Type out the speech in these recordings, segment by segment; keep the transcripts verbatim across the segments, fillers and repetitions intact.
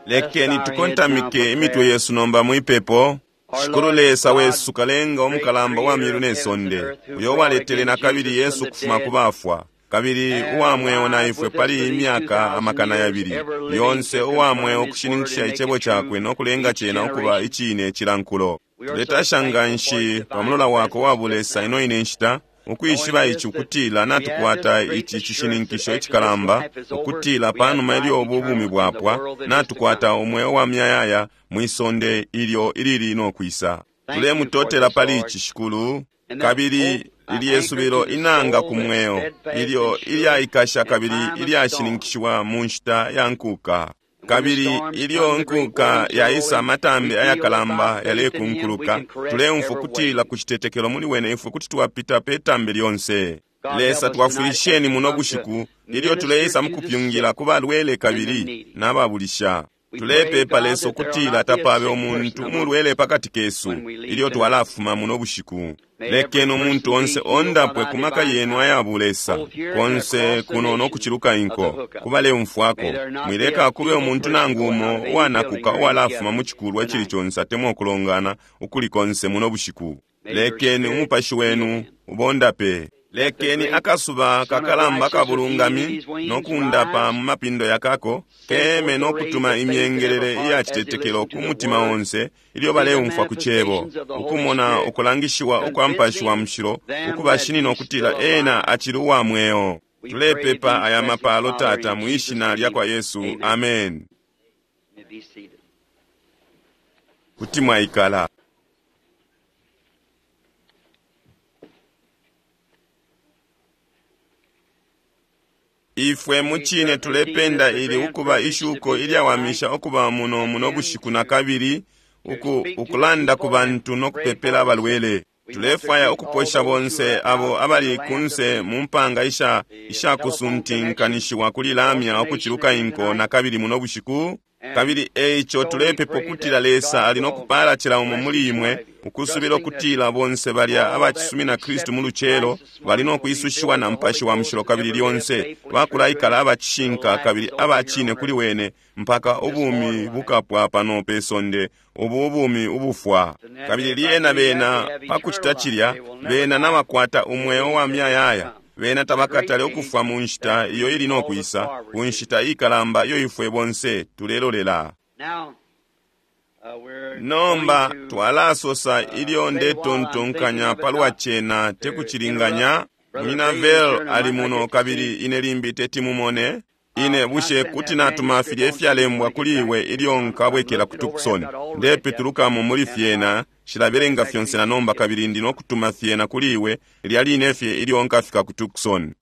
Lekeni tukontamike imitwe yesu nomba mwipepo. Shikulu Lesa wesu, kalenga umukalamba wa myulu ne sonde, uyo waletele na kabili Yesu kufuma ku bafwa, kabili uwa mweo na ifwe pali imyaka amakana yabili, yonse uwa mweo kushininkisha icebo cakwe no kulenga cena ukuba icine cilankulo. Tuletasha nganshi pa mulola wako wa bulesa ino ine nshita, ukwishiba ici ukutila natukwata ici cishininkisho icikalamba, ukutila panuma ilyo ubu bumi bwapwa natukwata umweo wa myayaya mwisonde ilyo ilili no kwisa. Tulemutotela pali ici, Shikulu, kabili lilye subilo inanga ku mweo ilyo ilyaikasha kabili ilyashininkishiwa mu nshita ya nkuka. Kabili ilyo nkuka yaisa, amatambi ayakalamba yalekunkuluka, tuleumfwa kutila ku citetekelo muli wene ifwe kuti twapita pe tambi lyonse. Lesa, twafwilisheni muno bushiku ilyo tuleisa mukupyungila ku balwele kabili n'ababulisha. Tulepepa, Lesa, ukutila tapabe umuntu umulwele pakati kesu ilyo twalafuma muno bushiku. Lekeni umuntu onse ondapwe ku maka yenu aya bulesa, konse kuno no kuciluka inko kubaleumfwako. Mwileka kube umuntu nangu umo uwanakuka uwalafuma mu cikulwa icili conse atemwa ukulongana ukuli konse muno bushiku. Lekeni umupashi wenu ubondape. Lekeni akasuba kakalamba kabulungami no kundapa mu mapindo yakako keme no kutuma imyengelele iya citetekelo ku mutima onse ilyo baleumfwa ku cebo, ukumona ukulangishiwa ukwa Mupashi wa Mushilo ukubashinina ukutila ena acili uwa mweo. Tulepepa aya mapalo, Tata, mu ishina lya kwa Yesu. Amen. Kuti mwaikala. Ifwe mucine tulependa ili ukuba ishuko ilyawamisha ukuba muno muno bushiku na kabili uku, ukulanda ku bantu no kupepela abalwele. Tulefwaya ukuposha bonse abo abali kunse mu mpanga isha ishakusuntinkanishiwa kuli lamya ukuciluka inko na kabili muno bushiku. Kabili eico tulepepa ukutila Lesa ali no kupala cila umo muli imwe, ukusubila ukutila bonse balya abacisumina Kristu mu lucelo bali no kwisushiwa na Mupashi wa Mushilo kabili lyonse bakulaikala abacishinka kabili abacine kuli wene mpaka ubumi bukapwa pano pe sonde, ubu ubumi ubufwa. Kabili lyena bena pakucita cilya, bena nabakwata umweo wa myayaya. Bena tabakatale ukufwa mu nshita iyo ili no kwisa, ku nshita ikalamba iyo ifwe bonse tulelolela. Nomba twalasosa ilyo ndetontonkanya palwa cena tekucilinganya. Munyina Vel ali muno kabili ine limbi teti mumone. Ine bushe kuti natuma filya ifyalembwa kuli iwe ilyo nkabwekela ku Tucson. Ndepitulukamo muli fyena, shilabelenga fyonse na nomba kabili ndi no kutuma fyena kuli iwe lilya line fye ilyo nkafika ku Tucson.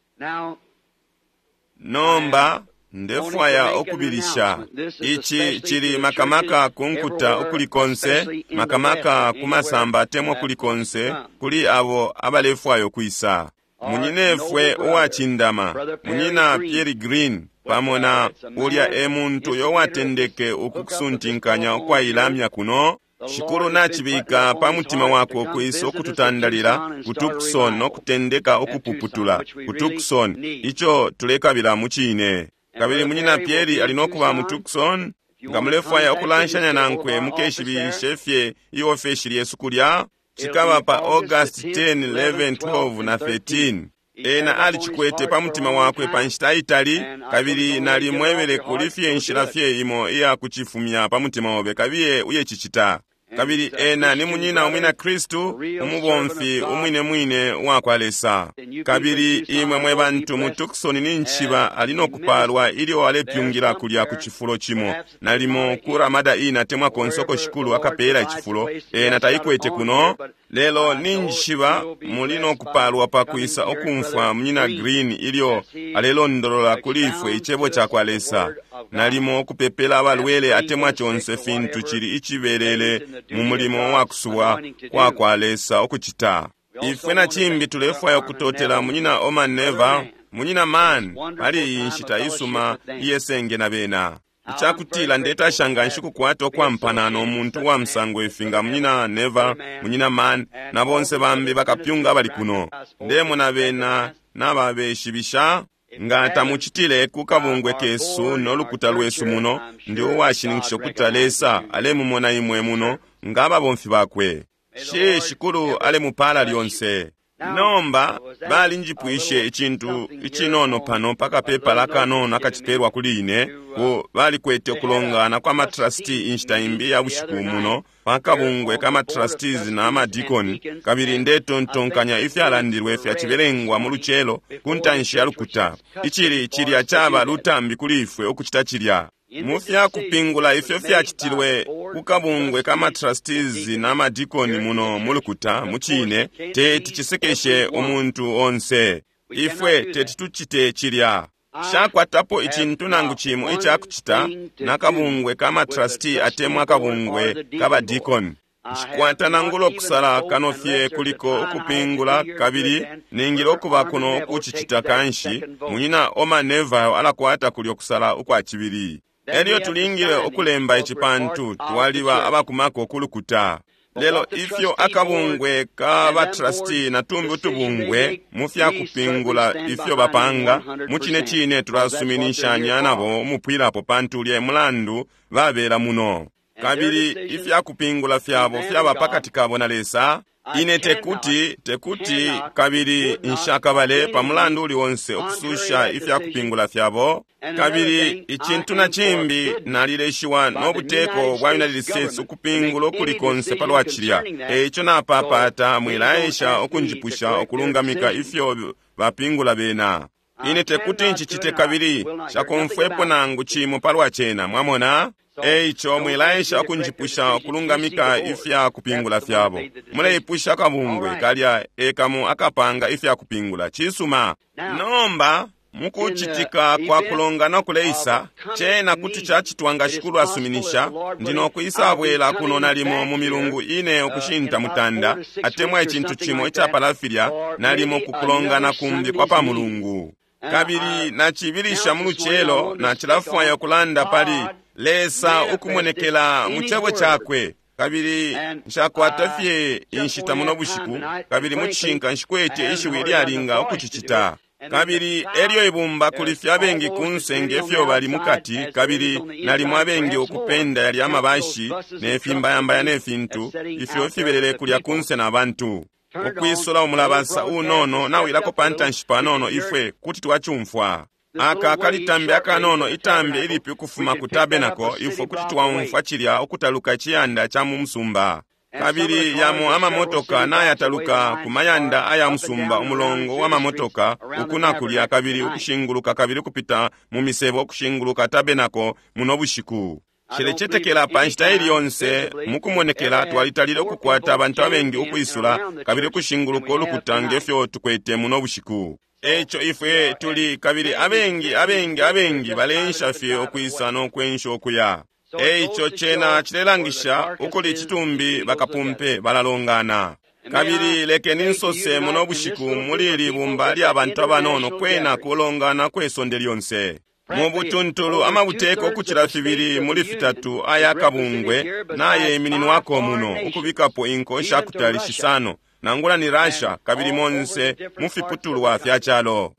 Nomba ndefwaya ukubilisha ici cili makamaka ku nkuta ukuli konse, makamaka ku masamba atemwa kuli konse, kuli abo abalefwaya ukwisa. Munyinefwe uwacindama, Munyina Pierre Green, pamo na ulya e muntu uyo watendeke ukukusuntinkanya ukwailamya kuno. Shikulu nacibika pa mutima wakwe ukwisa ukututandalila ku Tucson no kutendeka ukupuputula ku Tucson, ico tulekabila mu cine. Kabili Munyina Pierre ali no kuba mu Tucson. Nga mulefwaya ukulanshanya nankwe, mukeshibishe fye iofeshi lyesu kulya. Cikaba pa August ten, eleven, twelve na thirteen. Ena alicikwete pa mutima wakwe pa nshita itali, kabili nalimwebele kuli fye nshila fye imo iya kucifumya pa mutima obe, kabiye uyecicita. Kabili ena ni munyina umwina Kristu, umubomfi umwine mwine uwa kwa Lesa. Kabili imwe mwe bantu mu Tucson ni nshiba ali no kupalwa ilyo alepyungila kulya ku cifulo cimo, nalimo ku Ramada Inn atemwa konse uko Shikulu akapeela icifulo. Ena taikwete kuno, lelo ni nshiba muli no kupalwa pa kwisa ukumfwa Munyina Green ilyo alelondolola kuli ifwe icebo ca kwa Lesa, nalimo ukupepela abalwele atemwa conse fintu cili icibelele mu mulimo wa kusubwa kwa kwa Lesa ukucita. Ifwe na cimbi tulefwaya ukutotela Munyina Oman Neva, Munyina Man, pali iyi nshita isuma iyesenge na bena. Icakutila ndetasha nganshi kukwata ukwampana no muntu wa musango ifi nga Munyina Neva, Munyina Man, na bonse bambi bakapyunga abali kuno. Ndemona bena nababeshibisha. Nga tamucitile ku kabungwe kesu no lukuta lwesu muno, ndi uwashininkisha ukuti Lesa alemumona imwe muno nga ababomfi bakwe. Shi Shikulu alemupala lyonse. Nomba balinjipwishe icintu icinono pano pakapepala kanono akacipelwa kuli ine, ku balikwete ukulongana kwa matrustee inshita imbi ya bushiku muno pakabungwe ka matrustees na amadikoni, kabili ndetontonkanya ifyalandilwe fyacibelengwa mu lucelo ku ntanshi ya lukuta. Icili cilya caba lutambi kuli ifwe ukucita cilya. Mu fyakupingula ifyo fyacitilwe ku kabungwe ka matrustees na madikoni muno mu lukuta, mu cine teti cisekeshe umuntu onse. Ifwe teti tucite cilya. Shakwatapo icintu nangu cimo icakucita na kabungwe ka matrustee atemwa akabungwe ka badikoni. Nshikwata nangula ukusala kano fye kuliko ukupingula, kabili ningile ukuba kuno ukucicita kanshi. Munyina Orman Neville alakwata kulyo kusala ukwa cibili. Elyo tulingile ukulemba ici pantu twaliba abakumako ku lukuta. Lelo ifyo akabungwe ka batrustee na tumbi utubungwe mu fyakupingula ifyo bapanga, mu cine cine tulasuminishanya nabo umupwilapo pantu ulya mulandu babela muno. Kabili ifyakupingula fyabo fyaba pakati kabo na Lesa. Ine tekuti tekuti kabili nshakabale pa mulandu uli onse ukususha ifyakupingula fyabo. Kabili icintu na cimbi, nalileshiwa no buteko bwa United States ukupingula ukuli konse palwa cilya. Eico napapata mwilaesha ukunjipusha ukulungamika ifyo bapingula bena. Ine tekuti ncicite kabili shakomfwepo nangu cimo palwa cena, mwamona? Eico mwilaesha ukunjipusha ukulungamika ifya kupingula fyabo. Muleipusha akabungwe kalya ekamo akapanga ifya kupingula. Cisuma. Nomba mukucitika kwa kulongana kuleisa, cena kuti cacitwa nga Shikulu asuminisha, ndi nokwisa bwela kuno nalimo mu milungu ine ukushinta mutanda, atemwa icintu cimo icapala filya, nalimo kukulongana kumbi kwa pa mulungu. Kabili nacibilisha mu lucelo, nacilafwaya ukulanda pali Lesa ukumonekela mu cebo cakwe. Kabili nshakwata fye inshita muno bushiku, kabili mu cishinka nshikwete ishiwi lyalinga ukucicita. Kabili elyo ibumba kuli fye abengi kunse ngefyo bali mukati, kabili nalimo abengi ukupenda yalya amabashi ne fimbayambaya ne fintu ifyo fibelele kulya kunse na bantu. Ukwisula umulabasa unono nawilako pa ntanshi panono, ifwe kuti twacumfwa. Aka kalitambi akanono, itambi ilipi ukufuma ku tabernacle, ifwe kuti twaumfwa cilya ukutaluka iciyanda ca mu musumba. Kabili yamo amamotoka nayataluka ku mayanda aya musumba, umulongo wa mamotoka uku na kulya, kabili ukushinguluka kabili kupita mu misebo ukushinguluka tabernacle muno bushiku. Nshilecetekela pa nshita ili yonse mukumonekela twalitalile ukukwata abantu abengi ukwisula kabili ukushinguluka ulukuta ngefyo tukwete muno bushiku. Eico ifwe tuli kabili abengi abengi abengi baleensha fye ukwisa no kwensha ukuya. Eico cena cilelangisha ukuli icitumbi bakapumpe balalongana. Kabili lekeni nsose muno bushiku muli ili bumba lya bantu abanono kwena kulongana kwe sonde lyonse. Mu butuntulu amabuteko ukucila fibili muli fitatu aya kabungwe nayemininwako muno, ukubikapo inko ishakutali shisano, nangula ni Russia, kabili monse mu fiputulwa fya calo.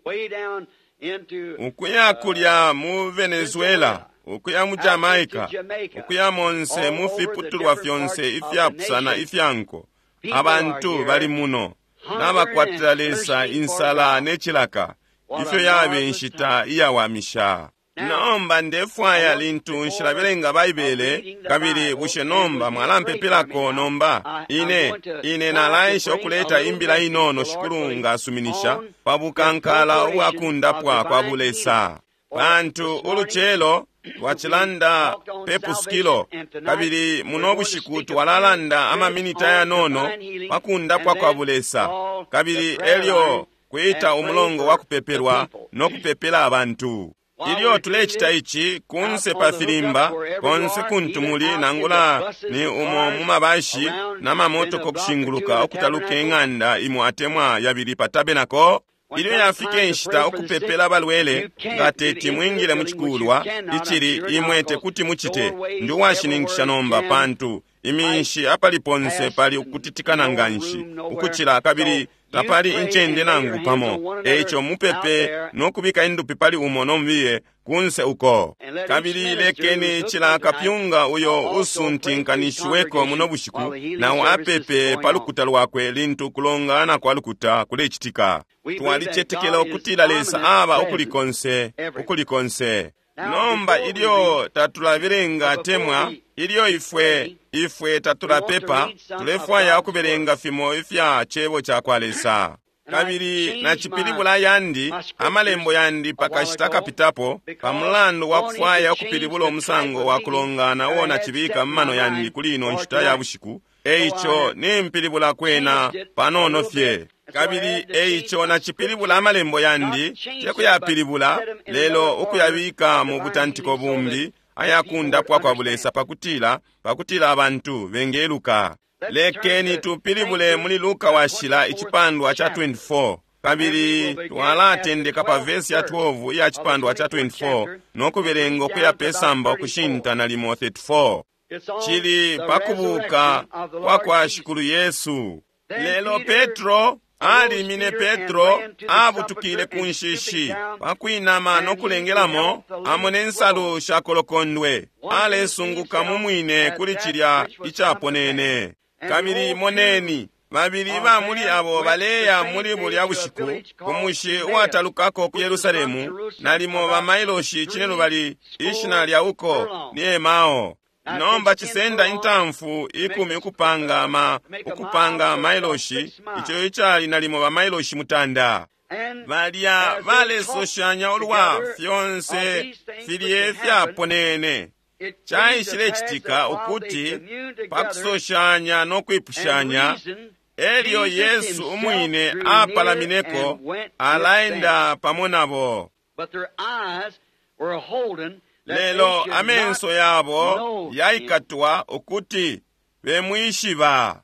Ukuya kulya mu Venezuela, ukuya mu Jamaica, ukuya monse mu fiputulwa fyonse ifyapusana ifya nko. Abantu bali muno nabakwatila Lesa insala ne cilaka, ifyo yabe inshita iyawamisha. Nomba ndefwaya lintu nshilabelenga Baibele, kabili bushe nomba mwalampepelako nomba? Ine, ine nalaesha ukuleta imbila inono Shikulu nga asuminisha pa bukankala ubwakundapwa kwa bulesa. Pantu ulucelo twacilanda pe pusukilo, kabili muno bushiku twalalanda amaminita yanono pa kundapwa kwa bulesa, kabili elyo kuita umulongo wa kupepelwa no kupepela abantu. Ilyo tulecita ici kunse pa filimba, konse kuntu muli nangula ni umo mu mabashi na mamotoka okushinguluka okutaluka ing'anda imo atemwa yabili pa tabernacle. Ilyo yafika inshita ukupepela abalwele, nga teti mwingile mu cikulwa icili imwe tekuti mucite. Ndi uwashininkisha nomba, pantu iminshi apali ponse pali ukutitikana nganshi ukucila, kabili Tapali incende nangu pamo. Eico mupepe no kubika indupi pali umo nombiye kunse uko. Kabili lekeni cila kapyunga uyo usuntinkanishiweko muno bushiku nawo apepe pa lukuta lwakwe lintu kulongana kwa lukuta kulecitika. Twalicetekela ukutila Lesa aba ukuli konse, ukuli konse. Nomba ilyo tatulabelenga temwa, ilyo ifwe ifwe tatulapepa, tulefwaya ukubelenga fimo ifya cebo ca kwa Lesa. Kabili nacipilibula yandi amalembo yandi pakashita kapitapo pamulandu wa kufwaya ukupilibula umusango wa kulongana uo nacibika mu mano yandi kuli ino nshita ya bushiku. Eico nimpilibula kwena panono fye. Kabili eico nacipilibula amalembo yandi, tekuyapilibula, lelo ukuyabika mu butantiko bumbi ayakundapwa kwa bulesa pakutila pakutila abantu bengeluka. Lekeni tupilibule muli Luka washila icipandwa cha twenty-four, kabili twalatendeka pa vesi ya twelve iya cipandwa cha twenty-four no kubelenga ukuya pesamba ukushinta nalimo thirty-four. Chili pakubuka kwa kwa Shikulu Yesu. Lelo Petro alimine Petro abutukile ku nshishi pakwinama no kulengelamo amone nsalu shakolokondwe, alesunguka mu mwine kuli cilya icaponene. Kabili moneni, babili ba muli abo baleya muli bulya bushiku ku mushi uwatalukako ku Yerusalemu, nalimo bamailoshi cinelubali, ishina lya uko ni Emao. Nomba cisenda intamfu ikumi ukupanga ma ukupanga mailoshi, ico icali nalimo ba mailoshi mutanda. Balya balesoshanya ulwa fyonse filye fyaponene. Caishilecitika ukuti pakusoshanya no kwipushanya, elyo Yesu umwine apalamineko alaenda pamo nabo. Lelo amenso yabo yaikatwa ukuti bemwishiba.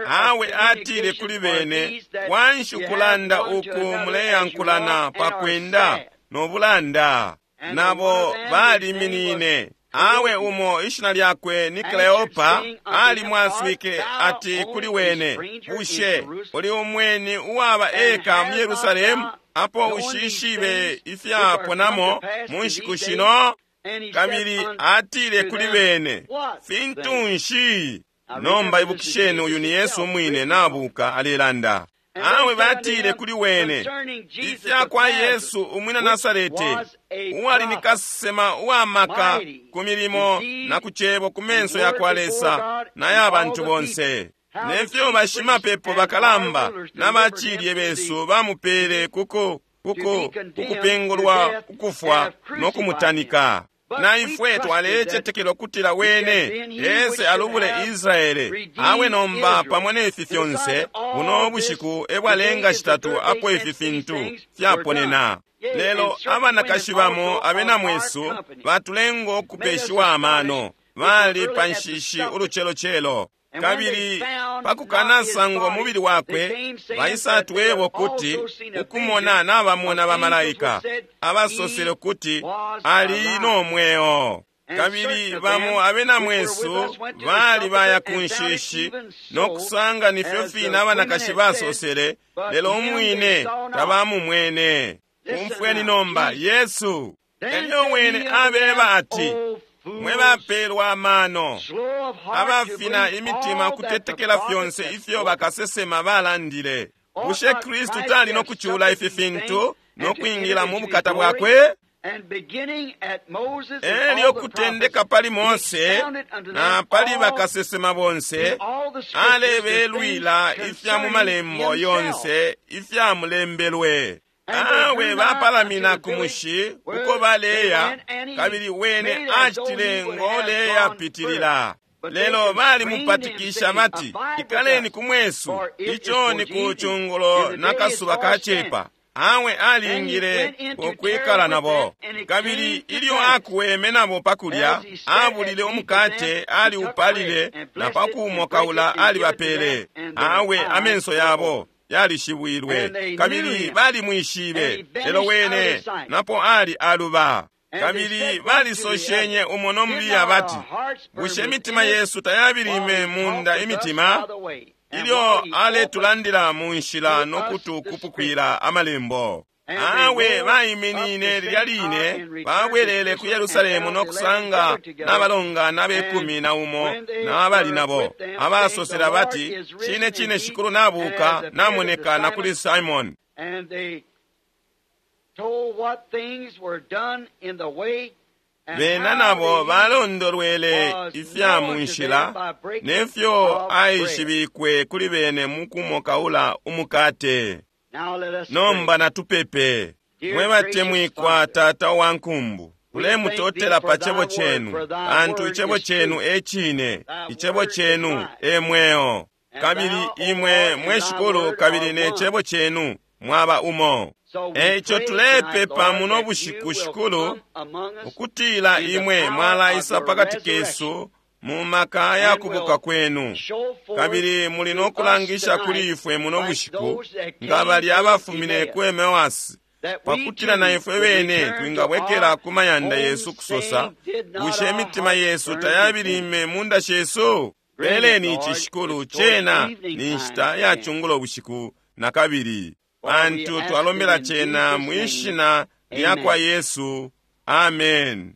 Awe atile kuli bene, kwanshi ukulanda uku muleyankulana pakwenda no bulanda? Nabo baliminine. Awe umo ishina lyakwe ni Kleopa alimwaswike ati kuli wene, bushe uli umweni uwaba eka mu Yerusalemu apo ushishibe ifyaponamo mu nshiku shino? Kabili atile kuli bene, fintu nshi? Nomba ibukisheni, uyu ni Yesu umwine nabuka alelanda. Awe batile kuli wene, ifya kwa Yesu umwina Nasarete, uwali ni kasema uwamaka ku milimo na ku cebo ku menso ya kwa Lesa na ya bantu bonse. Nefyo bashimapepo bakalamba na bacilye besu bamupele kuku kuku kukupingulwa ukufwa no kumutanika. Na ifwe twalecetekela ukutila wene ese alubule Israele. Awe nomba pamo nefi fyonse, buno bushiku ebwalenga shitatu apo ifi fintu fyaponena. Lelo abanakashi bamo abena mwesu batulenga ukupeshiwa amano, bali pa nshishi ulucelocelo. Kabili pakukanasangwa umubili wakwe, baisatwebo kuti ukumona nabamona bamalaika abasosele kuti ali no mweo. Kabili bamo abena mwesu bali baya ku nshishi no kusanga nifyo fine abanakashi basosele, lelo umwine tabamumwene. Umfweni nomba Yesu elyo wene abeba ati, mwe bapelwa amano, abafina imitima kutetekela fyonse ifyo bakasesema balandile. Bushe Kristu tali no kucula ifi fintu no kwingila mu bukata bwakwe? Elyo kutendeka pali Mose na pali bakasesema bonse, alebelwila ifya mu malembo yonse ifyamulembelwe. Awe bapalamina ku mushi uko baleya, kabili wene acitile ngoleya pitilila. Lelo balimupatikisha bati, ikaleni ku mwesu, ico ni ku chungulo na kasuba kacepa. Awe alingile ukwikala nabo. Kabili ilyo akuweme nabo pakulya, abulile umukate, aliupalile, na pakuumokaula alibapele. Awe amenso yabo yalishibwilwe, kabili balimwishibe, lelo wene napo ali aluba. Kabili balisoshenye umo no mubiya bati, bushe imitima yesu tayabilime munda imitima Ilyo aletulandila mu nshila no kutukupukwila amalembo. Awe baiminine lilya line babwelele ku Yerusalemu no kusanga n'abalongana abekumi na umo n'abali nabo abasosela bati, cine cine Shikulu nabuka namoneka na kuli Simoni. Bena nabo balondolwele ifya mu nshila nefyo aishibikwe kuli bene mu kumokaula umukate. Nomba natupepe. Mwe batemwikwa Tata wa nkumbu, tulemutotela pa cebo chenu, pantu icebo chenu e cine, icebo chenu e mweo. Kabili imwe mwe Shikulu kabili ne cebo chenu mwaba umo. Eico tulepepa muno bushiku Shikulu, ukutila imwe mwalaisa pakati kesu mu maka ya kubuka kwenu, kabili muli no kulangisha kuli ifwe muno bushiku nga bali abafumine ku Emewasi, pakutila na ifwe bene twingabwekela ku mayanda yesu kusosa, bushe imitima yesu tayabilime munda shesu? Peleni ici Shikulu, cena ni nshita ya chungulo bushiku na kabili, pantu twalombela cena mwishina lya kwa Yesu. Amen.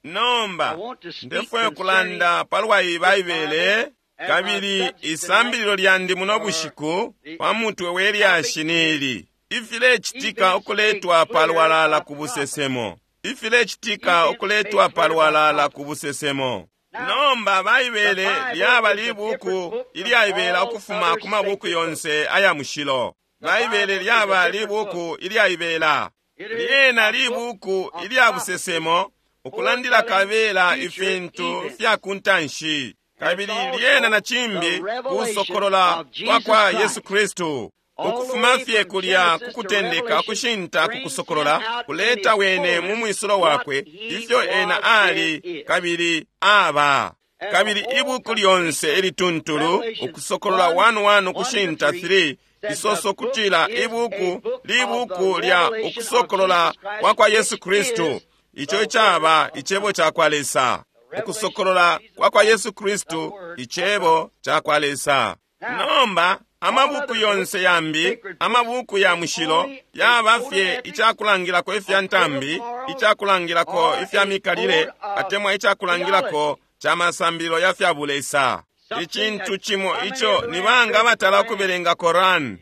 Nomba ndefwayo kulanda palwa iyi Baibele, kabili isambililo lyandi muno bushiku pa mutwe we lyashi nili ifilecitika ukuletwa palwalala ku busesemo. Ifilecitika ukuletwa palwalala ku busesemo. Nomba Baibele lyaba libuku ilyaibela ukufuma ku mabuku yonse aya mushilo. Baibele lyaba libuku ilyaibela. Lyena libuku ilya busesemo, ukulandila kabela ifintu fya kuntanshi, kabili lyena na cimbi kusokolola kwa kwa Yesu Kristu. Ukufuma fye kulya kukutendeka kushinta kukusokolola, kuleta wene mu mwisulo wakwe ifyo ena ali kabili aba. Kabili ibuku lyonse ilituntulu, Ukusokolola one one kushinta three, isoso kutila ibuku libuku lya ukusokolola kwa kwa Yesu Kristu, ico icaba icebo ca kwa Lesa. Ukusokolola kwa kwa Yesu Kristu, icebo ca kwa Lesa. Nomba amabuku yonse yambi, amabuku ya mushilo, yaba fye icakulangilako ifya ntambi, icakulangilako ifya mikalile, atemwa icakulangilako ca masambililo ya fya bulesa. Icintu cimo ico ni banga abatala ukubelenga Koran,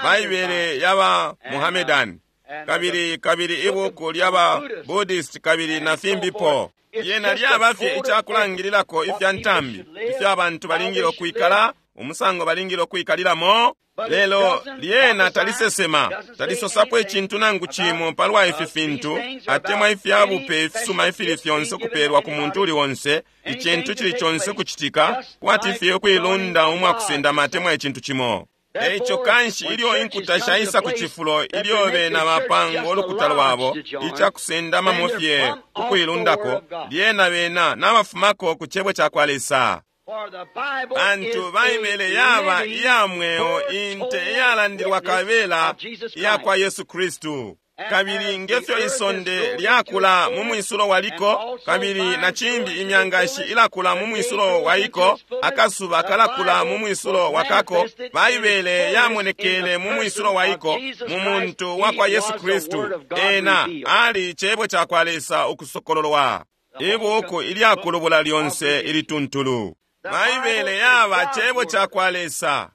Baibele yaba Muhammedan, kabili kabili ibuku lyaba Buddhist kabili na fimbipo. Lyena lyaba fye icakulangililako ifya ntambi, ifya bantu balingile ukwikala, umusango balingile ukwikalilamo. Lelo lyena talisesema, talisosapo icintu nangu cimo palwa ifi fintu, atemwa ifya bupe ifisuma ifili fyonse kupelwa ku muntu uli onse, icintu cili conse kucitika, kwati fye ukuilunda umwakusendama atemwa icintu cimo. Eico kanshi ilyo inkuta shaisa ku cifulo ilyo bena bapanga ulukuta lwabo icakusendamamo fye ukuilundako, lyena bena nabafumako ku cebo ca kwa Lesa. Pantu Baibele yaba iya mweo, inte iyalandilwa kabela iya kwa Yesu Kristu. Kabili ngefyo isonde lyakula mu mwisulo waliko, kabili na cimbi imyangashi ilakula mu mwisulo waiko, akasuba kalakula mu mwisulo wakako, Baibele yamonekele mu mwisulo waiko mu muntu wa kwa Yesu Kristu. Ena ali cebo ca kwa Lesa ukusokololwa, ibuku ilyakulubula lyonse ilituntulu. Baibele yaba cebo ca kwa Lesa,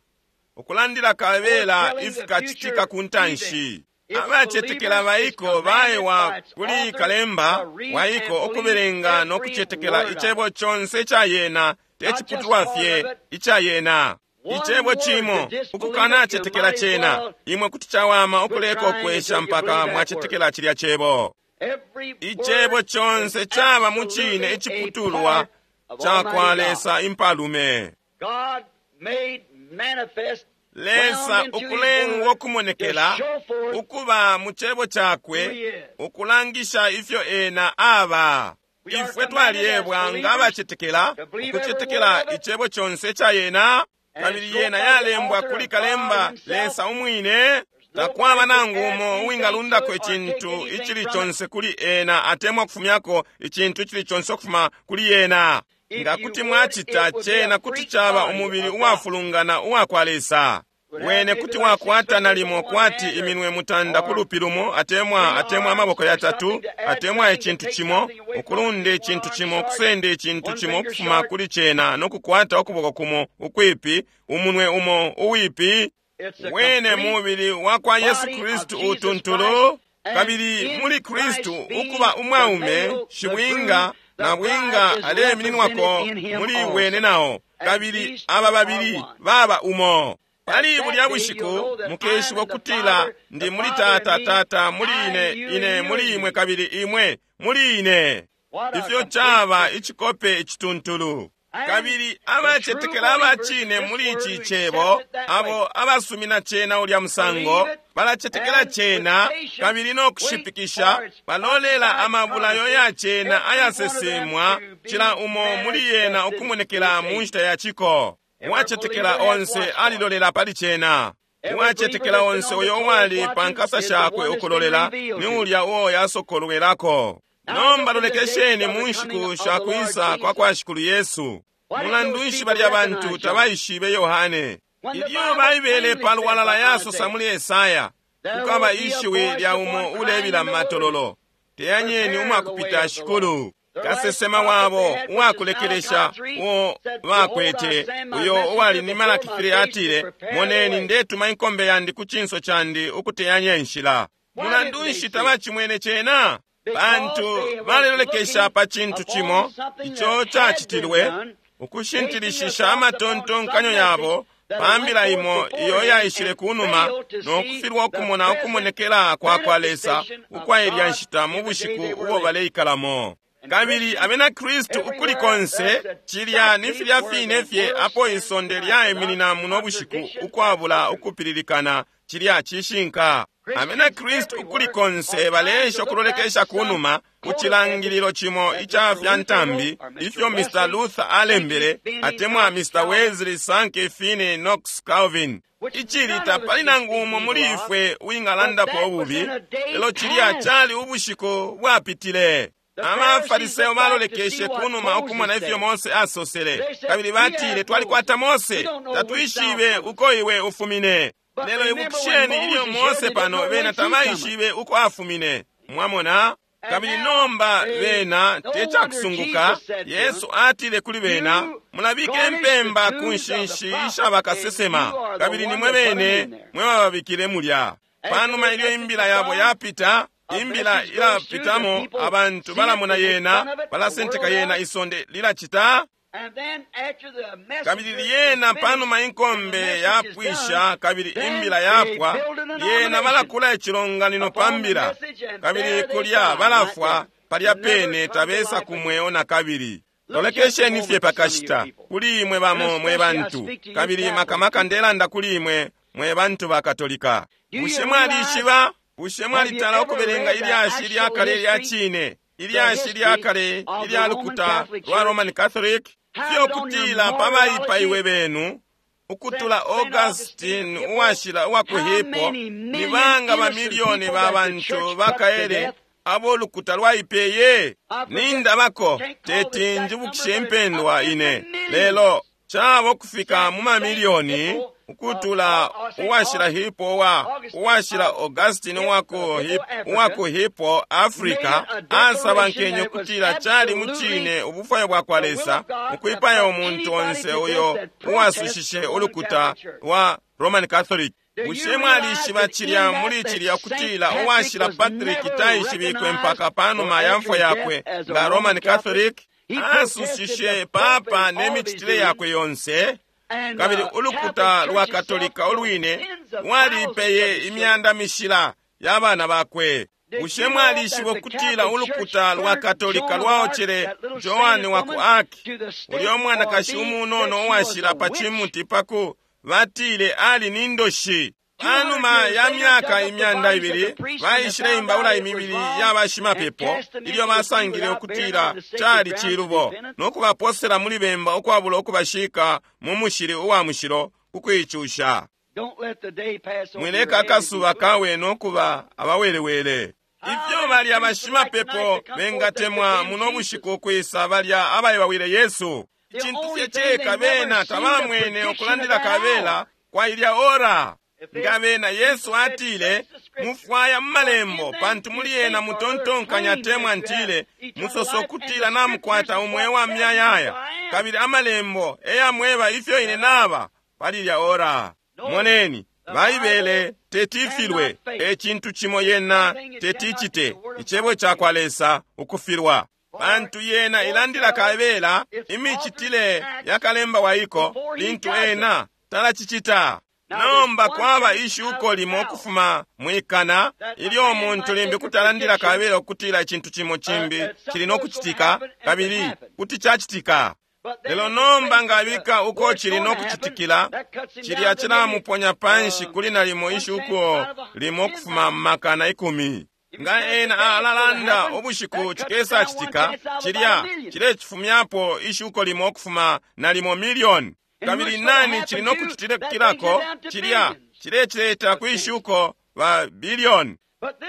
ukulandila kabela ifikacitika ku ntanshi. Abacetekela baiko baewa kuli kalemba waiko ukubelenga no kucetekela icebo conse ca yena, te ciputulwa fye ica yena. Icebo cimo ukukanacetekela cena, imwe kuti cawama ukuleka ukwesha mpaka mwacetekela cilya cebo. Icebo conse caba mu cine iciputulwa ca kwa Lesa impalume. Lesa ukulengwa ukumonekela ukuba mu cebo cakwe, ukulangisha ifyo ena aba. Ifwe twaliebwa nga abacetekela ukucetekela icebo conse ca yena, kabili yena yalembwa kuli kalemba Lesa umwine. Takwaba nangu umo uwingalundako icintu icili conse kuli ena atemwa kufumyako icintu icili conse ukufuma kuli ena. Nga kuti mwacita cena, kuti caba umubili uwafulungana uwakwa Lesa. Wene kuti wakwata nalimo kwati iminwe mutanda ku lupi lumo, atemwa atemwa amaboko yatatu, atemwa icintu cimo, ukulunda icintu cimo, ukusenda icintu cimo ukufuma kuli cena, no kukwata ukuboko kumo ukwipi, umunwe umo uwipi. Wene mubili wa kwa Yesu Kristu utuntulu, kabili muli Kristu ukuba umwaume, shibwinga na bwinga aleimininwako muli wene nao, kabili aba babili baba umo. Pali bulya bushiku mukeshiba ukutila ndi muli Tata, Tata muli ine, ine muli imwe, kabili imwe muli ine. Ifyo caba icikope icituntulu! Kabili abacetekela abacine muli ici cebo, abo abasumina cena ulya musango, balacetekela cena kabili no kushipikisha, balolela amabulayo ya cena ayasesemwa, cila umo muli yena ukumonekela mu nshita ya ciko. Uwacetekela onse alilolela pali cena. Uwacetekela onse uyo uwali pa nkasa shakwe ukulolela ni ulya uo yasokolwelako. Nomba lolekesheni mu nshiku sha kwisa kwa kwa Shikulu Yesu. Mulandu nshi balya bantu tabaishibe Yohane? Ilyo Baibele pa lwalala yasosa muli Esaya, kukaba ishiwi lya umo ulebila matololo, teyanyeni umwakupita Shikulu. Kasesema wabo uwakulekelesha uo bakwete, uyo uwali ni Malaki three, atile, moneni ndetuma inkombe yandi ku cinso candi ukuteyanya inshila. Mulandu nshi tabacimwene cena? Pantu balelolekesha pa cintu cimo ico cacitilwe, ukushintilishisha amatontonkanyo yabo pa mbila imo iyo yaishile kunuma, no kufilwa ukumona ukumonekela kwa kwa Lesa ukwa ilya nshita mu bushiku ubo baleikalamo. Kabili abena Kristu ukuli konse, cilya ni filya fine fye apo isonde lyaiminina muno bushiku ukwabula ukupililikana, cilya cishinka. Abena Kristu ukuli konse baleesha ukulolekesha kunuma ku cilangililo cimo ica fya ntambi ifyo Mister Luther alembele, atemwa Mister Wesley, Sankey, Finney, Knox, Calvin. Icili tapali nangu umo muli ifwe uwingalandapo ububi, lelo cilya cali ubushiku bwapitile. Abafariseo balolekeshe kunuma ukumona ifyo Mose asosele, kabili batile, twalikwata Mose, tatwishibe uko iwe ufumine. Lelo ibukisheni ilyo Mose pano, bena tabaishibe uko afumine. Mwamona? Kabili nomba bena tecakusunguka, Yesu atile kuli bena, mulabike impemba ku nshinshi isha bakasesema, kabili nimwe bene mwe bababikile mulya. Panuma ilyo imbila yabo yapita, imbila ilapitamo, abantu balamona yena, balasenteka yena, isonde lilacita. Kabili lyena panuma inkombe yapwisha kabili imbila yapwa, lyena balakula icilonganino pa mbila, kabili kulya balafwa palya pene, tabesa kumweo na kabili. Lolekesheni fye pakashita kuli imwe bamo mwe bantu, kabili makamaka ndelanda kuli imwe mwe bantu ba Katolika. Bushe mwalishiba? Bushe mwalitala ukubelenga ilyashi lya kale lya cine, ilyashi lya kale ilya lukuta lwa Roman Catholic? Fyo kutila pa baipaiwe benu ukutula Augustine uwashila uwa ku Hippo, ni banga bamilioni ba bantu bakaele abo lukuta lwaipeye? Nindabako teti njibukishe impendwa ine, lelo cabo kufika mu mamilioni ukutula uwashila Hippo wa uwashila Augustine uwa ku Hippo Africa asabankenye ukutila cali mucine ubufwayo bwa kwa Lesa ukwipaya umuntu onse uyo uwasushishe ulukuta wa Roman Catholic. Bushe mwalishiba cilya muli cilya ukutila uwashila Patrick taishibikwe mpaka panuma ya mfwa yakwe nga Roman Catholic? Asushishe papa ne micitile yakwe yonse, kabili ulukuta lwa Katolika ulwine lwalipeye imyanda mishila ya bana bakwe. Bushe mwalishiba ukutila ulukuta lwa Katolika lwaocele Joan wa ku Arc, ulya mwanakashi umunono uwashila pa cimuti paku batile ali ni ndoshi? Panuma ya myaka imyanda ibili baishile imbaula imibili ya bashimapepo ilyo basangile ukutila cali cilubo, no kubaposela muli bemba ukwabula ukubashika mu mushili uwa mushilo kukuicusha. Mwileka akasuba kawe no kuba abawelewele. Ifyo balya bashimapepo bengatemwa muno bushiku ukwisa balya abaebawile Yesu. Icintu fye ceka bena tabamwene ukulandila kabela kwa ilya ora. Nga bena Yesu atile, mufwaya mu malembo, pantu muli yena mutontonkanya temwa ntile, musoso kutila namukwata umweo wa myayaya, kabili amalembo eyamweba ifyo ine naba pali ilya ora. Moneni, Baibele tetifilwe, e cintu cimo yena teticite, icebo ca kwa Lesa ukufilwa. Pantu yena ilandila kabela imicitile ya kalemba waiko lintu ena talacicita. Nomba kwaba ishuko limo ukufuma mwikana ilyo umuntu limbi kutalandila kabela ukutila icintu cimo cimbi cili no kucitika, kabili kuti cacitika. Lelo nomba ngabika uko cili no kucitikila, cilya cilamuponya panshi kuli nalimo ishuko limo ukufuma makana ikumi. Nga ena alalanda ubushiku cikesa citika, cilya cilecifumyapo ishuko limo ukufuma nalimo milioni. Kabili nani cili no kucitikilako, cilya cilecileta kwishuko ba bilioni.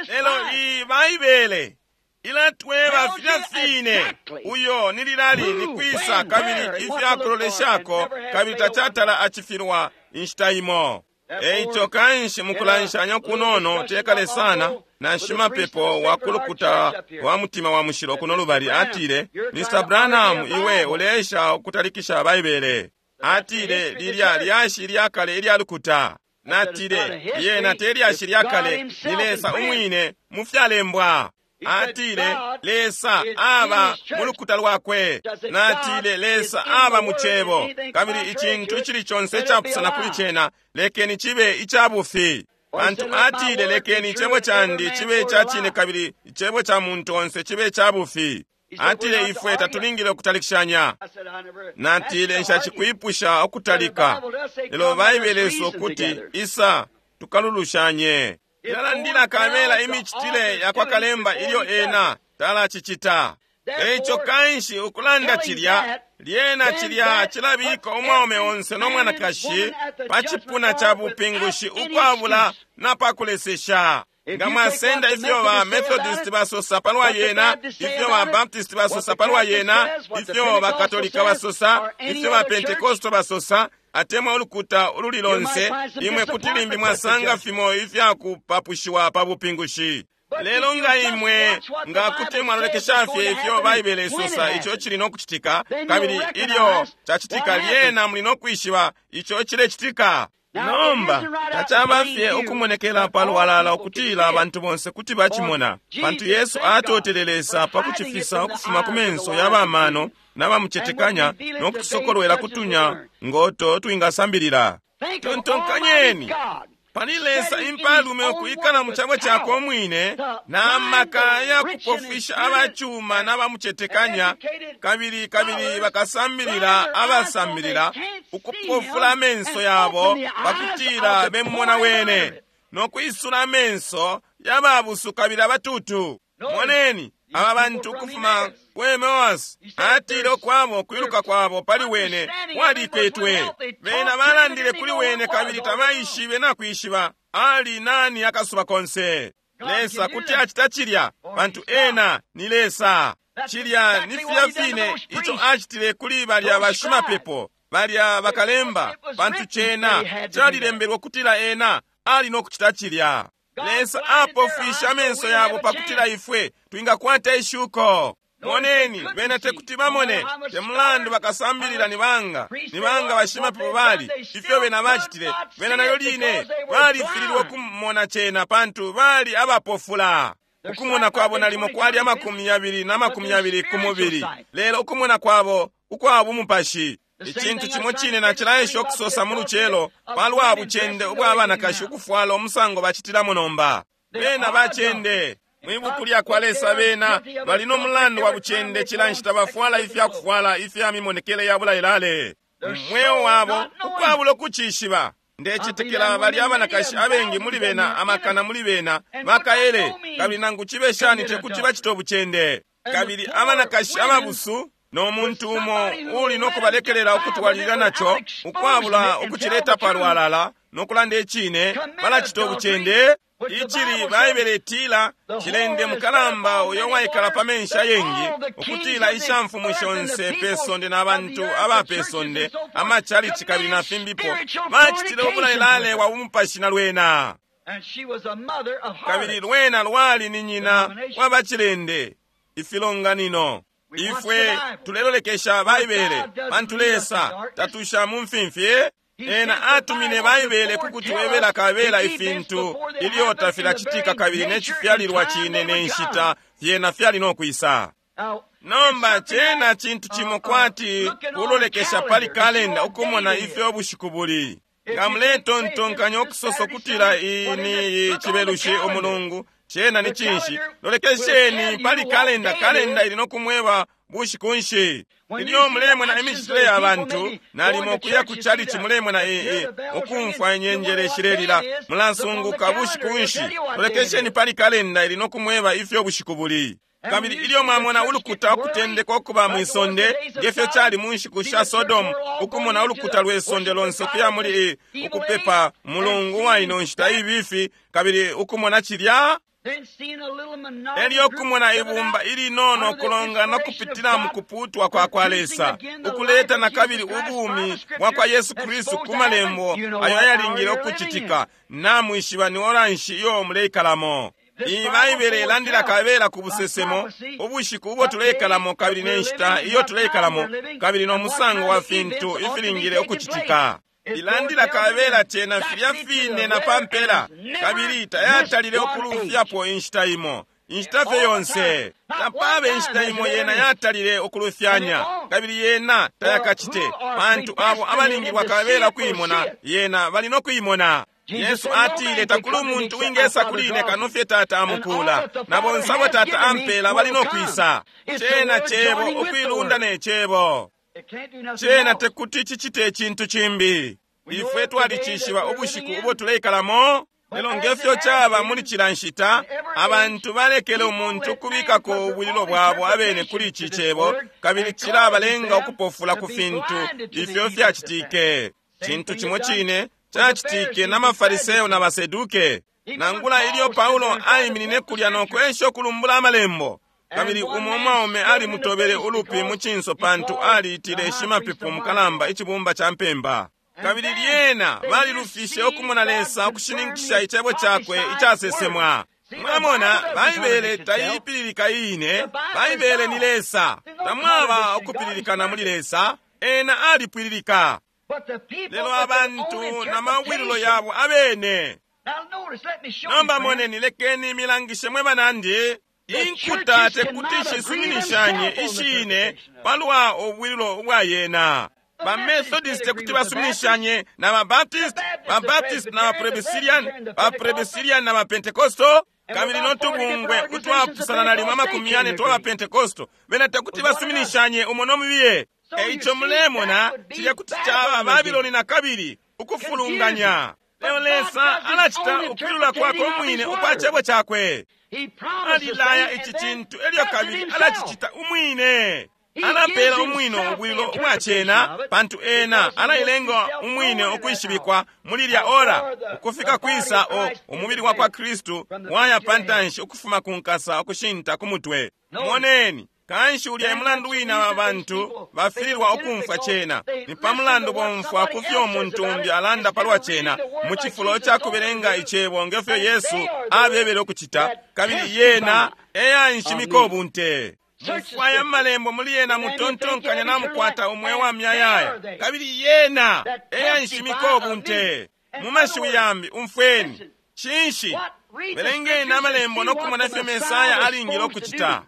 Lelo iyi Baibele ilatweba filya fine uyo ni lilali ni kwisa kabili ifyakuloleshako, kabili tacatala acifilwa inshita imo. Eico kanshi mukulanshanya kunono tekale sana na shimapepo wa kulukuta wa mutima wa mushilo kuno lubali atile, Mister Branham, iwe uleesha ukutalikisha Baibele. Atile, lilya lyashi lyakale ilya lukuta. Natile, yena te lyashi lyakale, ni Lesa umwine mu fyalembwa. Atile, Lesa aba mu lukuta lwakwe. Natile, Lesa aba mu cebo, kabili icintu icili conse icapusana kuli cena lekeni cibe icabufi. Pantu atile, lekeni icebo candi cibe ica cine kabili icebo ca muntu onse cibe icabufi. Atile, ifwe tatulingile ukutalikishanya. Natile, nshacikwipusha ukutalika, lelo Baibele isosa ukuti isa tukalulushanye. Ilalandila kabela imicitile ya kwa kalemba ilyo ena talacicita. Eico kanshi ukulanda cilya, lyena cilya cilabika umwaume onse no mwanakashi pa cipuna ca bupingushi ukwabula na pakulesesha. Nga mwasenda ifyo ba Methodist basosa palwa yena, ifyo ba Baptist basosa palwa yena, ifyo ba Katolika basosa, ifyo ba Pentecostal basosa, atemwa ulukuta ululi lonse, imwe kuti limbi mwasanga fimo ifyakupapushiwa pa bupingushi. Lelo nga imwe nga kuti mwalolekesha fye ifyo Baibele isosa ico cili no kucitika, kabili ilyo cacitika lyena muli no kwishiba ico cilecitika. Nomba tacaba fye ukumonekela palwalala ukutila abantu bonse kuti bacimona, pantu Yesu atotele Lesa pa kucifisa ukufuma ku menso ya bamano n'abamucetekanya no kutusokolwela kutunya ngoto twingasambilila. Tontonkanyeni pali Lesa impalume ukuikala mu cabo cakwe umwine na maka ya kupofwisha abacuma n'abamucetekanya, kabili kabili bakasambilila abasambilila ukupofula amenso yabo pakutila bemumona wene no kwisula amenso yababusu kabili abatutu. Moneni aba bantu ukufuma ku Emmaus, atile ukwabo kwiluka kwabo pali wene kwalikwetwe. Bena balandile kuli wene kabili tabaishibe na kwishiba ali nani akasuba konse. Lesa kuti acita cilya, pantu ena ni Lesa. Cilya ni filya fine ico acitile kuli balya bashimapepo, balya bakalemba, pantu cena calilembelwe kutila ena ali no kucita cilya. Lesa apofwisha amenso yabo pakutila ifwe twingakwata ishuko. Moneni, bena tekuti bamone, temulandu bakasambilila ni banga, ni banga bashimapepo bali, ifyo bena bacitile, bena nayo line balifililwe kumona cena pantu bali abapofula. Ukumona kwabo nalimo kwali amakumi yabili na makumi yabili ku mubili, lelo ukumona kwabo ukwa bumupashi. Icintu cimo cine nacilaesha ukusosa mu lucelo palwa bucende ubwa banakashi ukufwala umusango bacitilamo nomba. Bena bacende mwibuku lya kwa Lesa, bena bali no mulandu wa bucende cila nshita bafwala ifyakufwala ifya mimonekele ya bulailale mweo wabo ukwabula ukucishiba. Ndecetekela bali abanakashi abengi muli bena, amakana muli bena bakaele, kabili nangu cibe shani tekuti bacite ubucende. Kabili abanakashi ababusu no muntu umo uli no kubalekelela ukutwalilila naco ukwabula ukucileta palwalala no kulanda icine balacita ubucende? Icili Baibele itila cilende mukalamba uyo waikala pa menshi ayengi, ukutila ishamfumu shonse pe sonde na bantu aba pe sonde, amachalichi kabili na fimbipo, bacitile ubulalelale wa bumupashi na lwena. Kabili lwena lwali ni nyina wa bacilende, ifilonganino. Ifwe tulelolekesha Baibele, pantu Lesa tatusha mu mfimfi. Ena atumine Baibele kukutwebela kabela ifintu ilyo tafilacitika kabili ne cifyalilwa cine ne nshita fyena fyali no kwisa. Nomba cena cintu cimo kwati kulolekesha pali kalenda ukumona ifyo bushiku buli. Nga muletontonkanya ukusosa ukutila iyi ni cibelushi umulungu, cena ni cinshi? Lolekesheni pali kalenda, kalenda ili no kumweba bushiku nshi. Ilyo mulemona imicitile ya bantu, nalimo kuya ku chalichi mulemona ee ukumfwa inyenjele shilelila, mulasunguka bushiku nshi. Lolekesheni pali kalenda ili no kumweba ifyo bushiku buli. Kabili ilyo mwamona ulukuta ukutendeka ukuba mwisonde, ngefyo cali mu nshiku sha Sodomu, ukumona ulukuta lwe sonde lonse ukuya muli ukupepa mulungu wa ino nshita ibifi, kabili ukumona cilya, elyo kumona ibumba ilinono kulongana kupitila mu kuputwa kwa kwa Lesa, ukuleta na kabili ubumi bwa kwa Yesu Kristu ku malembo ayo ayalingile ukucitika. Namwishiba ni ora nshi iyo muleikalamo. Iyi Baibele ilandila kabela ku busesemo, ubushiku ubo tuleikalamo kabili ne nshita iyo tuleikalamo, kabili no musango wa fintu ifilingile ukucitika. Ilandila kabela cena filya fine na pampela, kabili tayatalile ukulufyapo inshita imo. Inshita fye yonse tapabe inshita imo yena yatalile ukulufyanya, kabili yena tayakacite, pantu abo abalingilwa kabela kuimona yena bali no kuimona. Yesu atile takuli umuntu wingesa kuli ine kano fye Tata amukula, na bonse abo Tata ampela bali no kwisa. Cena cebo ukuilunda ne cebo. Cena tekuti cicite icintu cimbi. Ifwe twalicishiba ubushiku ubo tuleikalamo. Lelo ngefyo caba muli cila nshita, abantu balekele umuntu ukubikako ubwililo bwabo abene kuli ici cebo, kabili cilabalenga ukupofula ku fintu ifyo fyacitike. Cintu cimo cine cacitike na Mafariseo na Baseduke. Nangula ilyo Paulo aiminine kulya no kwesha ukulumbula amalembo, kabili umo mwaume alimutobele ulupi mu cinso pantu aliitile shimapepo mukalamba icibumba ca mpemba. Kabili lyena balilufishe ukumona Lesa ukushininkisha icebo cakwe icasesemwa. Mwamona, Baibele taipililika iine. Baibele ni Lesa. Tamwaba ukupililikana muli Lesa. Ena alipwililika. Lelo abantu na mawililo yabo abene. Nomba moneni, lekeni milangishe mwe banandi. Inkuta tekuti shisuminishanye ishine palwa ubwililo ubwa yena. Ba Methodist tekuti basuminishanye na ba Baptist, ba Baptist na ba Presbyterian, ba Presbyterian na ba Pentecostal, kabili notubungwe utwapusana na limwe amakumi yane twa ba Pentecostal, bena tekuti basuminishanye umo nomubiye. Eico mulemona cilya kuti caba Babiloni na kabili ukufulunganya. Lelo Lesa alacita ukwilula kwakwe umwine ukwa cebo cakwe. Alilaya ici cintu elyo kabili alacicita umwine. Alapela umwine ubwilo ubwa cena, pantu ena alailenga umwine ukwishibikwa muli lya ora, ukufika kwisa o umubili wa kwa Kristu waya pantanshi ukufuma ku nkasa ukushinta ku mutwe. Moneni, kanshi ulya emulandu wina wa bantu bafililwa ukumfwa cena. Ni pa mulandu bomfwa kufyo umuntu umbi alanda palwa cena, mu cifulo ca kubelenga icebo ngefyo Yesu abebele ukucita, kabili yena eyanshimika ubunte. Mufwaya malembo muli yena mutontonkanya na mukwata umweo wa myayaya, kabili yena eyanshimika ubunte. Mu mashiwi yambi, umfweni cinshi, belengeni amalembo no kumona ifyo Mesaya alingile ukucita.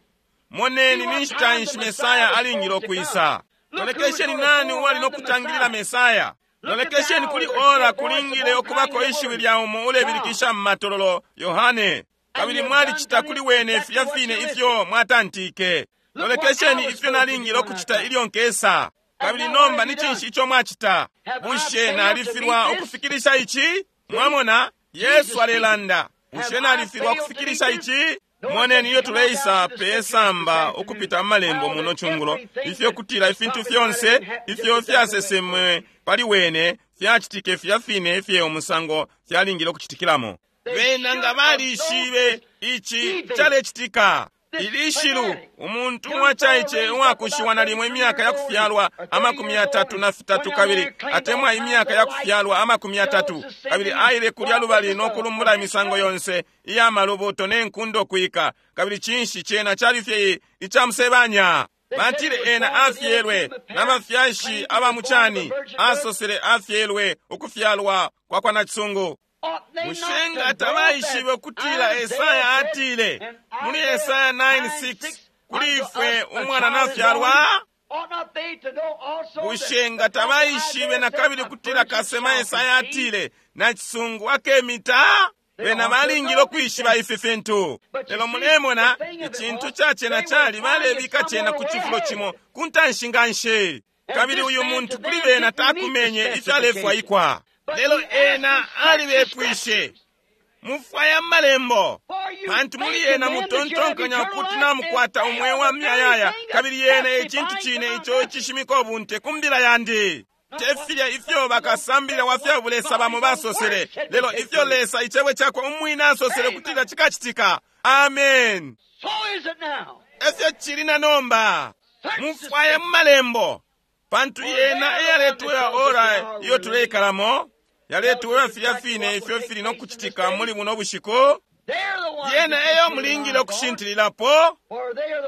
Moneni ni nshita nshi Mesaya alingile ukwisa. Lolekesheni nani uwali no kutangilila Mesaya. Lolekesheni kuli ora kulingile ukubako ishiwi lya umo ulebilikisha mu matololo, Yohane. Kabili mwalicita kuli wene filya fine ifyo mwatantike. Lolekesheni ifyo nalingile ukucita ilyo nkesa. Kabili nomba ni cinshi ico mwacita? Bushe nalifilwa ukufikilisha ici? Mwamona, Yesu alelanda. Bushe nalifilwa ukufikilisha ici? Moneni iyo tuleisa pe samba ukupita amalembo muno cungulo, ifyo kutila ifintu fyonse ifyo fyasesemwe pali wene fyacitike filya fine ifye umusango fyalingile ukucitikilamo. Bena nga balishibe ici calecitika. Ilishilu umuntu uwacaice uwakushiwa nalimo imyaka ya kufyalwa amakumi yatatu na fitatu kabili atemwa imyaka ya kufyalwa amakumi yatatu kabili aile kulya lubali no kulumbula imisango yonse iya malubuto ne nkundo kwika, kabili cinshi cena cali fye icamusebanya. Batile ena afyelwe n'abafyashi aba mucani, asosele afyelwe ukufyalwa kwa kwa nacisungu. Bushe nga tabaishibe ukutila Esaya atile muli Esaya nine six kuli ifwe umwana nafyalwa? Bushe nga tabaishibe na kabili kutila kasema Esaya atile nacisungu akemita? Bena balingile ukwishiba ifi fintu. Lelo mulemona icintu ca cena cali balebika cena ku cifulo cimo ku ntanshi nganshi, kabili uyu muntu kuli bena takumenye ifyalefwaikwa. Lelo ena alibepwishe, mufwaya malembo, pantu muli ena mutontonkanya ukuti namukwata umweo wa myayaya, kabili yena ecintu cine ico icishimika ubunte ku mbila yandi. Tefilya ifyo bakasambilila wa fya bulesa bamo basosele, lelo ifyo Lesa icebo cakwe umwine asosele kutila cikacitika. Amen. Efyo cili na nomba. Mufwaye malembo, pantu yena eyaletwela ora iyo tuleikalamo, yaletwela filya fine ifyo fili nokucitika muli buno bushiku. Yena eyo mulingile okushintililapo,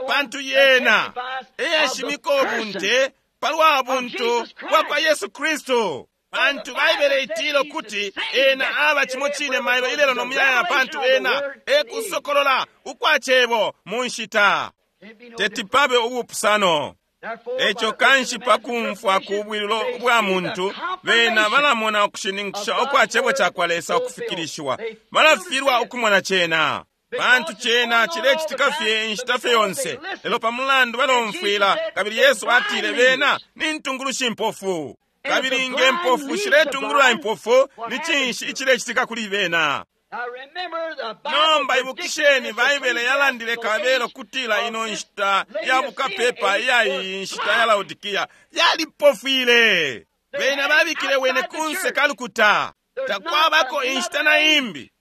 pantu yena eyashimika ubunte palwa buntu bwa kwa Yesu Kristu. Pantu Baibele itila ukuti ena aba cimo cine mailo ilelo no muyaya, pantu ena ekusokolola ukwa cebo mu nshita. Teti pabe ubupusano. Eco kanshi pakumfwa ku bwililo bwa muntu, bena balamona ukushininkisha ukwa cebo ca kwa Lesa ukufikilishiwa, balafilwa ukumona cena, pantu cena cilecitika fye inshita fye yonse. Lelo pa mulandu balomfwila, kabili Yesu atile bena ni ntungulushi impofu, kabili nge mpofu shiletungulula impofu, ni cinshi icilecitika kuli bena? Nomba ibukisheni, Baibele yalandile kabelo kutila ino nshita ya bukapepa iya iyi nshita ya Laodikia yalipofwile. Bena babikile wene kunse kalukuta. Takwabako inshita na imbi,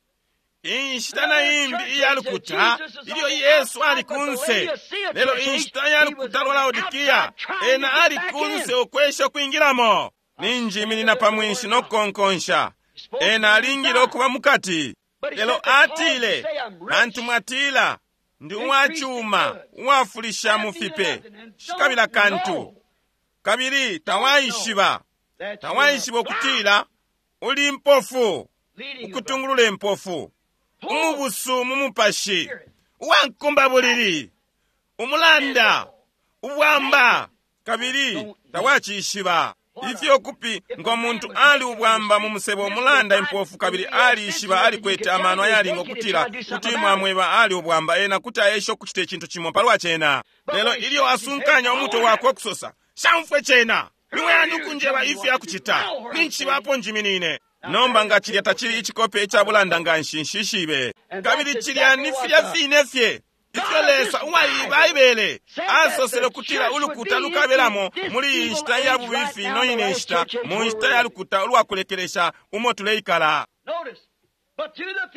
inshita na imbi iya lukuta ilyo Yesu ali kunse. Lelo inshita ya lukuta lwa Laodikia ena ali kunse ukwesha ukwingilamo. Ninjiminina pa mwinshi nokukonkonsha. Ena alingile ukuba mukati. Lelo atile, pantu mwatila ndi uwacuma uwafulisha mu fipe, shikabila kantu, kabili tawaishiba, tawaishiba ukutila uli mpofu, ukutungulula impofu, umubusu mu mupashi, uwankumba bulili, umulanda, ubwamba, kabili tawacishiba. Ifyo kupi ngo muntu ali ubwamba mu musebo umulanda impofu, kabili alishiba alikwete amano ayalinga ukutila kuti mwamweba ali ubwamba, ena kuti aesha ukucita icintu cimo palwa cena. Lelo ilyo asunkanya umutwe wakwe okusosa, shamfwe cena, niwe ani ukunjeba ifyo akucita, ninchibapo njiminine. Nomba nga cilya tacili icikope ica bulanda nganshi nshishibe. Kabili cilya ni filya fine fye ifyo Lesa uwa Baibele asosele ukutila ulukuta lukabelamo muli iyi nshita ya bubifi ino ine nshita, mu nshita ya lukuta ulwakulekelesha umo tuleikala.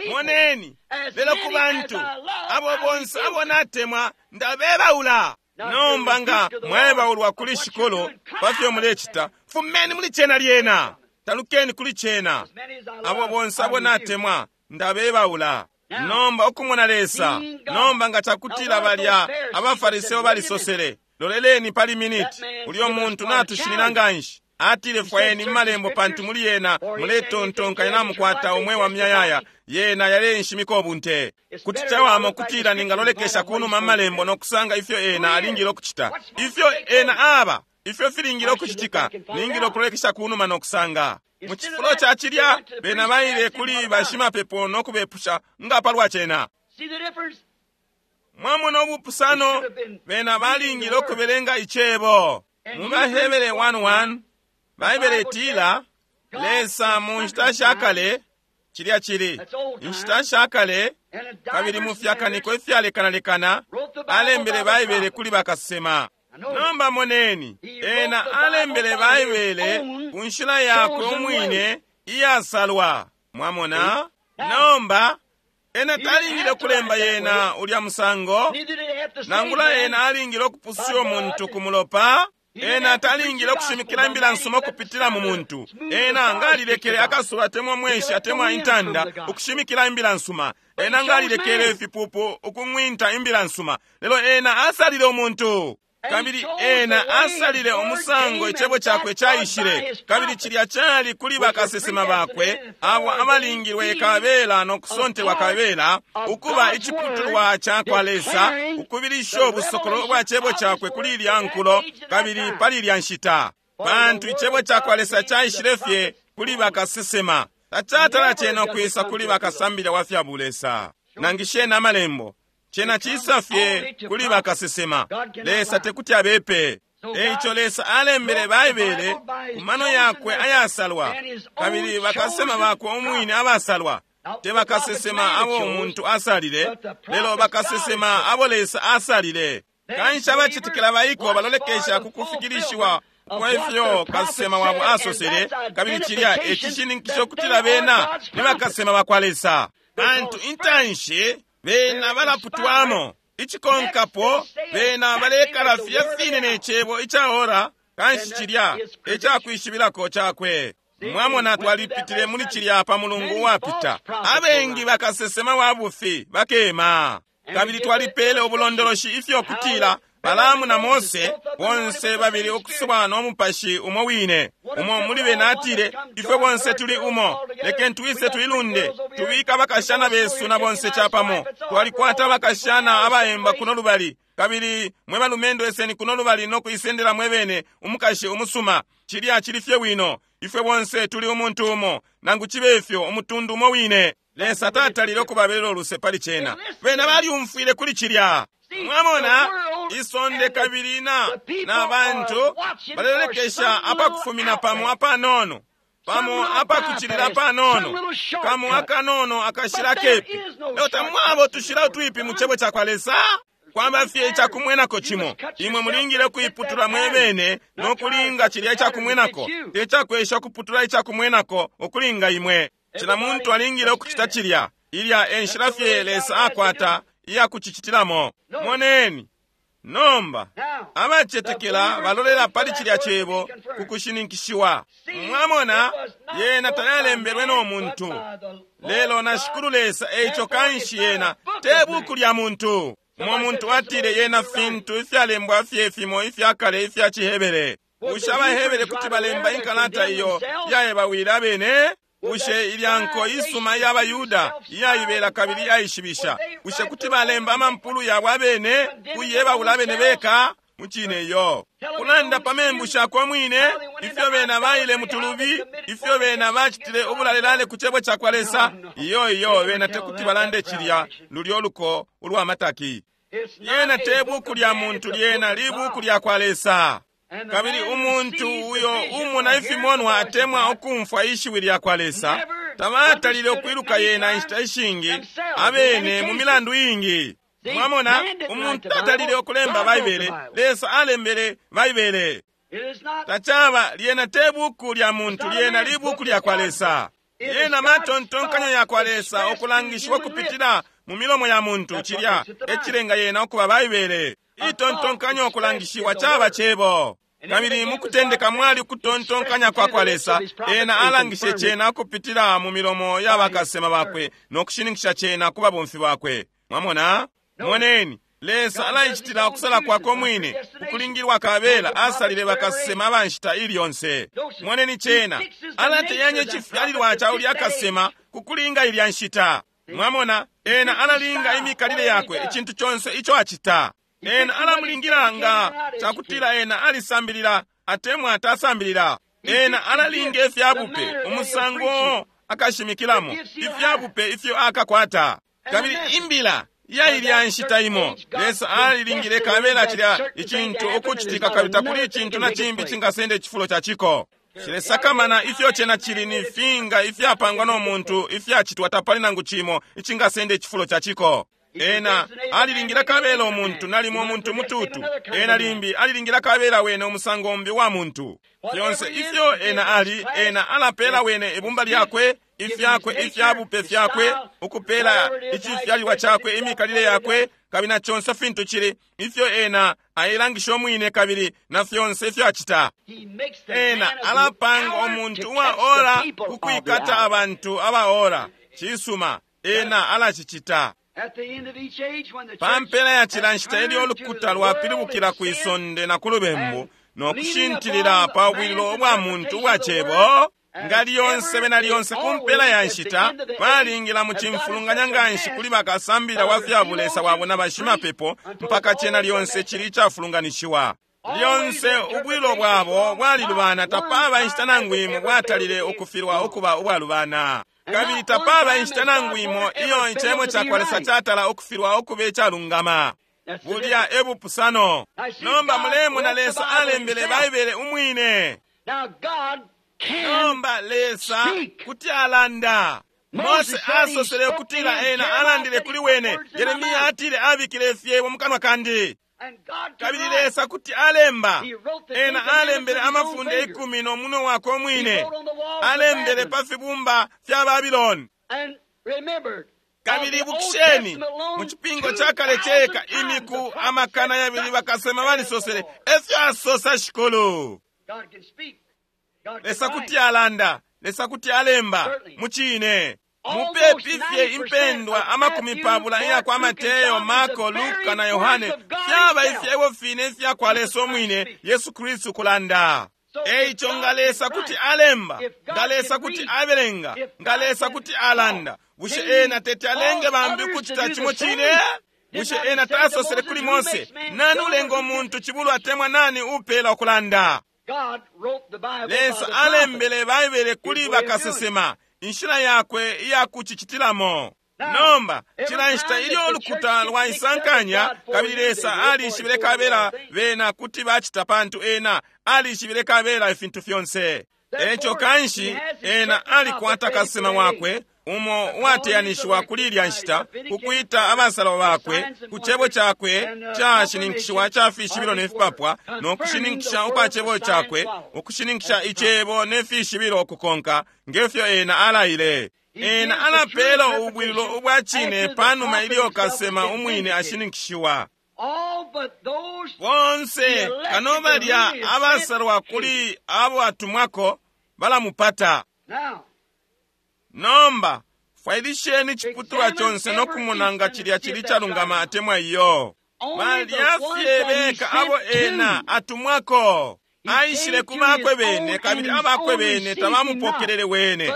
Moneni, lelo ku bantu abo bonse abo natemwa ndabebaula. Nomba nga mwaebaulwa kuli Shikulu pa fyo mulecita, fumeni muli cena lyena, talukeni kuli cena. Abo bonse abo natemwa ndabebaula. Nomba ukumona Lesa. Nomba nga cakutila balya abafariseo balisosele, loleleni pali miniti, ulyo muntu natushinina nganshi. Atile fwayeni malembo, pantu muli yena muletontonkanya namukwata umwe wa myayaya, yena yalenshimika ubunte. Kuti cawama ukutila ningalolekesha kunuma malembo nokusanga ifyo ena alingile ukucita, ifyo ena aba, ifyo filingile ukucitika, ningile ukulolekesha kunuma nokusanga. Mu cifulo ca cilya bena baile kuli bashimapepo nokubepusha nga palwa cena. Mwamona ubupusano, bena balingile ukubelenga icebo. Mu Bahebere one one, Baibele itila, Lesa mu nshita sha kale, cilya cili inshita sha kale, Kabili mu fyakaniko ifyalekanalekana alembele Baibele kuli bakasesema. Nomba moneni, ena alembele Baibele ku nshila yakwe umwine iyasalwa. Mwamona? Nomba ena talingile kulemba yena ulya musango, nangula ena alingile ukupususha umuntu ku mulopa. Ena talingile ukushimikila imbila nsuma ukupitila mu muntu. Ena ngalilekele akasuba atemwa mweshi atemwa intanda ukushimikila imbila nsuma. Ena ngalilekele ifipupu ukung'winta imbila nsuma. Lelo ena asalile umuntu. Kabili ena asalile umusango icebo cakwe caishile, kabili cilya cali kuli bakasesema bakwe abo abalingilwe kabela no kusontelwa kabela ukuba iciputulwa cakwa Lesa, ukubilisha ubusokolo bwa cebo cakwe kuli ilya nkulo kabili pali ilya nshita. Pantu icebo cakwa Lesa caishile fye kuli bakasesema, tacatala cena ukwisa kuli bakasambila wa fya bulesa. Nangisheni amalembo. Cena cisa fye kuli bakasesema. Lesa tekuti abepe. Eico Lesa alembele Baibele ku mano yakwe ayasalwa, kabili bakasesema bakwe umwine abasalwa. Te bakasesema abo umuntu asalile, lelo bakasesema abo Lesa asalile. Kanshi abacetekela baiko balolekesha ku kufikilishiwa kwa ifyo kasesema wabo asosele, kabili cilya ecishininkisho kutila bena ni bakasesema bakwa Lesa. Pantu intanshi bena balaputwamo, icikonkapo bena balekala filya fine ne cebo icaora, kanshi cilya ecakwishibilako cakwe. Mwamona, twalipitile muli cilya pa mulungu uwapita. Abengi bakasesema wa bufi bakema, kabili twalipele ubulondoloshi ifyo kutila Balaamu na Mose bonse babili ukusubwa no mupashi umo wine. Umo muli bena atile, ifwe bonse tuli umo, lekeni twise tuilunde, tubika abakashana besu na bonse capamo. Twalikwata abakashana abaemba kuno lubali, kabili mwe balumendo eseni kuno lubali no kuisendela mwe bene umukashi umusuma. Cilya cili fye wino, ifwe bonse tuli umuntu umo, nangu cibe ifyo umutundu umo wine. Lesa tatalile ukubabelela uluse pali cena. Bena balyumfwile kuli cilya. Mwamona, isonde kabili na na bantu balelekesha apakufumina pamo apanono, pamo apakuchilila panono, kamo akanono akashila kepi. Lelo tamwabo tushila utwipi mu cebo cakwa Lesa. Kwamba fye icakumwenako cimo, imwe mulingile kuiputula mwebene no kulinga cilya icakumwenako, te cakwesha kuputula icakumwenako ukulinga imwe. Cila muntu alingile ukucita cilya. Ilya enshila fye Lesa akwata iya kucicitilamo. Moneni nomba, abacetekela balolela pali cilya cebo ku kushininkishiwa. Mwamona, yena tayalembelwe no muntu, lelo na Shikulu Lesa. Eico kanshi yena te buku lya muntu. Umo muntu atile yena fintu ifyalembwa fye fimo ifyakale ifya ciHebere. Bushe abaHebere kuti balemba inkalata iyo yaebawile abene? Bushe ilya nko isuma iy'abayuda iyaibela kabili iyaishibisha, bushe kuti balemba amampulu yabo abene kuyebaula abene beka? Mucine iyo. Kulanda pa membu shakwe mwine, ifyo bena baile mutulubi, ifyo bena bacitile ubulalelale ku cebo cakwa Lesa. Iyo iyo, bena tekuti balande cilya lulyo luko ulwa mataki. Lyena te buku lya muntu, lyena libuku lya kwa Lesa. Kabili umuntu uyo umona ifimonwa atemwa ukumfwa ishiwi lya kwa Lesa tabatalile ukwiluka yena inshita ishingi abene mu milandu ingi. Mwamona, umuntu tatalile ukulemba Baibele, Lesa alembele Baibele. Tacaba lyena te buku lya muntu, lyena libuku lya kwa Lesa. Lyena matontonkanyo ya kwa Lesa okulangishiwa kupitila mu milomo ya muntu, cilya ecilenga yena okuba Baibele. Itontonkanyo okulangishiwa caba cebo. Kabili mukutendeka mwali kutontonkanya kwa kwa Lesa, ena alangishe cena ukupitila mu milomo ya bakasema bakwe no kushininkisha cena ku babomfi bakwe. Mwamona? Moneni, Lesa alaicitila ukusala kwakwe mwine, ukulingilwa kabela asalile bakasema abanshita ili yonse. Moneni cena, alateyanya icifyalilwa ca ulya kasema kukulinga ilya nshita. Mwamona, ena alalinga imikalile yakwe, icintu conse ico acita. Ena alamulingila nga cakutila ena alisambilila atemwa tasambilila. Ena alalinga ifyabupe umusango akashimikilamo, ifyabupe ifyo akakwata. Kabili imbila ya ilya nshita imo, Lesa alilingile kabela cilya icintu ukucitika, kabili takuli icintu na cimbi cingasenda icifulo ca ciko. Shilesakamana ifyo cena cili ni finga ifyapangwa no muntu ifyacitwa, tapali nangu cimo icingasenda icifulo ca ciko. Ena alilingila kabela umuntu, nalimo umuntu mututu. Ena limbi alilingila kabela wene umusango umbi wa muntu. Fyonse ifyo ena ali, ena alapela wene ibumba lyakwe, ifyakwe, ifyabupe fyakwe, ukupela icifyalilwa cakwe, imikalile yakwe, kabili na conse fintu cili ifyo ena ailangisha umwine, kabili na fyonse ifyo acita. Ena alapanga umuntu uwa ora kukwikata abantu aba ora. Cisuma, ena alacicita. Pa mpela ya cila nshita ilyo ulukuta lwapilibukila kwi sonde na ku lubembu no kushintilila pa bwililo ubwa muntu ubwa cebo, nga lyonse bena lyonse ku mpela ya nshita balingila mu cimfulunganya nganshi kuli bakasambila wa fya bulesa wabo na bashimapepo, mpaka cena lyonse cili icafulunganishiwa. Lyonse ubwilo bwabo bwalilubana, tapaba inshita nangu imo bwatalile ukufilwa ukuba ubwalubana. Kabili tapaba inshita nangu imo iyo icebo ca kwa Lesa catala ukufilwa ukuba icalungama. Bulya e bupusano. Nomba mulemona Lesa alembele Baibele umwine. Nomba Lesa kuti alanda. Mose asosele ukutila ena alandile kuli wene. Yeremia atile abikile ifyebo mu kanwa kandi. Kabili Lesa kuti alemba. Ena alembele amafunde ikumi no munwe wakwe umwine. Alembele pa fibumba fya Babiloni. Kabili ibukisheni, mu cipingo ca kale ceka imiku amakana yabili bakasema balisosele, efyo asosa Shikulu. Lesa kuti alanda, Lesa kuti alemba, mucine. Mupepi fye impendwa amakumi pabula iya kwa Mateyo, Marko, Luka na Yohane fyaba ifyebo fine ifya kwa Lesa umwine, Yesu Kristu kulanda. Eico nga Lesa kuti alemba, nga Lesa kuti abelenga, nga Lesa kuti alanda, bushe ena tete alenge bambi ukucita cimo cine? Bushe ena tasosele kuli Mose, nani ulenga umuntu cibulu atemwa nani upela ukulanda? Lesa alembele Baibele kuli bakasesema, inshila yakwe iya kucicitilamo. Nomba cila nshita ilyo ulukuta lwaisankanya, kabili Lesa alishibile kabela bena kuti bacita, pantu ena alishibile kabela ifintu fyonse. Eco kanshi ena alikwata kasesema wakwe umo uwateyanishiwa kuli ilya nshita kukwita abasalwa bakwe ku cebo cakwe cashininkishiwa ca fishibilo ne fipapwa, no kushininkisha ukwa cebo cakwe, ukushininkisha icebo ne fishibilo ukukonka ngefyo ena alaile. Ena alapela ubwililo ubwa cine panuma ilyo kasema umwine ashininkishiwa. Bonse kano balya abasalwa kuli abo atumwako balamupata. Nomba fwailisheni iciputulwa conse no kumona nga cilya cili calungama atemwa iyo. Balya fye beka abo ena atumwako. Aishile ku bakwe bene, kabili abakwe bene tabamupokelele wene.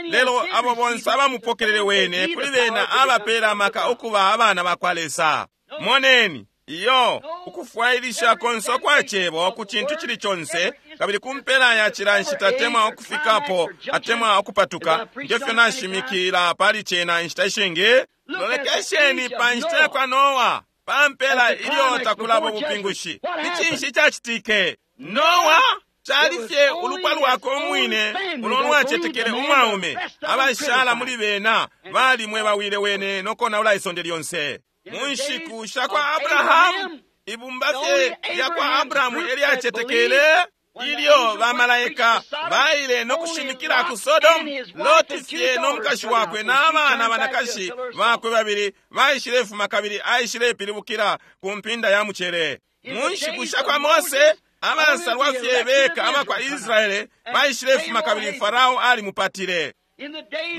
Lelo abo bonse abamupokelele wene, kuli bena abapela amaka ukuba abana bakwa Lesa. Moneni, iyo ukufwailisha konse kwa cebo ku cintu cili conse, kabili ku mpela ya cila nshita atemwa ukufikapo atemwa ukupatuka, ngefyo nashimikila pali cena inshita ishingi. Lolekesheni pa nshita ya kwa Noa, pa mpela ilyo takulaba ubupingushi. Ni cinshi icacitike? Noa cali fye ulupwa lwakwe umwine ulo lwacetekele umwaume, abashala muli bena balimwe bawile wene no konaula isonde lyonse. Mu nshiku sha kwa Abrahamu, ibumba fye lya kwa Abrahamu elyacetekele ilyo bamalaika baile no kushimikila ku Sodomu, Loti fye no mukashi wakwe n'abana banakashi bakwe babili baishilefuma, kabili aishilepilibukila ku mpinda ya mucele. Mu nshiku sha kwa Mose, abasalwa fye beka abakwa Israele baishilefuma, kabili Farao alimupatile.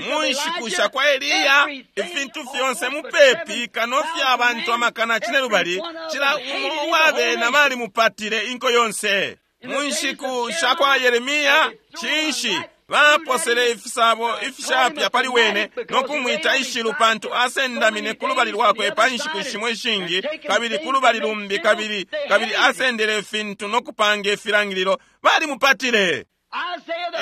Mu nshiku sha kwa Eliya, ifintu fyonse mupepi kano fya abantu amakana cinelubali, cila umo uwa bena balimupatile inko yonse. Mu nshiku sha kwa Yeremia, cinshi baposele ifisabo ifishapya pali wene no kumwita ishilu, pantu asendamine ku lubali lwakwe pa nshiku shimo ishingi, kabili ku lubali lumbi, kabili kabili asendele ifintu no kupanga ifilangililo, balimupatile.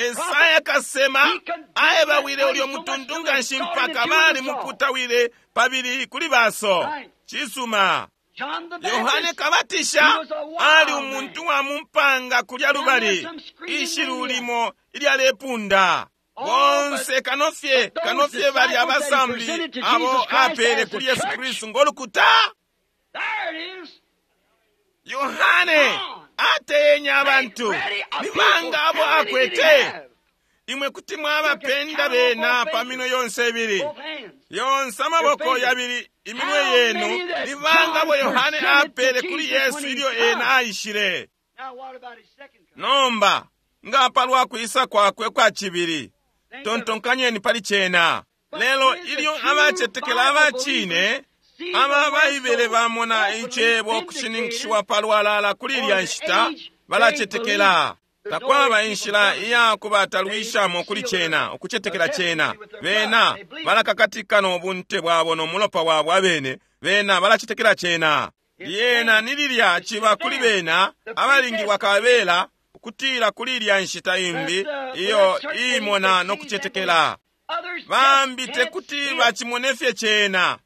Esaya kasema aebawile ulyo mutundu nganshi mpaka balimuputawile pabili kuli baso. Cisuma. Yohane Kabatisha ali umuntu wa mumpanga kulya lubali, ishilu limo ilyalepunda. Bonse kanofye kanofye bali abasambi abo apele kuli Yesu Kristu ngolukuta. Yohane ateyenya abantu nibanga abo akwete. Imwe kuti mwabapenda bena pa minwe yonse ibili, yonse amaboko yabili iminwe yenu. Nibanga abo Yohane apele kuli Yesu ilyo ena aishile. Nomba nga palwa kwisa kwakwe kwa cibili, tontonkanyeni pali cena. Lelo ilyo abacetekela abacine aba Baibele bamona icebo kushininkishiwa palwalala kuli ilya nshita, balacetekela. Takwaba inshila iya kubatalwishamo kuli cena, ukucetekela cena. Bena balakakatika no bunte bwabo no mulopa wabo abene. Bena balacetekela cena. Lyena ni lilya ciba kuli bena abalingilwa kabela ukutila kuli ilya nshita imbi iyo imona no kucetekela. Bambi tekuti bacimone fye cena,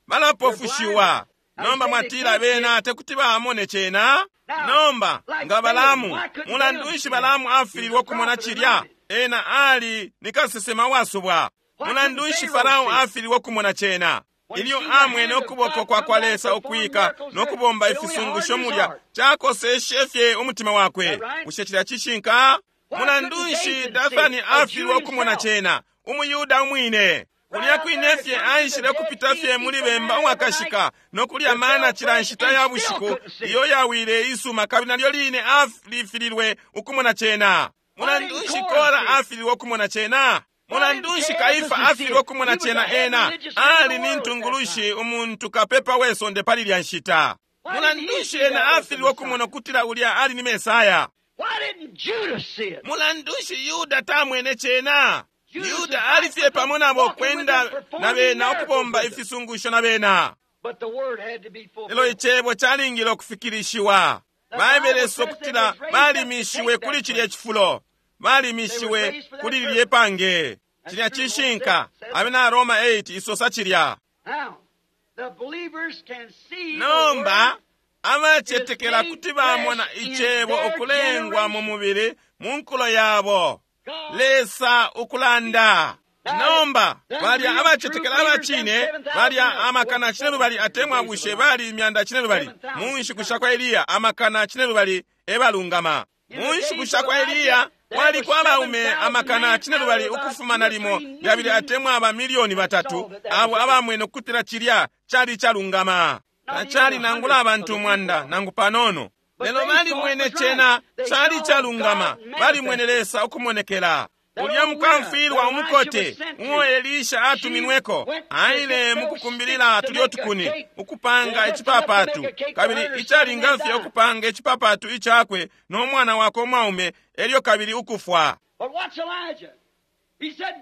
balapofushiwa. Nomba mwatila bena tekuti bamone cena. Nomba nga Balamu, mulandu nshi Balamu afililwe ukumona cilya? Ena ali ni kasesema wasubwa. Mulandu nshi Farao afililwe ukumona cena? Ilyo amwene ukuboko kwa kwa Lesa ukwika no kubomba ifisungusho mulya, cakoseshe fye umutima wakwe. Bushe cilya cishinka? Mulandu nshi Dathani afililwe ukumona cena? Umuyuda umwine kulya kwine fye aishile kupita fye muli bemba uwakashika no kulya mana cila nshita ya bushiku iyo yawile isuma, kabili nalyo line alifililwe ukumona cena. Mulandu nshi Kora afililwe ukumona cena? Mulandu nshi Kaifa afililwe ukumona cena? Ena ali ni ntungulushi, umuntu kapepa wesonde pali lya nshita. Mulandu nshi ena afililwe ukumona ukutila ulya ali ni Mesaya? Mulandu nshi Yuda tamwene cena? Yuda alifye pamo nabo kwenda na bena ukubomba ifisungusho na bena. Lelo icebo calingile ukufikilishiwa. Baibele ukutila balimishiwe kuli cilya cifulo, balimishiwe kuli lilye pange. Cilya cishinka. Abena Roma eight isosa cilya. Nomba abacetekela kuti bamona icebo ukulengwa mu mubili mu nkulo yabo, Lesa ukulanda. Nomba balya abacetekela abacine balya amakana cinelubali atemwa bushe bali imyanda cinelubali mu nshiku sha kwa Eliya, amakana cinelubali ebalungama. Mu nshiku sha kwa Eliya kwaliko abaume amakana cinelubali ukufuma nalimo yabili atemwa aba milioni batatu abo abamwene ukutila cilya cali calungama. Tacali nangula abantu umwanda nangu panono, lelo balimwene cena cali calungama. Balimwene Lesa ukumonekela. Ulya mukamfwilwa umukote uo Elisha atuminweko aile mukukumbilila tulyo tukuni ukupanga icipapatu, kabili icalinga fye ukupanga icipapatu icakwe no mwana wakwe umwaume, elyo kabili ukufwa.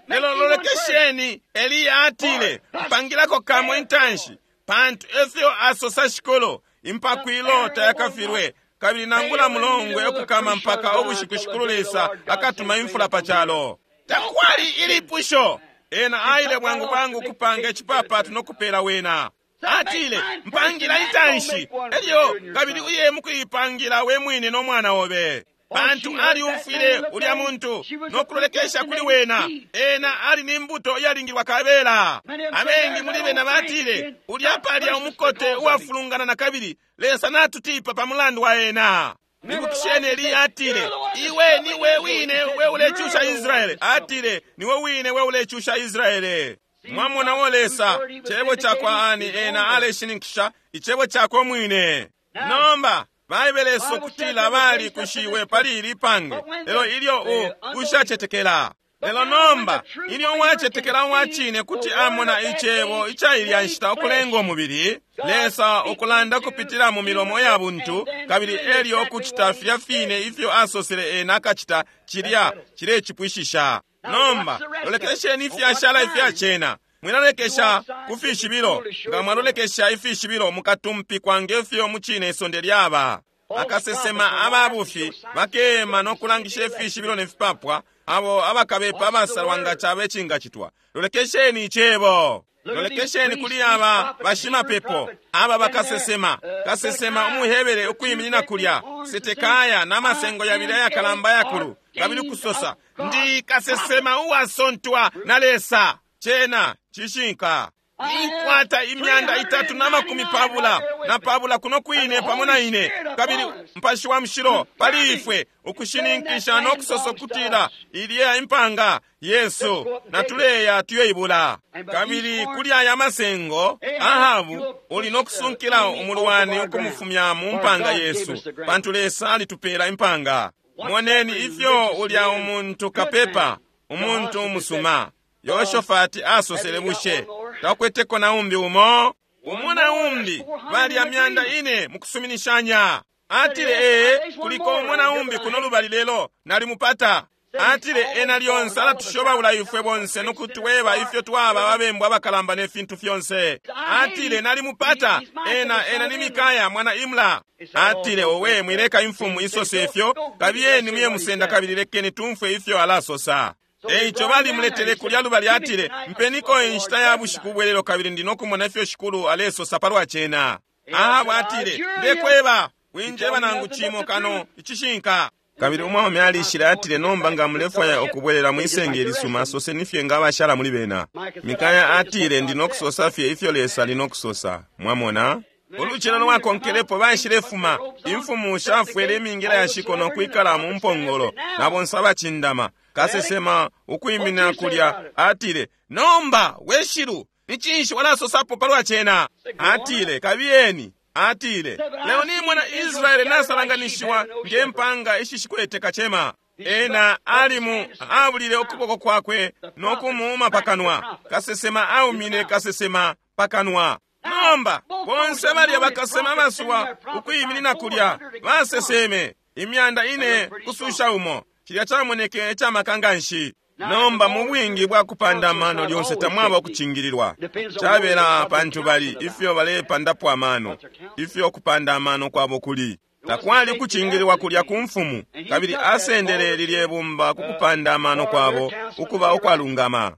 Lelo lolekesheni, Eliya atile, mpangilako kamo intanshi, pantu efyo asosa Shikulu, impakwilo tayakafilwe, kabili nangula mulongwe ukukama mpaka ubushiku Shikulu Lesa akatuma imfula pa calo. Takwali ilipusho. Ena aile bwangu bwangu kupanga icipapatu no kupela wena. Atile, mpangila intanshi, elyo kabili uye mukuipangila we mwine no mwana obe. Pantu aliumfwile ulya muntu no kulolekesha kuli wena. Ena ali ni mbuto iyalingilwa kabela. Abengi muli bena batile, ulya palya umukote uwafulungana na kabili, Lesa natutipa pa mulandu wa ena. Ibukisheni Eliya atile, iwe niwe wine we ulecusha Israele. Atile, niwe wine we ulecusha Israele. Mwamona wo Lesa, cebo cakwa ani ena aleshininkisha icebo cakwe mwine. Nomba Baibele ukutila bali kushiwe pali ili pange, lelo ilyo u ushacetekela. Lelo nomba ilyo wacetekela wacine kuti amona icebo ica ilya nshita ukulenga umubili, Lesa ukulanda kupitila mu milomo ya buntu, kabili elyo ukucita filya fine ifyo asosele ena akacita, cilya cilecipwishisha. Nomba lolekesheni ifyashala ifya cena. Mwilalekesha ku fishibilo. Nga mwalolekesha ifishibilo mukatumpikwa ngefyo mucine isonde lyaba. Akasesema ababufi bakema no kulangisha ifishibilo ne fipapwa, abo abakabepa abasalwa nga cabe cingacitwa. Lolekesheni icebo. Lolekesheni kuli aba bashimapepo, aba bakasesema, kasesema umuHebere ukwiminina kulya, Setekaya na masengo yabili ayakalamba yakulu, kabili kusosa, ndi kasesema uwasontwa na Lesa. Cena cishinka. Ninkwata imyanda itatu na makumi pabula na pabula kuno kwine pamo na ine, kabili Mupashi wa Mushilo pali ifwe ukushininkisha no kusosa kutila ilya impanga Yesu natuleya tuyoibula. Kabili kuli aya masengo Ahabu uli no kusunkila umulwani ukumufumya mu mpanga Yesu, pantu Lesa alitupela impanga. Moneni ifyo ulya umuntu kapepa, umuntu umusuma Yoshofati asosele, bushe takweteko na umbi umo? Umu na umbi bali amyanda ine mukusuminishanya. Atile ee, kuliko umo na umbi kuno lubali lelo nalimupata. Atile ena lyonse alatushobaula ifwe bonse nokutweba ifyo twaba ababembu abakalamba ne fintu fyonse. Atile nalimupata ena, ena ni Mikaya mwana Imla. Atile owe, mwileka imfumu isose ifyo, kabiyeni muye musenda kabili lekeni tumfwe ifyo alasosa. Eico balimuletele kulya lubali, atile mpeniko inshita ya bushiku bwelelo kabili ndi nokumona ifyo shikulu alesosa palwa cena. Ahabu atile ndekweba, winjeba nangu cimo kano icishinka. Kabili umwaume alishile, atile nomba nga mulefwaya ukubwelela mwisenge ilisuma, soseni fye nga abashala muli bena. Mikaya atile ndi nokusosa fye ifyo Lesa ali nokusosa. Mwamona? Ulucelo lwakonkelepo baishilefuma, imfumu shafwele imingila ya shiko no kwikala mu mpongolo na bonse abacindama. Kasesema ukwimina kulya atile, nomba weshilu ni cinshi walasosapo palwa cena? Atile kabiyeni. Atile leo nimona Israeli nasalanganishiwa nge mpanga ishishikwete kacema. Ena alimu abulile ukuboko kwakwe no kumuuma pakanwa. Kasesema aumine kasesema pakanwa. Nomba bonse balya bakasema basuwa ukwiminina kulya baseseme imyanda ine kususha umo. Cilya camoneke icamaka nganshi. Nomba mu bwingi bwa kupanda amano lyonse tamwaba ukucingililwa. Cabela pantu bali ifyo balepandapo amano, ifyo kupanda amano kwabo kuli. Takwali ukucingililwa kulya ku mfumu, kabili asendele lilye bumba ku kupanda amano kwabo ukuba ukwalungama.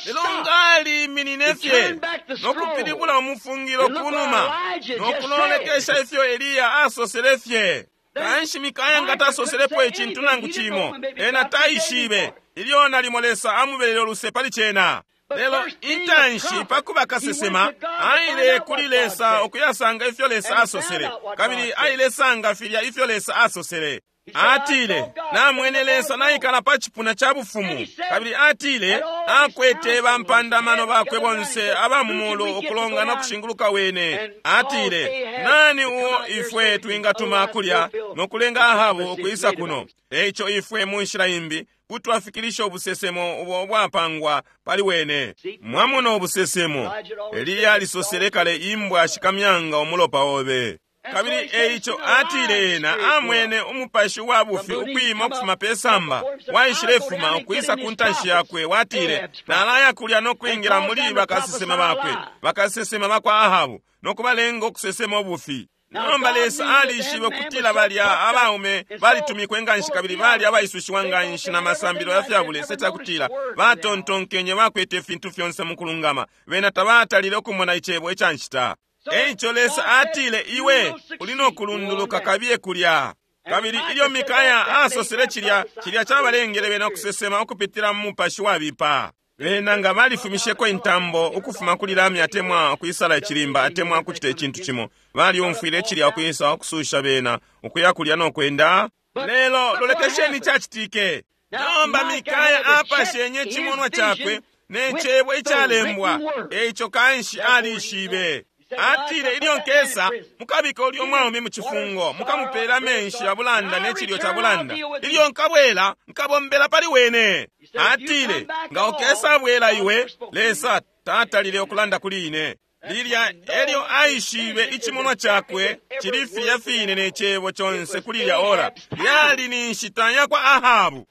Lelo ngaliminine fye no kupilibula umufungilo kunuma no kulolekesha ifyo Eliya asosele fye. Kanshi Mikaya nga tasoselepo icintu nangu cimo, ena taishibe ilyo nalimo Lesa amubelele uluse pali cena. Lelo intanshi pakuba kasesema aile kuli Lesa ukuyasanga ifyo Lesa asosele, kabili ailesanga filya ifyo Lesa asosele. Atile namwene Lesa naikala pa cipuna ca bufumu, kabili atile akwete bampandamano bakwe bonse aba mu mulu ukulongana kushinguluka wene. Atile nani uo ifwe twingatuma kulya no kulenga Ahabu ukwisa kuno? Eico ifwe mu nshila imbi kutwafikilisha ubusesemo ubo bwapangwa pali wene. Mwamona ubusesemo, Eliya alisosele kale imbwa shikamyanga umulopa obe. Kabili eico atile ena amwene umupashi wa bufi ukwima ukufuma pe samba, waishilefuma ukwisa ku ntanshi yakwe. Watile nalaya kulya no kwingila muli bakasesema bakwe, bakasesema bakwa Ahabu, no kubalenga ukusesema ubufi. Nomba Lesa alishibe kutila balya abaume balitumikwe nganshi kabili bali abaisushiwa nganshi na masambilo ya fya bulesa cakutila batontonkenye bakwete ifintu fyonse mu kulungama, bena tabatalile ukumona icebo ica nshita. Eico Lesa atile iwe uli no kulunduluka kabiye kulya. Kabili ilyo Mikaya asosele cilya, cilya cabalengele bena ukusesema ukupitila mu mupashi wabipa. Bena nga balifumisheko intambo ukufuma kuli lami atemwa ukwisala icilimba atemwa kucita icintu cimo, balyumfwile cilya ukwisa ukususha bena ukuya kulya no kwenda. Lelo lolekesheni cacitike. Nomba Mikaya apashenye cimonwa cakwe ne cebo icalembwa, eico kanshi alishibe. Atile ilyo nkesa mukabika ulyo mwaume mu cifungo, mukamupela amenshi ya bulanda ne cilyo ca bulanda. Ilyo nkabwela nkabombela pali wene. Atile nga ukesa bwela iwe, Lesa tatalile ukulanda kuli ine. Lilya elyo aishibe icimonwa cakwe cili filya fine ne cebo conse kuli lya ora. Lyali ni nshita ya kwa Ahabu.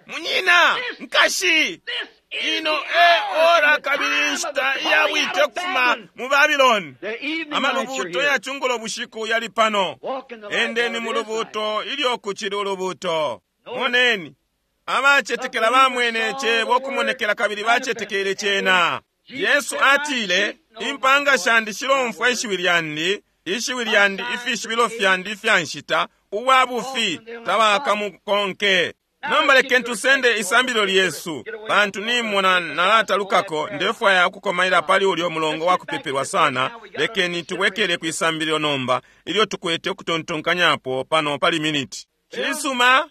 Munyina, nkashi, ino e ora kabili nshita iya bwite ukufuma mu Babiloni. Amalubuto ya cungulo bushiku yali pano. Endeni mu lubuto ilyo kucili ulubuto. Moneni, abacetekela bamwene cebo ukumonekela kabili bacetekele cena. Yesu atile, impanga shandi shilomfwa ishiwi lyandi, ishiwi lyandi ifishibilo fyandi ifya nshita, uwa bufi tabakamukonke. Nomba lekeni tusende isambililo lyesu, pantu nimona nalatalukako, ndefwaya ukukomaila pali ulyo mulongo wa kupepelwa sana. Lekeni tubwekele ku isambililo nomba ilyo tukwete ukutontonkanyapo pano pali miniti. Cisuma,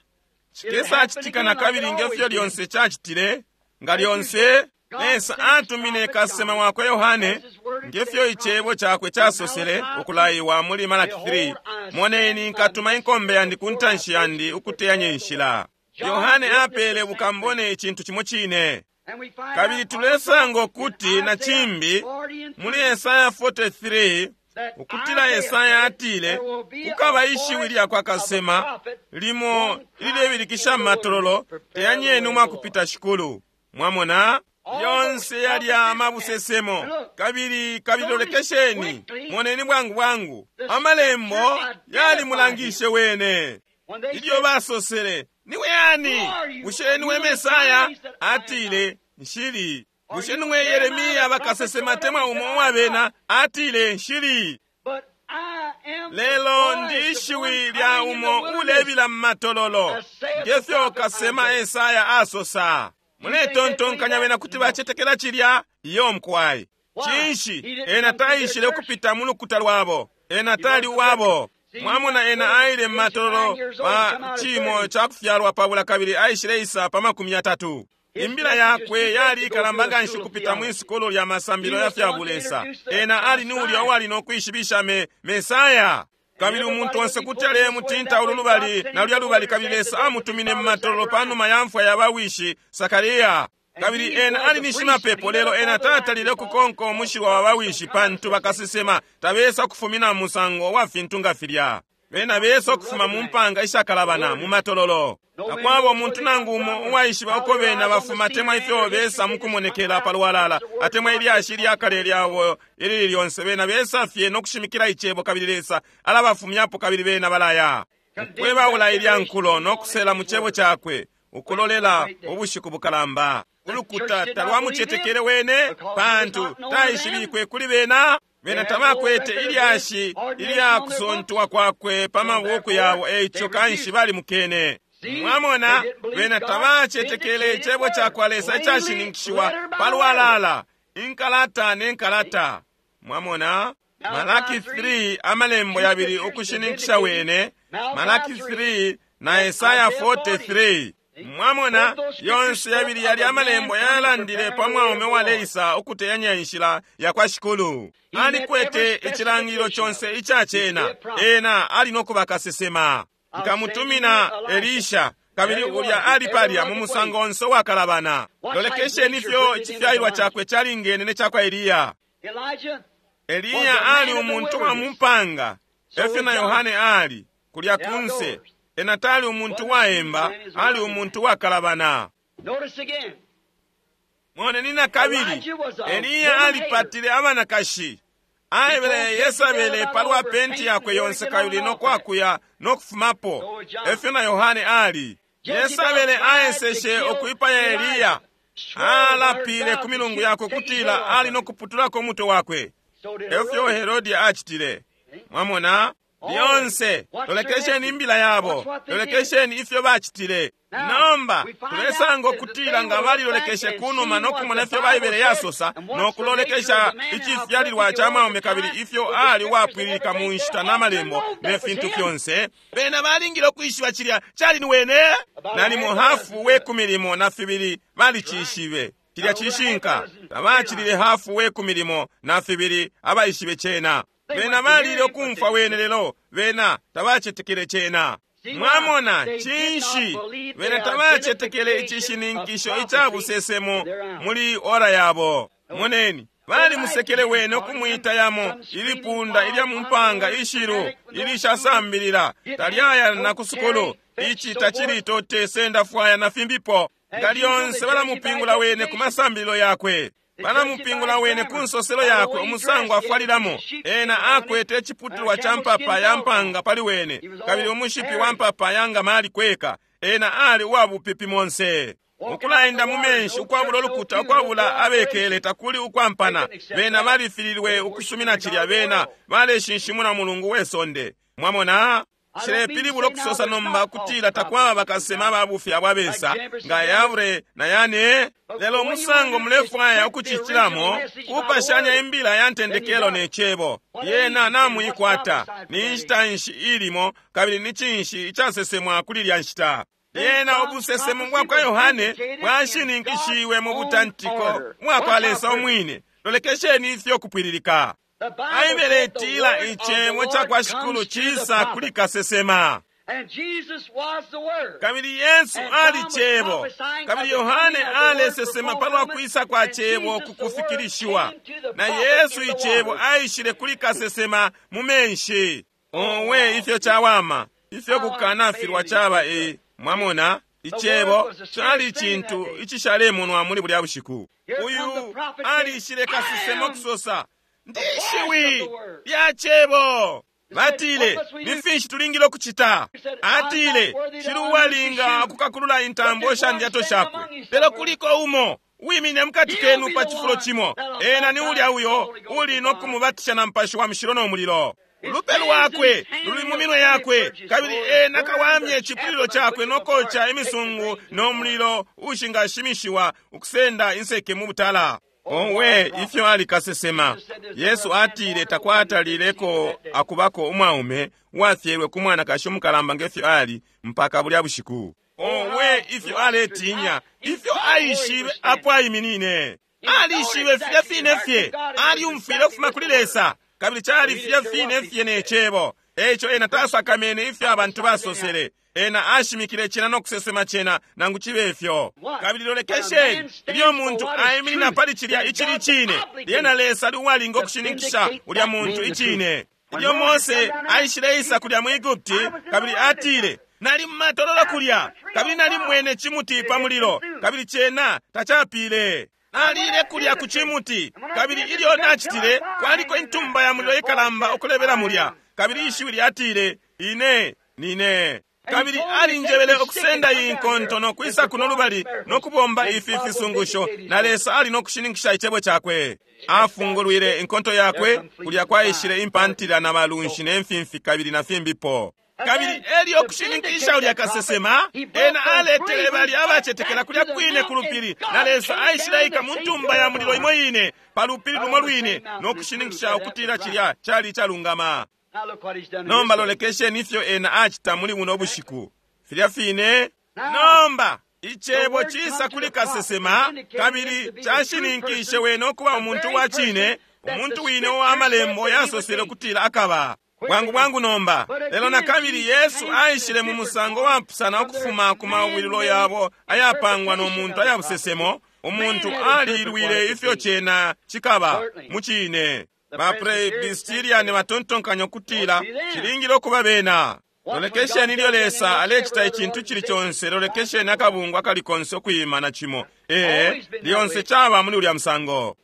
cikesacitika na kabili ngefyo lyonse cacitile, nga lyonse Lesa atumine kasesema wakwe Yohane, ngefyo icebo cakwe casosele ukulaiwa muli Malaki three, moneni nkatuma inkombe yandi ku ntanshi yandi ukuteyanya inshila. Yohane apele bukambone icintu cimo cine. Kabili tulesanga ukuti na cimbi muli Yesaya forty-three, ukutila Yesaya atile kukaba ishiwi lya kwa kasema limo ililebilikisha matololo, teyanyeni umwakupita Shikulu. Mwamona yonse yalya amabusesemo. Kabili kabili lolekesheni, moneni bwangu bwangu amalembo yalimulangishe wene. Ilyo basosele, niwe yani? Bushe niwe Mesaya? Atile, nshili. Bushe niwe Yeremia bakasesema temwa umo uwabena? Atile, nshili. Lelo ndi ishiwi lya umo ulebila mmatololo, ngefyo kasema Esaya asosa. Muletontonkanya bena kuti bacetekela cilya? Iyo mkwai. Cinshi? Ena taishile ukupita mu lukuta lwabo. Ena tali uwabo. Mwamona ena aile mmatololo pa cimo ca kufyalwa pabula kabili aishile isa pa makumi yatatu. Imbila yakwe yali ikalamba nganshi kupita mwi sukulu lya masambilo ya fya bulesa. Ena ali ni ulya uwali no kwishibisha me Mesaya. Kabili umuntu onse kuti alemutinta ulu lubali na lulya lubali, kabili Lesa amutumine mmatololo panuma ya mfwa ya bawishi Sakaria. Kabili ena ali ni shimapepo, lelo ena tatalile kukonka umushilwa wa bawishi, pantu bakasesema tabesa kufumina musango wa fintu nga filya. Bena besa kufuma mu mpanga ishakalabana mu matololo. Takwaba umuntu nangu umo uwaishiba uko bena bafuma temwa ifyo besa mukumonekela palwalala, atemwa ilyashi lyakale lyabo ilili lyonse. Bena besa fye no kushimikila icebo, kabili Lesa alabafumyapo, kabili bena balaya. Ukwebaula ilya nkulo no kusela mu cebo cakwe, ukulolela ubushiku bukalamba. Ulukuta talwamucetekele wene, pantu taishibikwe kuli bena. Bena tabakwete ilyashi ilya kusontwa kwakwe pa mabuku yabo, eico kanshi balimukene. Mwamona, bena tabacetekele icebo ca kwa Lesa icashininkishiwa palwalala, inkalata ne nkalata. Mwamona, Malaki three amalembo yabili ukushininkisha wene, Malaki three na Esaya forty-three. Mwamona, yonse yabili yali amalembo yalandile pa mwaume waleisa ukuteyanya inshila ya kwa Shikulu. Alikwete icilangililo conse ica cena. Ena ali no kuba kasesema. Nkamutumina Elisha, kabili ulya ali palya mu musango onse wakalabana. Lolekesheni ifyo icifyalilwa cakwe calingene ne cakwa Eliya. Eliya ali umuntu wa mumpanga, efyo na Yohane ali kulya kunse. Ena tali umuntu waemba, ali umuntu wakalabana. Moneni na kabili, Eliya alipatile abanakashi. Aebele Yesabele palwa penti yakwe yonse kabili no kwakuya no kufumapo. Efyo na Yohane ali. Yesabele aeseshe ukuipaya Eliya. Alapile ku milungu yakwe kutila ali no kuputulako umutwe wakwe. Efyo Herodi acitile. Mwamona? Lyonse lolekesheni imbila yabo, lolekesheni ifyo bacitile. Nomba tulesanga ukutila nga balilolekeshe kunuma no kumona ifyo Baibele yasosa, no kulolekesha icifyalilwa ca mwaume kabili ifyo ali wapwililika mu nshita na malembo ne fintu fyonse, bena balingile ukwishiba cilya cali ni wene. Nalimo hafu we kumi limo na fibili balicishibe cilya cishinka. Tabacilile hafu we kumi limo na fibili abaishibe cena. Bena balile ukumfwa wene, lelo bena tabacetekele cena. Mwamona, cinshi bena tabacetekele icishininkisho ica busesemo muli ora yabo. Moneni, balimusekele wene ukumwita yamo ilipunda ilya mumpanga ishilu ilishasambilila, talyaya na kusukulu, ici tacili tote senda fwaya na fimbipo. Nga lyonse balamupingula wene ku masambililo yakwe, balamupingula wene ku nsoselo yakwe umusango afwalilamo. Ena akwete iciputulwa ca mpapa ya mpanga pali wene, kabili umushipi wa mpapa ya ngamali kweka. Ena ali uwabupipi monse. Ukulaenda mu menshi ukwabula ulukuta, ukwabula abekele, takuli ukwampana. Bena balifililwe ukusumina cilya. Bena baleshinshimuna mulungu we sonde. Mwamona? Nshilepilibula ukusosa nomba kutila takwaba bakasema babufi abo abesa nga Yabre na Yane, lelo umusango mulefwaya ukucicilamo kupashanya imbila ya ntendekelo ne cebo. Yena namuikwata. Ni nshita nshi ilimo, kabili ni cinshi icasesemwa kuli lya nshita? Yena ubusesemo bwa kwa Yohane bwashininkishiwe mu butantiko bwa kwa Lesa umwine. Lolekesheni ifyo kupwililika. Baibele itila icebo ca kwa Shikulu cisa kuli kasesema. Kabili Yesu ali cebo, kabili Yohane alesesema palwa kwisa kwa cebo kukufikilishiwa, na Yesu icebo aishile kuli kasesema mu menshi. Owe, ifyo cawama, ifyo kukanafilwa caba e. Mwamona, icebo cali icintu icishalemonwa muli bulya bushiku. Uyu alishile kasesema kusosa, ndi shiwi lya cebo. Batile, ni finshi tulingile ukucita? Atile, shili uwalinga ukukakulula intambo sha ndyato shakwe, lelo kuliko umo wimine mukati kenu pa cifulo cimo. Ena ni ulya uyo uli no kumubatisha na Mupashi wa Mushilo no mulilo. Ulupe lwakwe luli mu minwe yakwe, kabili ena kawamye icipulilo cakwe no koca imisungu no mulilo ushingashimishiwa ukusenda inseke mu butala. Owe, ifyo ali kasesema! Yesu atile takwatalileko akubako umwaume uwafyelwe ku mwanakashi umukalamba ngefyo ali mpaka bulya bushiku. Owe, ifyo aletinya, ifyo aishibe apo aiminine. Alishibe filya fine fye, alyumfwile ukufuma kuli Lesa, kabili cali filya fine fye ne cebo. Eico ena tasakamene ifyo abantu basosele. Ena ashimikile cena no kusesema cena nangu cibe ifyo. Kabili lolekesheni, ilyo muntu aiminina pali cilya icili cine, lyena Lesa ali uwalinga ukushininkisha ulya muntu icine. Ilyo Mose aishileisa kulya mu Egupti, kabili atile, nali mumatololo kulya, kabili nali mwene cimuti pa mulilo, kabili cena tacapile. Nalile kulya ku cimuti, kabili ilyo nacitile, kwaliko intumba ya mulilo ikalamba ukulebela mulya, kabili ishiwi lyatile, ine nine. Kabili alinjebele ukusenda iyi nkonto no kwisa kuno lubali no kubomba ifi fisungusho, na Lesa ali no kushininkisha icebo cakwe. Afungulwile inkonto yakwe, kulya kwaishile impantila na balunshi ne mfimfi kabili na fimbipo. Kabili elyo kushininkisha ulya kasesema, ena aletele bali abacetekela kulya kwine ku lupili, na Lesa aishileika mu ntumba ya mulilo imo ine pa lupili lumo lwine no kushininkisha ukutila cilya cali icalungama. Nomba lolekesheni ifyo ena acita muli buno bushiku. Filya fine. Nomba icebo cisa kuli kasesema, kabili cashininkishe wene ukuba umuntu wa cine, umuntu wine uwa malembo yasosele ukutila akaba. Bwangu bwangu nomba. Lelo na kabili Yesu aishile mu musango wapusana ukufuma ku mawililo yabo ayapangwa no muntu ayabusesemo. Umuntu alilwile ifyo cena cikaba mu cine. Ba Presbyterian batontonkanya ukutila cilingile ukuba bena. Lolekesheni ilyo Lesa alecita icintu cili conse, lolekesheni akabungwe akali konse ukuyima na cimo. Ee, lyonse caba muli ulya musango.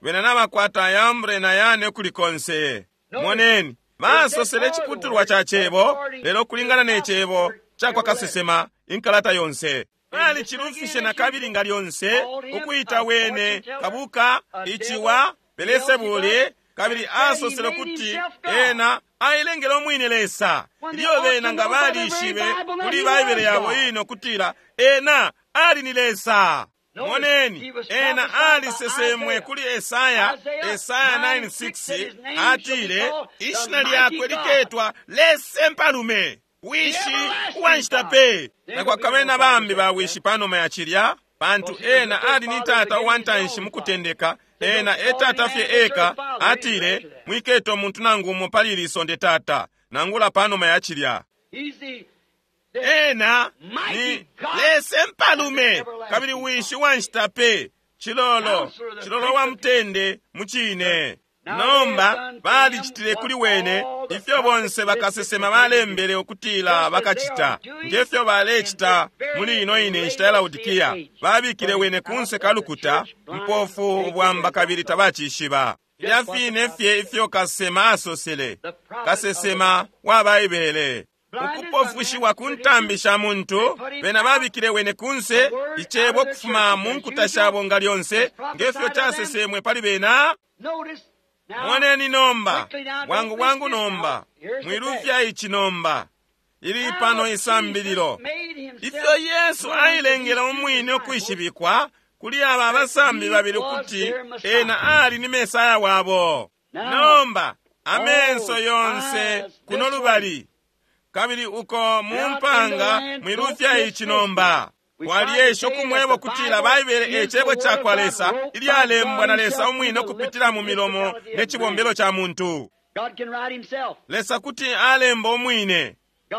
Bena nabakwata Yambre na Yane ukuli konse. Moneni, basosele iciputulwa ca cebo, lelo kulingana ne cebo cakwa kasesema inkalata yonse. Balicilufishe na kabili nga lyonse ukuita wene kabuka iciwa Belesebuli, kabili asosele ukuti ena ailengele umwine Lesa. Ilyo bena nga balishibe kuli Baibele yabo ino kutila ena ali ni Lesa. Moneni, ena alisesemwe kuli Esaya, Esaya nine six, atile ishina lyakwe liketwa Lesa Mpalume, wishi uwanshita pe. Nakwakabe na bambi bawishi panuma ya cilya, pantu ena ali ni tata uwantanshi mukutendeka, ena etata fye eka. Atile mwiketo muntu nangu umo pali ili sonde tata, nangula panuma ya cilya. Ena ni Lesa Mpalume, kabili wishi uwanshita pe, cilolo, cilolo wa mutende mucine. Nomba balicitile kuli wene ifyo bonse bakasesema balembele ukutila bakacita, ngefyo balecita muli ino ine nshita ya Laodikia. Babikile wene kunse kalukuta mpofu ubwamba kabili tabacishiba. Filya fine fye ifyo kasesema asosele, kasesema wa Baibele. Ukupofushiwa ku ntambi sha muntu, bena babikile wene kunse, icebo kufuma mu nkuta shabo nga lyonse, ngefyo casesemwe pali bena. Moneni nomba, bwangu bwangu nomba, mwilufya ici nomba. Ili pano isambililo. Ifyo Yesu ailengele umwine ukwishibikwa kuli aba abasambi babili ukuti ena ali ni Mesaya wabo. Nomba, amenso yonse kuno lubali, kabili uko mu mpanga mwilufya ici nomba. Twaliesha ukumweba ukutila Baibele e cebo cakwa Lesa ilyalembwa na Lesa umwine ukupitila mu milomo ne cibombelo ca muntu. Lesa kuti alemba umwine.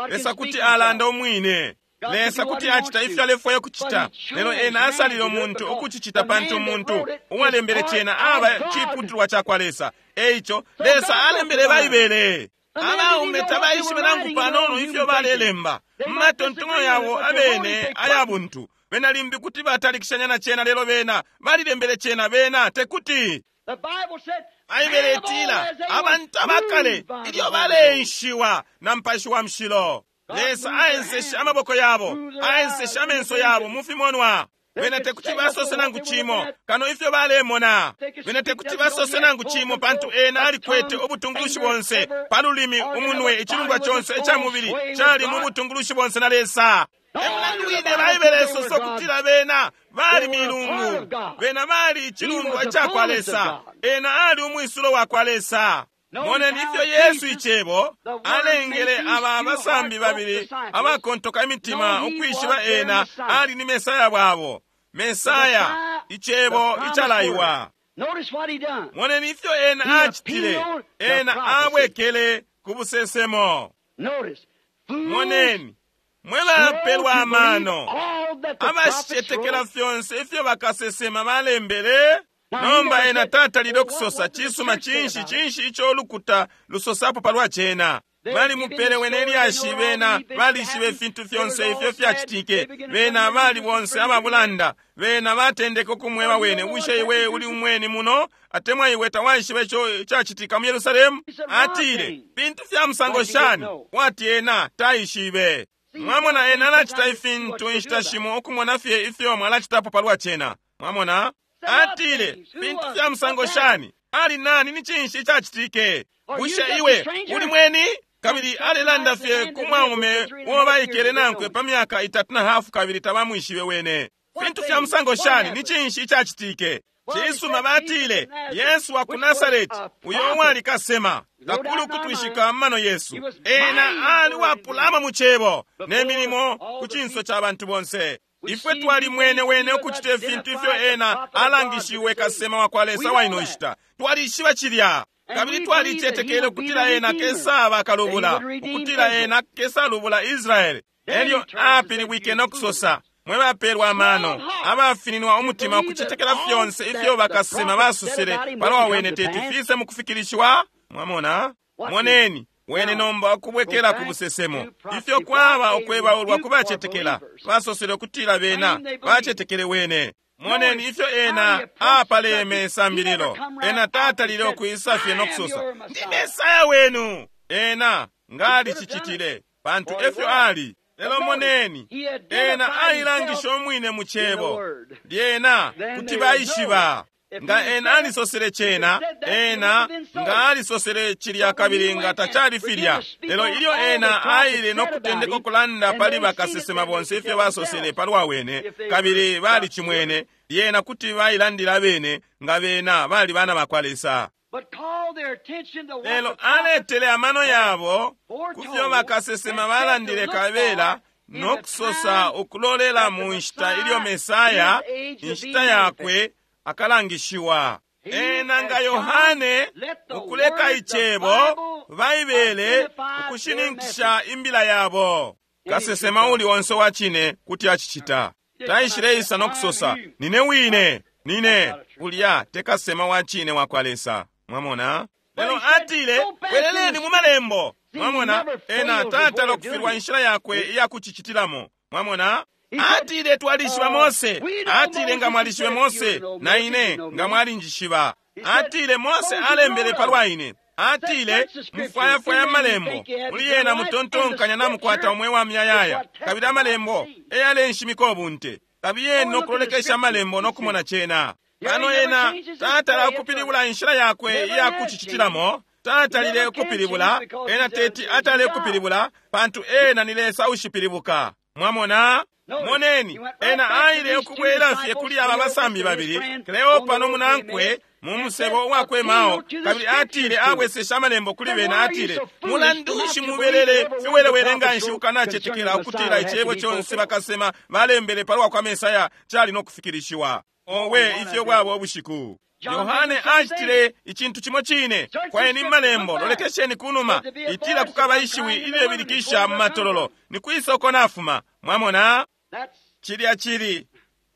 Lesa kuti alanda umwine. Lesa kuti acita ifyo alefwaya kucita, lelo ena asalile umuntu ukucicita pantu umuntu uwalembele cena aba ciputulwa cakwa Lesa. Eico Lesa alembele Baibele. Abaume tabaishibe nangu panono ifyo balelemba mumatontonyo yabo abene aya buntu. Bena limbi kuti batalikishanya na cena, lelo bena balilembele cena, bena tekuti. Baibele itila abantu abakale ilyo baleenshiwa na Mupashi wa Mushilo, Lesa aenseshe amaboko yabo, aenseshe amenso yabo mu fimonwa. Bena tekuti basose nangu cimo kano ifyo balemona. Bena tekuti basose nangu cimo pantu ena alikwete ubutungulushi bonse pa lulimi, umunwe, icilundwa conse ica mubili cali mu butungulushi bonse na Lesa. Emulandu wine Baibele isosa ukutila bena bali milungu, bena bali icilundwa cakwa Lesa, ena ali umwisulo wakwa Lesa. Moneni ifyo Yesu icebo alengele aba abasambi babili abakontoka imitima ukwishiba ena ali ni Mesaya wabo. Mesaya, icebo icalaiwa. Moneni ifyo ena acitile. Ena abwekele ku busesemo. Moneni, mwebapelwa amano, abashicetekela fyonse ifyo bakasesema balembele. Nomba ena tatalile okusosa cisuma cinshi cinshi ico ulukuta lusosapo palwa cena. Balimupele wene ilyashi, bena balishibe ifintu fyonse ifyo fyacitike. Bena bali bonse ababulanda. Bena batendeke ukumweba wene, bushe iwe uli umweni muno, atemwa iwe tawaishiba ico cacitika mu Yerusalemu? Atile, fintu fya musango shani? Wati ena taishibe. Mwamona ena alacita ifintu inshita shimo ukumona fye ifyo mwalacitapo palwa cena. Mwamona? Atile, fintu fya musango shani? Ali nani ni cinshi icacitike? Bushe iwe uli mweni? Kabili alelanda fye ku mwaume uo baikele nankwe pa myaka itatu na hafu kabili tabamwishibe wene. Fintu fya musango shani ni cinshi icacitike? Cisuma batile, Yesu wa ku Nasareti, uyo uwali kasema, takuli ukutwishika mano Yesu. Ena ali wapulama mu cebo ne milimo ku cinso ca bantu bonse. Ifwe twalimwene wene ukucita ifintu ifyo ena alangishiwe kasema wa kwa Lesa wa ino nshita. Twalishiba cilya. Kabili twalicetekele ukutila ena kesaba kalubula, ukutila ena kesalubula Israeli. Elyo apilibwike no kusosa, mwe bapelwa amano, abafininwa umutima ukucetekela fyonse ifyo bakasema basosele palwa wene teti fise mu kufikilishiwa. Mwamona? Moneni, wene nomba ukubwekela ku busesemo. Ifyo kwaba ukwebaulwa kubacetekela, basosele ukutila bena bacetekele wene. Moneni ifyo ena apaleme isambililo. Ena tatalile ukuisa fye no kusosa, ndi Mesaya wenu. Ena ngalicicitile, pantu efyo ali. Lelo moneni, ena ailangisha umwine mu cebo. Lyena kuti baishiba. Nga ena alisosele cena, ena nga alisosele cilya kabili nga tacali filya. Lelo ilyo ena aile no kutendeka ukulanda pali bakasesema bonse ifyo basosele palwa wene, kabili balicimwene, lyena kuti bailandila bene nga bena bali bana bakwa Lesa. Lelo aletele amano yabo ku fyo bakasesema balandile kabela no kusosa ukulolela mu nshita ilyo Mesaya, inshita yakwe, akalangishiwa. Ena nga Yohane ukuleka icebo Baibele ukushininkisha imbila yabo. Kasesema uli onse wa cine kuti acicita. Taishileisa no kusosa, nine wine, nine ulya te kasesema wa cine wa kwa Lesa. Mwamona? Lelo atile, bweleleni mu malembo. Mwamona? Ena tatala okufilwa inshila yakwe iya kucicitilamo. Mwamona? Atile twalishiba Mose. Atile nga mwalishibe Mose, na ine nga mwalinjishiba. Atile Mose alembele palwa ine. Atile, mufwayafwaya amalembo, muli yena mutontonkanya namukwata umwe wa muyayaya, kabili amalembo eyalenshimika ubunte. Kabiyeni nokulolekesha amalembo nokumona cena. Pano ena tatala ukupilibula inshila yakwe iyakucicitilamo, tatalile ukupilibula, ena teti atale ukupilibula, pantu ena ni Lesa ushipilibuka. Mwamona? Moneni, ena aile ukubwela fye kuli aba basambi babili, Kleopa nomunankwe, mu musebo uwakwemao, kabili atile abwesesha amalembo kuli bena, atile, mulandu nshi mubelele fiwelewele nga nshi ukanacetekela ukutila icebo conse bakasema balembele palwa kwa Mesaya cali no kufikilishiwa. Owe, ifyo bwaba ubushiku. Yohane acitile icintu cimo cine. Kwayeni malembo, lolekesheni kunuma, itila kukaba ishiwi ililebilikisha mu matololo, ni kwisa uko nafuma. Mwamona? Cilya cili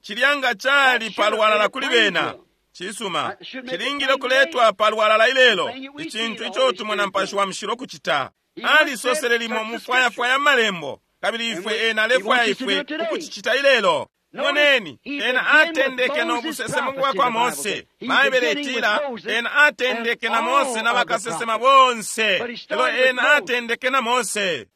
cilya nga cali palwalala kuli bena. Cisuma, cilingile ukuletwa palwalala ilelo, icintu ico tumona Mupashi wa Mushilo kucita. Alisosele limo mufwayafwaya amalembo, kabili ifwe ena alefwaya ifwe ukucicita ilelo. Moneni, ena atendeke no busesemo bwa kwa Mose. Baibele itila, ena atendeke na Mose na bakasesema bonse. Lelo ena atendeke na Mose.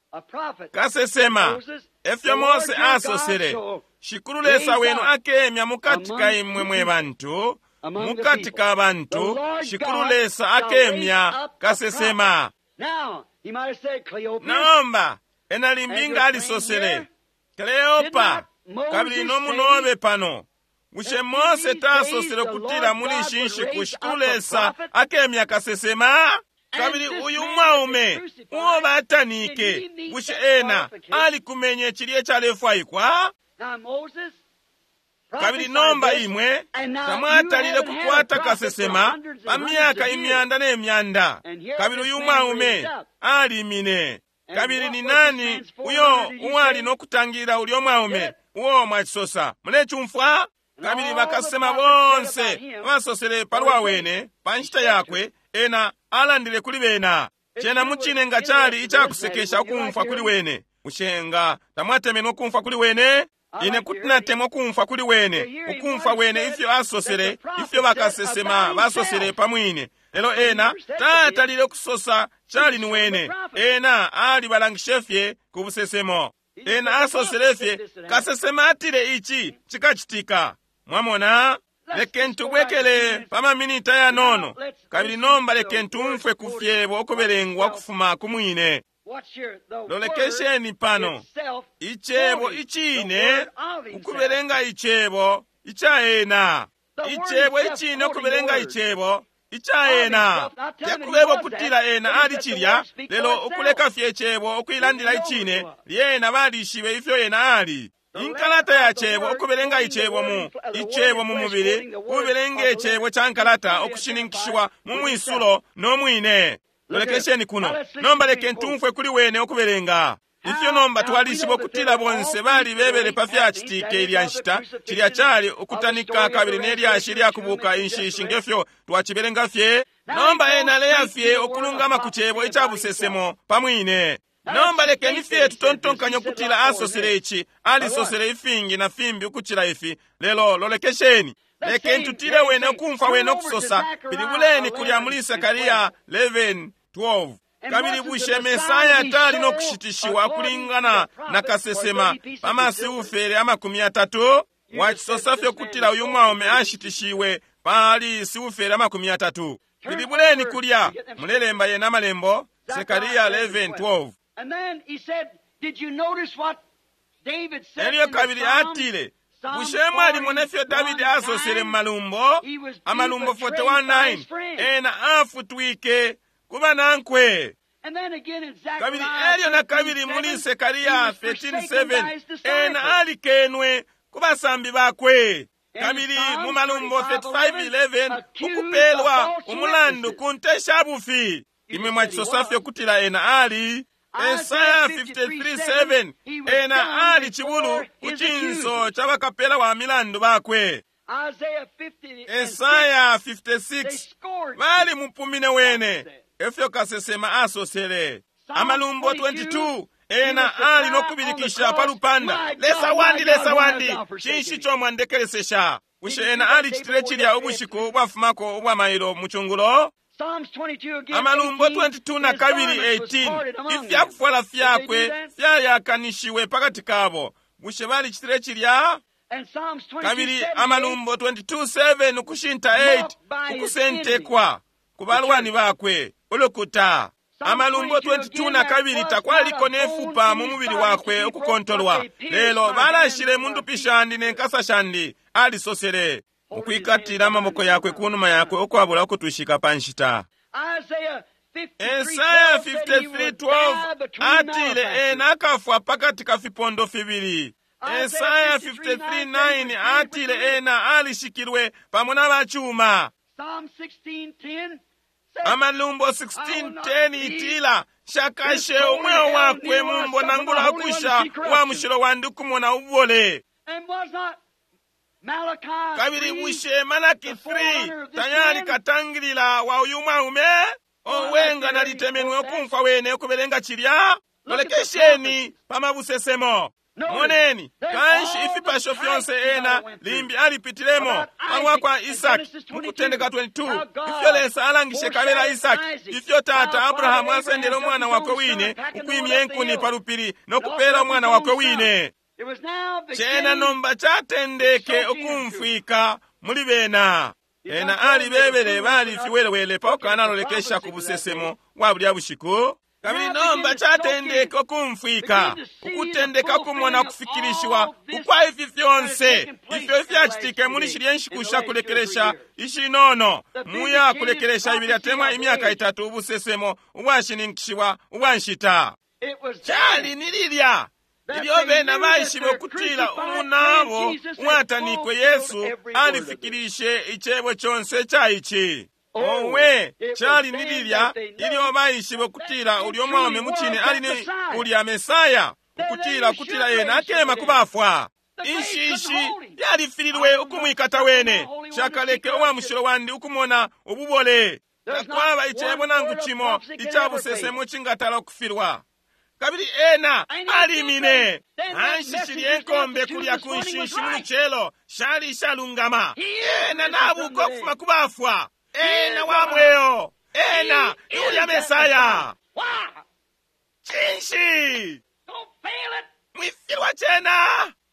Kasesema, efyo Mose asosele, Shikulu Lesa wenu akemya mukati ka imwe mwe bantu, mukati ka bantu, Shikulu Lesa akemya kasesema. Nomba, ena limbi nga alisosele, Kleopa, kabili nomunobe pano. Bushe Mose tasosele kutila muli ishi nshiku Shikulu Lesa akemya kasesema? Kabili uyu mwaume uo batanike, bushe ena alikumenye cilye calefwaikwa? Kabili nomba imwe tamwatalile kukwata kasesema pa myaka imyanda ne myanda. Kabili uyu mwaume alimine. Kabili ni nani uyo uwali no kutangilila ulyo mwaume uo mwacisosa? Mulecumfwa? Kabili bakasema bonse basosele palwa wene pa nshita yakwe, ena alandile kuli bena. Cena mucine nga cali icakusekesha ukumfwa kuli wene. Bushe nga tamwatemenwe ukumfwa kuli wene? Ine kuti natemwa ukumfwa kuli wene, ukumfwa wene ifyo asosele, ifyo bakasesema basosele pamwine. Lelo ena tatalile ukusosa cali ni wene. Ena alibalangishe fye ku busesemo. Ena asosele fye, kasesema atile ici cikacitika. Mwamona? Lekeni tubwekele pa maminita yanono, kabili nomba lekeni tumfwe ku fyebo ukubelengwa kufuma ku mwine. Lolekesheni pano, icebo icine, ukubelenga icebo ica ena. Icebo icine, ukubelenga icebo ica ena. Tekubeba ukutila ena ali cilya, lelo ukuleka fye icebo ukuilandila icine, lyena balishibe ifyo ena ali. Inkalata ya cebo, ukubelenga icebo mu icebo mu mubili, kubelenga icebo ca nkalata ukushininkishiwa mu mwisulo no mwine. Lolekesheni kuno. Nomba lekeni tumfwe kuli wene ukubelenga. Ifyo nomba twalishiba ukutila bonse balibebele pa fyacitike ilya nshita, cilya cali ukutanika kabili nelyashi lyakubuka inshishi ngefyo twacibelenga fye. Nomba ena aleya fye ukulungama ku cebo ica busesemo pamwine. Nomba lekeni fye tutontonkanye ukutila asosele ici, alisosele ifingi na fimbi ukucila ifi, lelo lolekesheni. Lekeni tutile wene ukumfwa wene ukusosa, pilibuleni kulya muli Sekaria eleven twelve. Kabili bushe Mesaya tali no kushitishiwa kulingana na kasesema pa masiufere amakumi atatu? Wacisosa fye ukutila uyu mwaume ashitishiwe pali siufere amakumi atatu. Pilibuleni kulya, mulelemba yena amalembo, Sekaria eleven twelve. Elyo kabili atile, bushe mwalimona ifyo Davidi asosele mu malumbo, amalumbo forty-one nine, ena afutwike ku banankwe. Kabili elyo na kabili muli Sekaria thirteen seven, ena alikenwe ku basambi bakwe. Kabili mu malumbo thirty-five eleven, ukupelwa umulandu ku nte sha bufi. Imwe mwacisosa fye ukutila ena ali. Esaya fifty-three seven, ena ali cibulu ku cinso ca bakapela wa milandu bakwe. Esaya fifty-six, bali mupumine wene, efyo kasesema asosele. Amalumbo twenty-two, ena ali no kubilikisha pa lupanda, Lesa wandi, Lesa wandi, cinshi ico mwandekelesesha? Bushe ena alicitile cilya ubushiku ubwafumako ubwa mailo mu cungulo? Amalumbo twenty-two na kabili eighteen, ifyakufwala fyakwe fyayakanishiwe pakati kabo. Bushe balicitile cilya? Kabili Amalumbo twenty-two seven ukushinta eight, ukusentekwa ku balwani bakwe ulukuta. Amalumbo twenty-two na kabili, takwaliko nefupa mu mubili wakwe ukukontolwa, lelo balashile mu ndupi shandi ne nkasa shandi, alisosele, ukwikatila amaboko yakwe kunuma yakwe ukwabula ukutwishika pa nshita. Esaya fifty-three twelve atile ena akafwa pakati ka fipondo fibili. Esaya fifty-three nine atile ena alishikilwe pamo na bachuma. Amalumbo sixteen ten itila shakashe umweo wakwe mumbo nangula akusha wa mushilo wandi ukumona ubole. Kabili bushe Malaki three tayali katangilila wa uyu mwaume? Owenga nalitemenwe ukumfwa wene ukubelenga cilya. Lolekesheni pamabusesemo. Moneni, kanshi ifipasho fyonse ena limbi alipitilemo palwa kwa Isaki mu Kutendeka twenty-two, ifyo Lesa alangishe kabela Isaki, ifyo tata Abrahamu asendele umwana wakwe wine ukwimya enkuni pa lupili no kupela umwana wakwe wine. Cena nomba catendeke ukumfwika muli bena. Ena alibebele bali fiwelewele pakukanalolekesha ku busesemo bwa bulya bushiku. Kabili nomba catendeke ukumfwika, ukutendeka kumona kufikilishiwa ukwa ifi fyonse ifyo ifyacitike muli shilya nshiku sha kulekelesha ishinono, muya kulekelesha ibili atemwa imyaka itatu, ubusesemo ubwashininkishiwa ubwa nshita. Cali ni lilya ilyo bena baishibe ukutila umunabo uwatanikwe Yesu alifikilishe icebo conse ca ici. Owe, cali ni lilya ilyo baishibe ukutila ulyo mwaume mucine ali ni ulya Mesaya, ukutila ukutila ena akema kubafwa. Inshishi yalifililwe ukumwikata wene. Shakaleke uwa mushilo wandi ukumona ububole. Takwaba icebo nangu cimo ica busesemo cingatala ukufilwa. Kabili ena alimine. Anshishili enkombe kulya ku nshinshi mu lucelo shali ishalungama. Ena nabuka ukufuma ku bafwa. Ena wa mweo. Ena ni ulya Mesaya. Cinshi? Mwifilwa cena.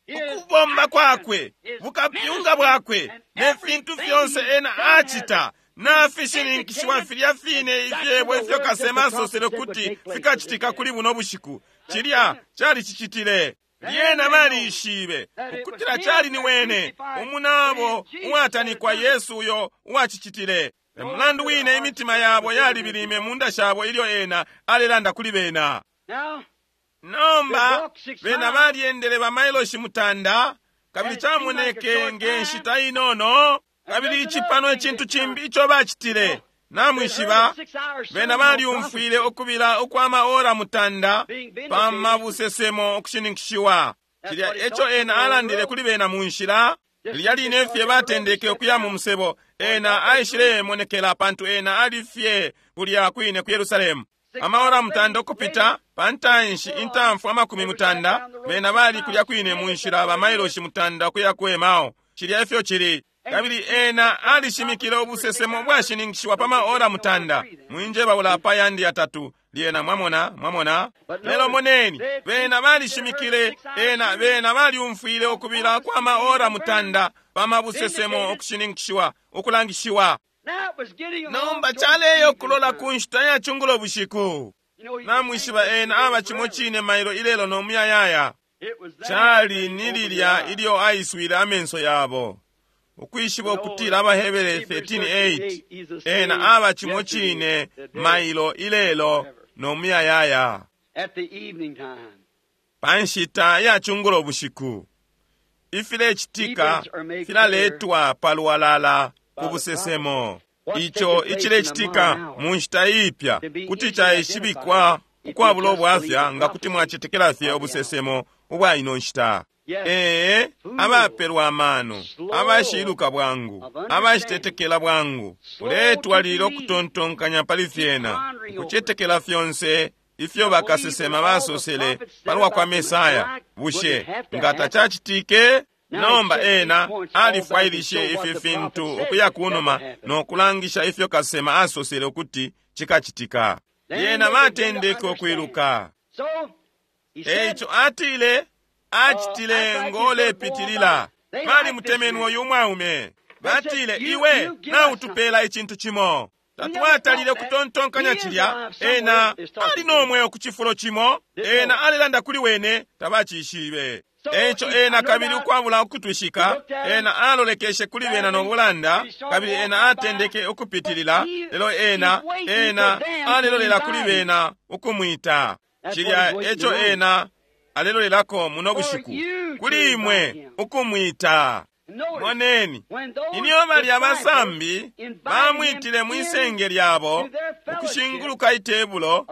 Ukubomba kwakwe, bukapyunga bwakwe, ne fintu fyonse ena acita nafishininkishiwa filya fine ifyebo ifyo kasema asosele kuti fikacitika kuli buno bushiku. Cilya cali cicitile. Lyena balishibe ukutila cali ni wene umunabo uwatanikwa Yesu uyo uwacicitile. Emulandu wine imitima yabo yalibilime munda shabo ilyo ena alelanda kuli bena. Nomba bena balyendele bamailoshi mutanda, kabili camoneke nge nshita inono. Kabili ici pano icintu cimbi ico bacitile. Namwishiba, bena balyumfwile ukubila ukwa maora mutanda pa mabusesemo ukushininkishiwa. Cilya eco ena alandile kuli bena mu nshila. Lilya line fye batendeke ukuya mu musebo, ena aishilemonekela pantu ena ali fye kulya kwine ku Yerusalemu. Amaora mutanda ukupita pantanshi intamfu amakumi mutanda, bena bali kulya kwine mu nshila bamailoshi mutanda ukuya ku Emao. Cilya efyo cili. Kabili ena alishimikile ubusesemo bwashininkishiwa pa maora mutanda. Mwinje baula pa yandi yatatu. Lyena mwamona, mwamona. Lelo moneni, bena balishimikile, ena bena balyumfwile ukubila kwa maora mutanda pa mabusesemo ukushininkishiwa, ukulangishiwa. Nomba caleyo kulola ku nshita ya chungulo bushiku. Namwishiba ena aba cimo cine mailo ilelo no muyayaya. Cali ni lilya ilyo aiswile amenso yabo. Ukwishiba ukutila Abahebere thirteen eight, ena aba cimo cine mailo ilelo no muyayaya. Pa nshita ya chungulo bushiku, ifilecitika filaletwa palwalala ku busesemo. Ico icilecitika mu nshita iipya kuti caishibikwa ukwabula ubwafya nga kuti mwacetekela fye ubusesemo ubwa ino nshita. Ee, abapelwa amano, abashiluka bwangu, abashitetekela bwangu, uletwalila ukutontonkanya pali fyena, ukucetekela fyonse ifyo bakasesema basosele palwa kwa Mesaya. Bushe nga tacacitike? Nomba ena alifwailishe ifi fintu ukuya kunuma no kulangisha ifyo kasema asosele ukuti chikachitika. Lyena batendeke ukwiluka. Eico atile, acitile ngolepitilila. Balimutemenwe uyu mwaume. Batile, iwe nautupela icintu cimo. Tatwatalile kutontonkanya cilya. Ena ali nomweo ku cifulo cimo. Ena alelanda kuli wene, tabacishibe. Eico ena kabili ukwabula ukutwishika, ena alolekeshe kuli bena no bulanda, kabili ena atendeke ukupitilila, lelo ena, ena alelolela kuli bena ukumwita. Cilya eco ena alelolelako muno bushiku, kuli imwe ukumwita. Moneni, ilyo balya basambi bamwitile mwisenge lyabo ukushinguluka itebulo,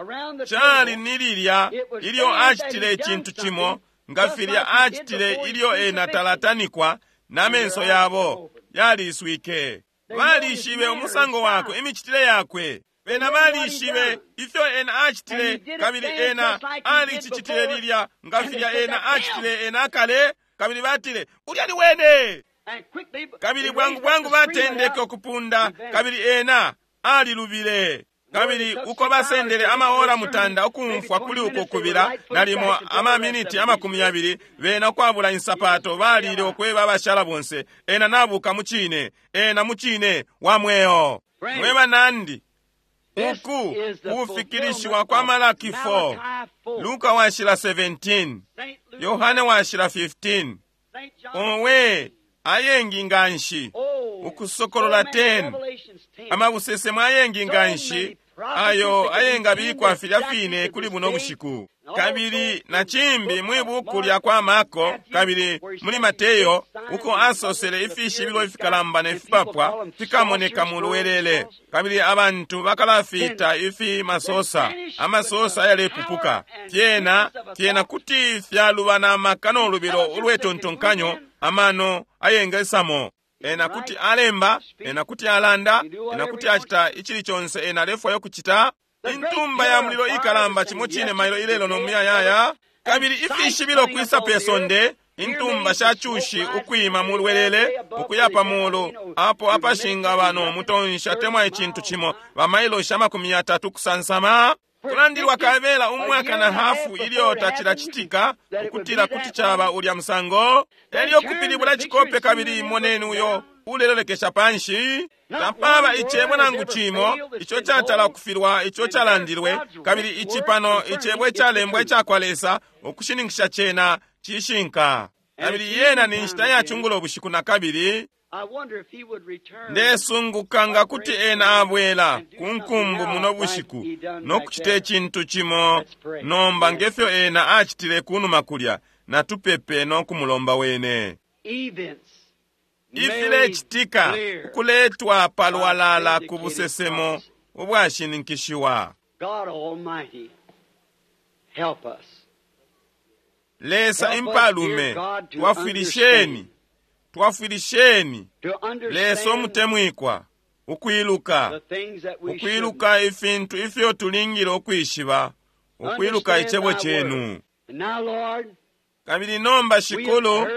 cali ni lilya ilyo acitile icintu cimo nga filya acitile ilyo ena talatanikwa, na menso yabo yaliswike. Balishibe umusango wakwe, imicitile yakwe. Bena balishibe ifyo ena acitile, kabili ena alicicitile lilya nga filya ena acitile ena akale, kabili batile, ulya ni wene. Kabili bwangu bwangu batendeke ukupunda, kabili ena alilubile. Kabili uko basendele amaora mutanda ukumfwa kuli uko kubila, nalimo amaminiti amakumi yabili, bena ukwabula insapato balile ukweba abashala bonse, ena nabuka mucine, ena mucine wa mweo. Mwe banandi, uku kufikilishiwa kwa Malaki four, Luka washila seventeen, Yohane washila fifteen, owe ayengi nganshi, Ukusokolola ten, amabusesemo ayengi nganshi ayo ayengabikwa filya fine kuli buno bushiku. Kabili na cimbi mwi buku lya kwa Marko kabili muli Mateyo, uko asosele ifishibilo ifikalamba ne fipapwa fikamoneka mu lwelele, kabili abantu bakalafita ifi masosa, amasosa ayalepupuka. Fyena fyena kuti fyaluba na maka no lubilo ulwetontonkanyo, amano ayengesamo. Ena kuti alemba, ena kuti alanda, ena kuti acita icili conse ena alefwayo kucita. Intumba ya mulilo ikalamba cimo cine mailo ilelo no muyayaya. Kabili ifishibilo kwisa pe sonde, intumba sha cushi ukwima mu lwelele ukuya pa mulu, apo apashinga bano mutonsha temwa icintu cimo, bamailo sha makumi yatatu kusansama. Kulandilwa kabela umwaka na hafu ilyo tacilacitika, ukutila kuti caba ulya musango. Elyo kupilibula cikope, kabili moneni uyo ulelolekesha panshi. Tapaba icebo nangu cimo ico catala kufilwa ico calandilwe, kabili ici pano icebo icalembwa icakwa Lesa ukushininkisha cena cishinka. Kabili yena ni nshita ya cungulo bushiku na kabili. Ndesunguka nga kuti ena abwela ku nkumbu muno bushiku no kucita icintu cimo nomba ngefyo ena acitile kunuma kulya. Natupepe no kumulomba wene. Ifilecitika ukuletwa palwalala ku busesemo ubwashininkishiwa. Lesa impalume, twafwilisheni, twafwilisheni. Lesa umutemwikwa, ukwiluka, ukwiluka ifintu ifyo tulingile ukwishiba, ukwiluka icebo cenu. Kabili nomba Shikulu,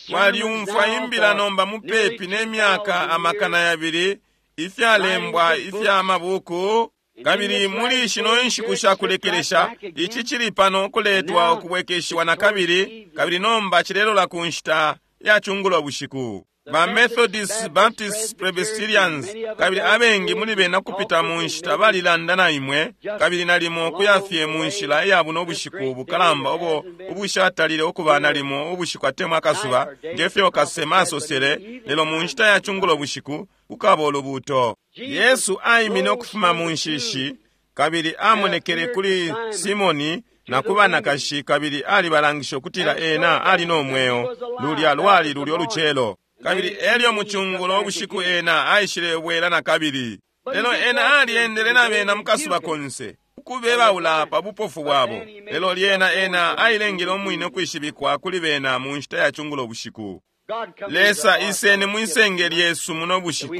twalyumfwa imbila nomba mupepi ne myaka amakana yabili, ifyalembwa ifya mabuku. Kabili muli shino inshiku sha kulekelesha, ici cili pano kuletwa ukubwekeshiwa na kabili, kabili nomba cilelola ku nshita ya cungulo bushiku. Ba Methodist, Baptist, Presbyterians, kabili abengi muli bena kupita mu nshita balilanda na imwe, kabili nalimo kuyafye mu nshila iya buno bushiku bukalamba ubo ubushatalile ukuba nalimo ubushiku atemwa akasuba, ngefyo kasema asosele, lelo mu nshita ya cungulo bushiku kukaba ulubuuto. Yesu aimine ukufuma mu nshishi, kabili amonekele kuli Simoni na ku banakashi, kabili alibalangisha ukutila ena ali no mweo. Lulya lwali lulyo lucelo. Kabili elyo mucungulo ubushiku ena aishile bwela na kabili. Lelo ena aliendele na bena mukasuba konse, ukubebaula pa bupofu bwabo. Lelo lyena ena ailengele umwine ukwishibikwa kuli bena mu nshita ya cungulo bushiku. Lesa iseni mwisenge lyesu muno bushiku,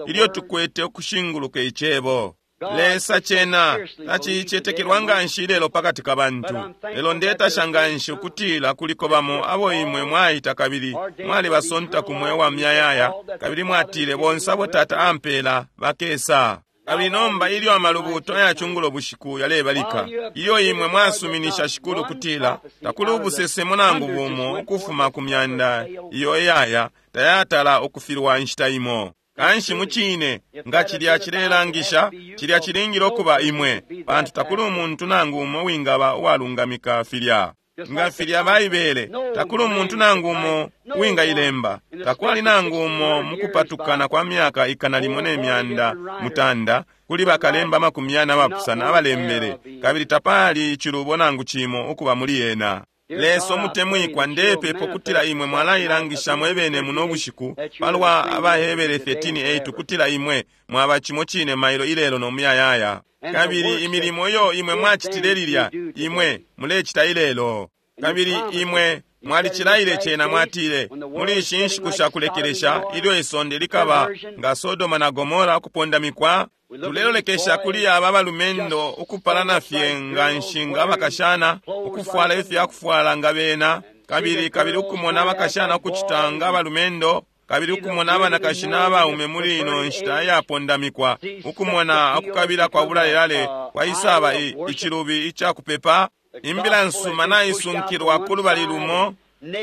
ilyo tukwete ukushinguluka icebo. Lesa cena tacicetekelwa nganshi lelo pakati ka bantu. Lelo ndetasha nganshi ukutila kuliko bamo abo imwe mwaita kabili mwalibasonta ku mweo wa myayaya, kabili mwatile bonse abo Tata ampela bakesa. Kabili nomba ilyo amalubuto ayacungulo bushiku yalebalika, ilyo imwe mwasuminisha Shikulu kutila takuli ubusesemo nangu bumo ukufuma ku myanda iyo iyaya tayatala ukufilwa inshita imo. Kanshi mucine nga cilya cilelangisha, cilya cilingile ukuba imwe, pantu takuli umuntu nangu umo wingaba uwalungamika filya. Nga filya Baibele, takuli umuntu nangu umo uwingailemba, takwali nangu umo mukupatukana kwa myaka ikana limo ne myanda mutanda kuli bakalemba makumi yana abapusana abalembele, kabili tapali icilubo nangu cimo ukuba muli yena. Lesa umutemwikwa, ndepepa kutila imwe mwalailangisha mwebene muno bushiku palwa Abahebere thirteen eight kutila imwe mwaba cimo cine mailo ilelo no muyayaya. Kabili imilimo iyo imwe mwacitile lilya imwe mulecita ilelo. Kabili imwe mwalicilaile cena, mwatile muli ishi nshiku shakulekelesha ilyo isonde likaba nga Sodoma na Gomora ukupondamikwa. Tulelolekesha kuli aba balumendo ukupalana fye nga nshinga abakashana, ukufwala ifyakufwala nga bena, kabili kabili ukumona abakashana ukucita nga abalumendo, kabili ukumona abanakashi n'abaume muli ino nshita iyapondamikwa, ukumona ukukabila kwa bulalelale kwaisaba icilubi icakupepa. Imbila nsuma naisunkilwa ku lubali lumo,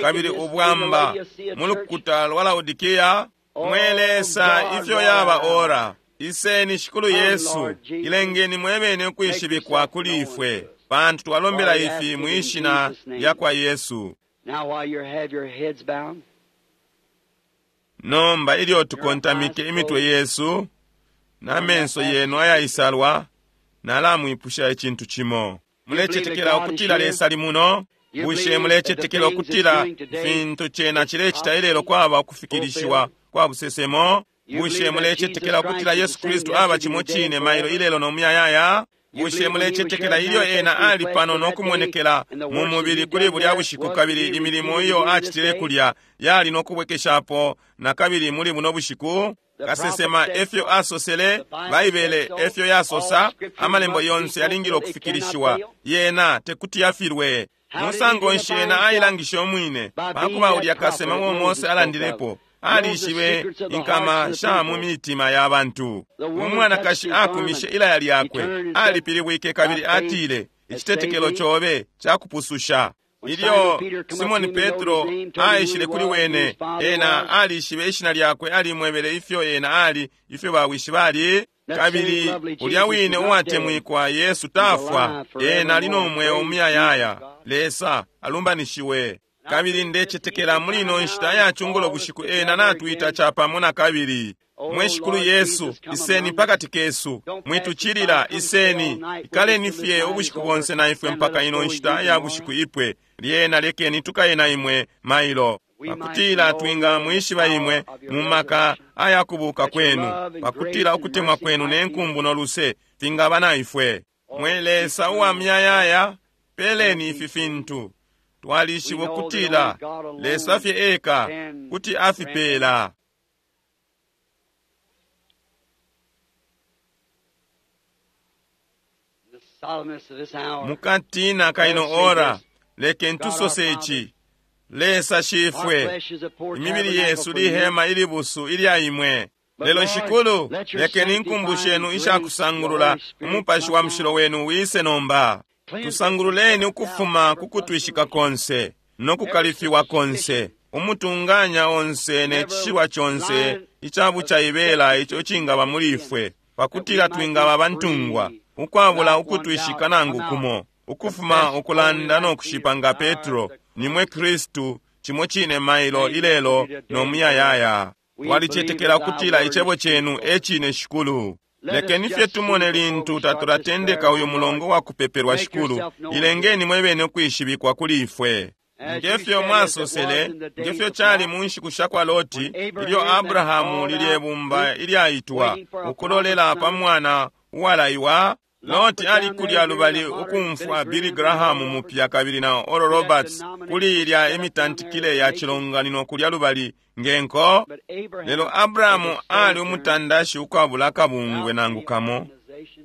kabili ubwamba mu lukuta lwa Laodikia. Mwe Lesa, ifyo yaba ora! Iseni Shikulu Yesu, ilengeni mwebene ukwishibikwa kuli ifwe, pantu twalombela ifi mwishina lya kwa Yesu. Nomba ilyo tukontamike imitwe yesu na menso yenu ayaisalwa, nalamwipusha icintu cimo. Mulecetekela ukutila Lesa ali muno? Bushe mulecetekela ukutila fintu cena cilecita ilelo kwaba ukufikilishiwa kwa busesemo? Bushe mulecetekela ukutila Yesu Kristu aba cimo cine mailo ilelo no muyayaya? Bushe mulecetekela ilyo ena ali pano no kumonekela mu mubili kuli bulya bushiku, kabili imilimo iyo acitile kulya yali no kubwekeshapo na kabili muli buno bushiku? Kasesema efyo asosele, Baibele efyo yasosa, amalembo yonse yalingile ukufikilishiwa, yena tekuti yafilwe. Musango nshi ena ailangishe umwine pakuba ulya kasema uo Mose alandilepo? Alishibe inkama sha mu mitima ya bantu. Umwanakashi akumishe ilaya lyakwe, alipilibwike kabili atile, icitetekelo cobe cakupususha. Ilyo Simoni Petro aishile kuli wene, ena alishibe ishina lyakwe, alimwebele ifyo ena ali, ifyo bawishi bali. Kabili ulya wine uwatemwikwa Yesu tafwa, ena ali no mweo umuyayaya. Lesa alumbanishiwe. Kabili ndecetekela muli ino nshita yacungulo bushiku ena natwita capamo na kabili. Mwe Shikulu Yesu, iseni pakati kesu, mwitucilila, iseni, ikaleni fye ubushiku bonse na ifwe mpaka ino nshita ya bushiku ipwe. Lyena lekeni tukaye na imwe mailo, pakutila twinga mwishiba imwe mu maka ayakubuka kwenu, pakutila ukutemwa kwenu ne nkumbu no luse fingaba na ifwe. Mwe Lesa uwa myayaya, peleni ifi fintu. Twalishiba ukutila Lesa fye eka kuti afipela. Mukatina kaino ora, lekeni tusose ici. Lesa shifwe, imibili yesu lihema ilibusu ilya imwe. Lelo Shikulu, lekeni inkumbu shenu ishakusangulula umupashi wa mushilo wenu wise nomba. Tusangululeni ukufuma kukutwishika konse no kukalifiwa konse, umutunganya onse ne cishilwa conse icabucaibela ico cingaba muli ifwe, pakutila twingaba bantungwa ukwabula ukutwishika nangu kumo, ukufuma ukulanda no kushipa nga Petro, nimwe Kristu, cimo cine mailo ilelo no muyayaya. Twalicetekela ukutila icebo cenu e cine Shikulu. Lekeni fye tumone lintu tatulatendeka uyu mulongo wa kupepelwa Shikulu, ilengeni mwebene ukwishibikwa kuli ifwe. Ngefyo mwasosele, ngefyo cali mu nshiku sha kwa Loti, ilyo Abrahamu lilye bumba ilyaitwa ukulolela pa mwana uwalaiwa. Loti ali kulya lubali ukumfwa Billy Graham mupya kabili na Oral Roberts kuli ilya imitantikile ya cilonganino kulya lubali ngenko. Lelo Abrahamu ali umutandashi ukwabula akabungwe nangu kamo,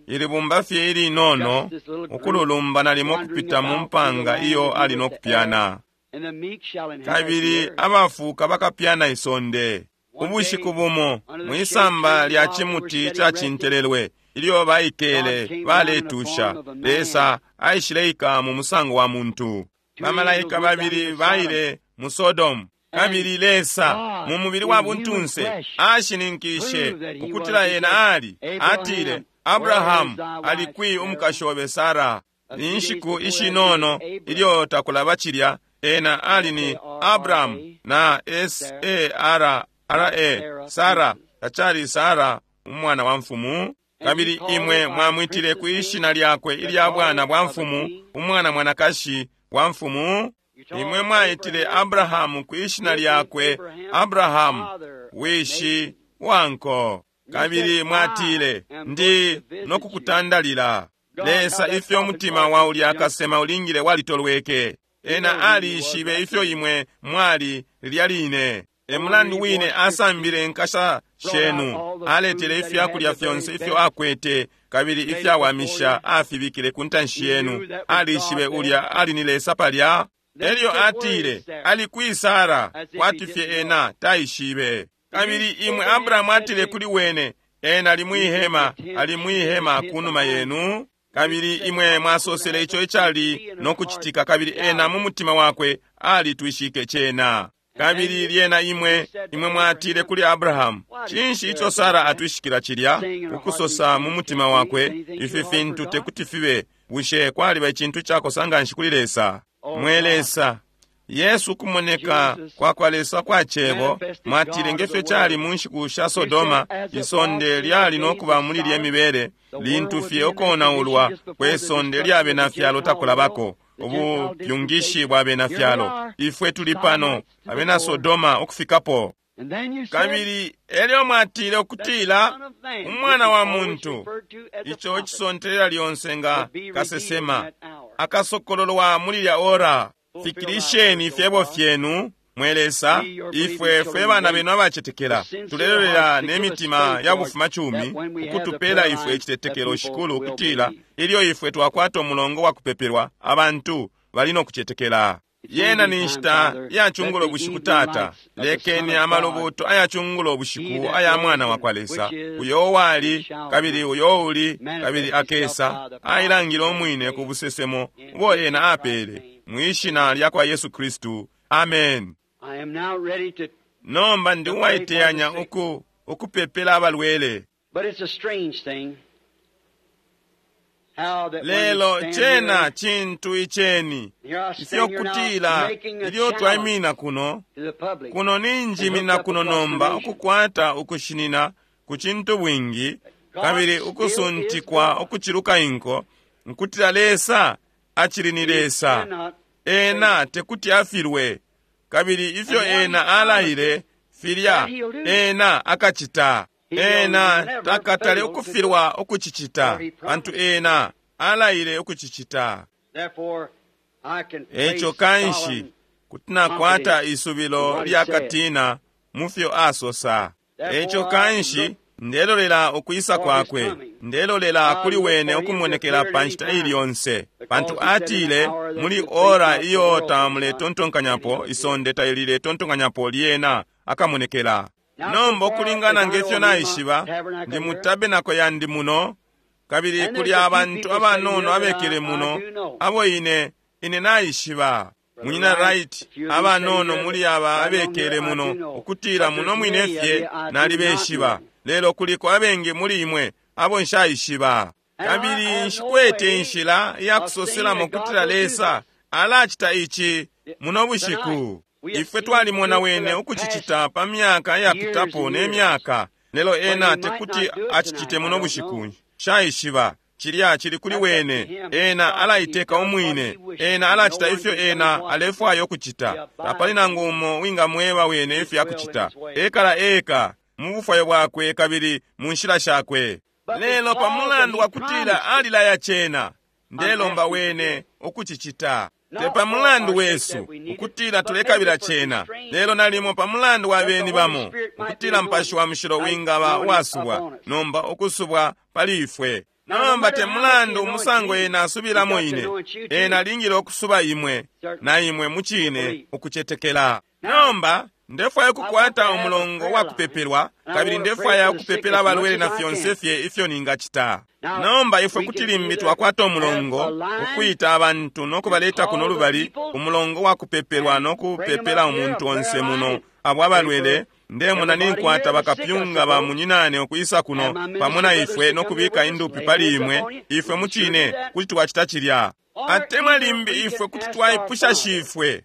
Ili bumba fye ilinono ukululumba nalimo kupita mu mpanga iyo ali no kupyana. Kabili abafuuka bakapyana isonde. Ubushiku bumo mwisamba lya cimuti ca cintelelwe ilyo baikele baletusha, Lesa aishileika mu musango wa muntu. Bamalaika babili baile mu Sodomu, kabili Lesa mu mubili wa buntunse ashininkishe ukutila ena ali. Atile, Abrahamu, ali kwi umukashi obe Sara? Ni nshiku ishinono ilyo takulaba cilya, ena ali ni Abrahamu na S A R R A, Sara, tacali Sara umwana wa mfumu. Kabili imwe mwamwitile ku ishina lyakwe ilya bwana bwa mfumu, umwana mwanakashi wa mfumu. Imwe mwaitile Abrahamu ku ishina lyakwe Abrahamu, wishi wanko. Kabili mwatile, ndi nokukutandalila. Lesa ifyo umutima wa ulya akasema ulingile walitolweke. Ena alishibe ifyo imwe mwali lilya line. E mulandu wine asambile inkasa shenu, aletele ifyakulya fyonse ifyo akwete, kabili ifyawamisha afibikile ku ntanshi yenu. Alishibe ulya ali ni Lesa palya. Elyo atile, ali kwi Sara, kwati fye ena taishibe. Kabili imwe Abrahamu atile kuli wene, ena ali mwihema, ali mwihema kunuma yenu. Kabili imwe mwasosele ico icali no kucitika, kabili ena mu mutima wakwe alitwishike cena. Kabili lyena imwe imwe mwatile kuli Abrahamu, cinshi ico Sara atwishikila cilya, ukusosa mu mutima wakwe, ifi fintu tekuti fibe? Bushe kwaliba icintu cakosa nganshi kuli Lesa? Mwe Lesa, Yesu kumoneka kwa kwa Lesa kwa cebo, mwatile ngefyo cali mu nshiku sha Sodoma, isonde lyali no kuba muli lye mibele, lintu fye ukonaulwa kwe sonde lya bena fyalo takulabako, ubupyungishi bwa bena fyalo. Ifwe tuli pano, abena Sodoma ukufikapo. Kabili elyo mwatile ukutila umwana wa muntu, ico cisontelela lyonse nga kasesema, akasokololwa muli lya ora. Fikilisheni ifyebo fyenu, mwe Lesa, ifwe fwe bana benu abacetekela, tulelolela ne mitima ya bufumacumi ukutupela ifwe icitetekelo shikulu, ukutila ilyo ifwe twakwata umulongo wa kupepelwa, abantu bali no kucetekela. Yena ni nshita ya chungulo bushiku, Tata. Lekeni amalubuto aya chungulo bushiku aya mwana wa kwa Lesa, uyo wali kabili uyo uli kabili akesa, ailangile umwine ku busesemo ubo ena apele mwishina lya kwa Yesu Kristu. Amen. Nomba ndi uwaiteyanya uku ukupepela abalwele. Lelo cena cintu iceni ifyo kutila ilyo twaimina kuno kuno ninjimina kuno nomba ukukwata ukushinina ku cintu bwingi kabili ukusuntikwa ukuciluka inko, nkutila Lesa acili ni Lesa. Ena tekuti afilwe, kabili ifyo ena alaile filya ena akacita. Ena takatale ukufilwa ukucicita, pantu ena alaile ukucicita. Eco kanshi kuti nakwata isubilo lya katina mu fyo asosa. Eco kanshi ndelolela ukwisa kwakwe, ndelolela kuli wene ukumonekela pa nshita ili yonse, pantu atile muli ora iyo tamuletontonkanyapo, isonde taililetontonkanyapo, lyena akamonekela. Nomba ukulingana ngefyo naishiba, ndi mu tabenako yandi muno, kabili kuli abantu abanono abekele muno abo ine ine naishiba. Munyina Wright, abanono muli aba abekele muno, ukutila muno mwine fye nalibeshiba, lelo kuliko abengi muli imwe abo nshaishiba. Kabili nshikwete inshila ya kusoselamo kutila Lesa alacita ici muno bushiku. Ifwe twalimona wene ukucicita pa myaka yapitapo ne myaka, lelo ena tekuti acicite muno bushiku. Nshaishiba cilya cili kuli wene. Ena alaiteka umwine, ena alacita ifyo ena alefwaya ukucita. Tapali nangu umo wingamweba wene ifyo akucita. Ekala eka mu bufwayo bwakwe kabili mu nshila shakwe. Lelo pa mulandu wa kutila alilaya cena, ndelomba wene ukucicita. Te pa mulandu wesu ukutila tulekabila cena, lelo nalimo pa mulandu wa beni bamo, ukutila Mupashi wa Mushilo wingaba uwasubwa nomba ukusubwa pali ifwe. Nomba te mulandu umusango ena asubilamo ine, ena alingile ukusuba imwe na imwe mucine ukucetekela. Nomba ndefwaya ukukwata umulongo wa kupepelwa, kabili ndefwaya ukupepela abalwele na fyonse fye ifyo ningacita. Nomba ifwe kuti limbi twakwata umulongo ukwita abantu no kubaleta kuno lubali, umulongo wa kupepelwa no kupepela umuntu onse muno abo abalwele. Ndemona ninkwata bakapyunga ba munyinane ukwisa kuno pamo na ifwe no kubika indupi pali imwe. Ifwe mucine kuti twacita cilya, atemwa limbi ifwe kuti twaipusha shifwe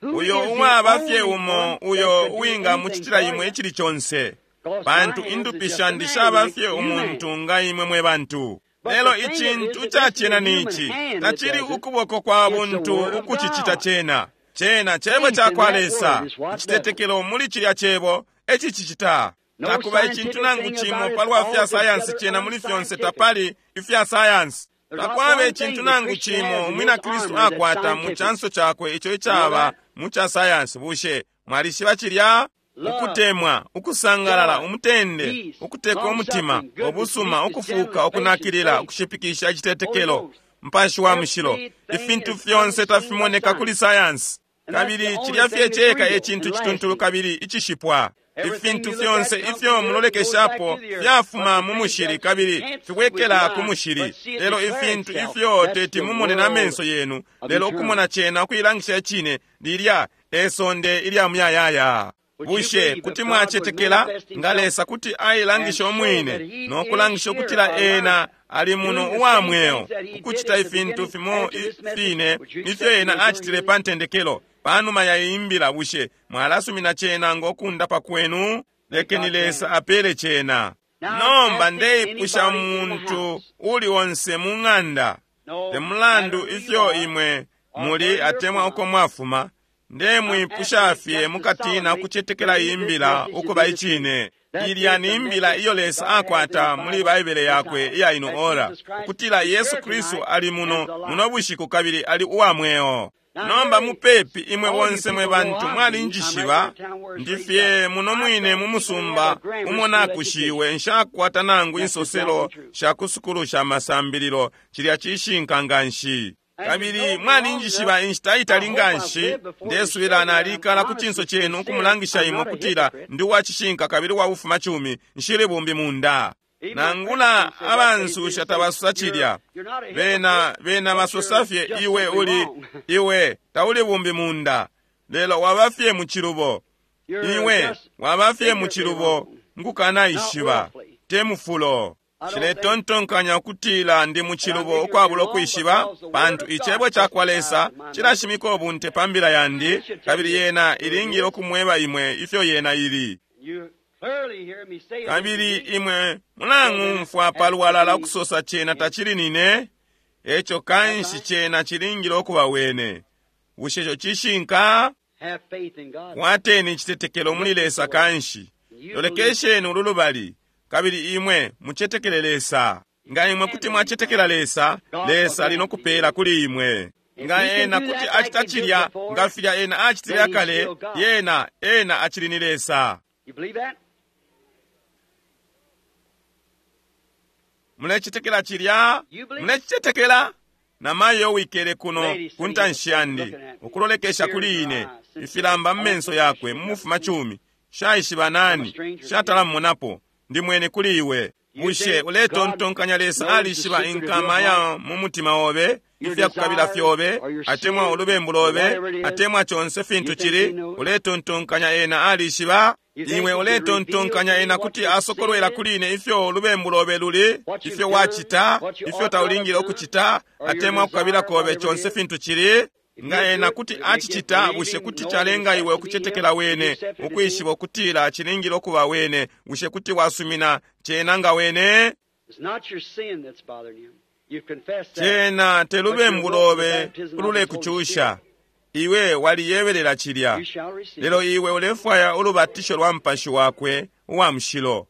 uyo uwaba fye umo uyo uwingamucitila imwe icili conse, pantu indupi shandi shaba fye umuntu nga imwe mwe bantu. Lelo icintu cacena ni ici, tacili ukuboko kwa buntu ukucicita cena. Cena cebo cakwa Lesa. Icitetekelo muli cilya cebo ecicicita. Takuba icintu nangu cimo palwa fya sayansi cena muli fyonse tapali ifya sayansi. Takwaba icintu nangu cimo umwina Kristu akwata mu chanso chakwe ico icaba mu cha sayansi. Bushe mwalishiba cilya? Ukutemwa, ukusangalala, umutende, ukuteka umutima, ubusuma, ukufuka, ukunakilila, ukushipikisha, icitetekelo, Mpashi wa Mushilo. Ifintu fyonse tafimoneka kuli sayansi, kabili cilya fye ceka e cintu cituntulu kabili icishipwa. Ifintu fyonse ifyo mulolekeshapo fyafuma mu mushili kabili fibwekela ku mushili. Lelo ifintu ifyo teti mumone na menso yenu, lelo ukumona cena ukuilangisha icine, lilya e sonde ilya muyayaya. Bushe kuti mwacetekela nga Lesa kuti ailangisha umwine no kulangisha ukutila ena ali muno uwa mweo, ukucita ifintu fimo fine ifyo ena acitile pa ntendekelo panuma ya imbila? Bushe mwalasumina cena ngo kundapa kwenu? Lekeni Lesa apele cena. Nomba ndeipusha muntu uli onse mu ng'anda, te mulandu ifyo imwe muli atemwa uko mwafuma, ndemwipusha fye mukatina ukucetekela imbila ukuba icine. Ilya ni imbila iyo Lesa akwata muli Baibele yakwe iya ino ora, ukutila Yesu Kristu ali muno muno bushiku kabili ali uwa mweo. Nomba mupepi imwe bonse mwe bantu mwalinjishiba, ndifye muno mwine mu musumba umo nakushiwe, nshakwata nangu insoselo sha kusukulu sha masambililo. Cilya cishinka nganshi. Kabili mwalinjishiba inshita itali nganshi, ndesubila nalikala ku cinso cenu ukumulangisha imwe ukutila ndi uwacishinka kabili uwa bufumacumi, nshili bumbi munda. Nangula abansusha tabasusa cilya, bena bena basosa fye iwe uli iwe tauli bumbi munda, lelo waba fye mu cilubo. Iwe waba fye mu cilubo nkukanaishiba, te mufulo. Nshiletontonkanya ukutila ndi mu cilubo ukwabula ukwishiba, pantu icebo cakwa Lesa cilashimika ubunte pa mbila yandi, kabili yena ilingile ukumweba imwe ifyo yena ili. Kabili imwe mulang'umfwa palwalala ukusosa cena tacili nine, eco kanshi cena cilingile ukuba wene. Bushe ico cishinka? Kwateni icitetekelo muli Lesa kanshi. Lolekesheni ulu lubali, kabili imwe mucetekele Lesa. Nga imwe kuti mwacetekela Lesa, Lesa ali nokupela kuli imwe. Nga ena kuti acita cilya nga filya ena acitile akale, yena ena acili ni Lesa. Mulecetekela cilya? Mulecetekela? Namayo wikele kuno ku ntanshi yandi ukulolekesha kuli ine, ifilamba mu menso yakwe mu mufumacumi, shaishiba nani, shatala mmonapo, ndi mwene kuli iwe. Bushe uletontonkanya Lesa alishiba inkama ya mu mutima obe, ifyakukabila fyobe, atemwa ulubembu lobe, atemwa conse fintu cili? Uletontonkanya ena alishiba? Iwe uletontonkanya ena kuti asokolwela kuli ine ifyo ulubembu lobe luli, ifyo wacita, ifyo taulingile ukucita, atemwa kukabila kobe, conse fintu cili? Nga ena kuti acicita, bushe kuti calenga iwe ukucetekela wene, ukwishiba ukutila cilingile ukuba wene? Bushe kuti wasumina cena nga wene? Cena te lubembu lobe ululekucusha. Iwe waliyebelela cilya, lelo iwe ulefwaya ulubatisho lwa Mupashi wakwe uwa Mushilo.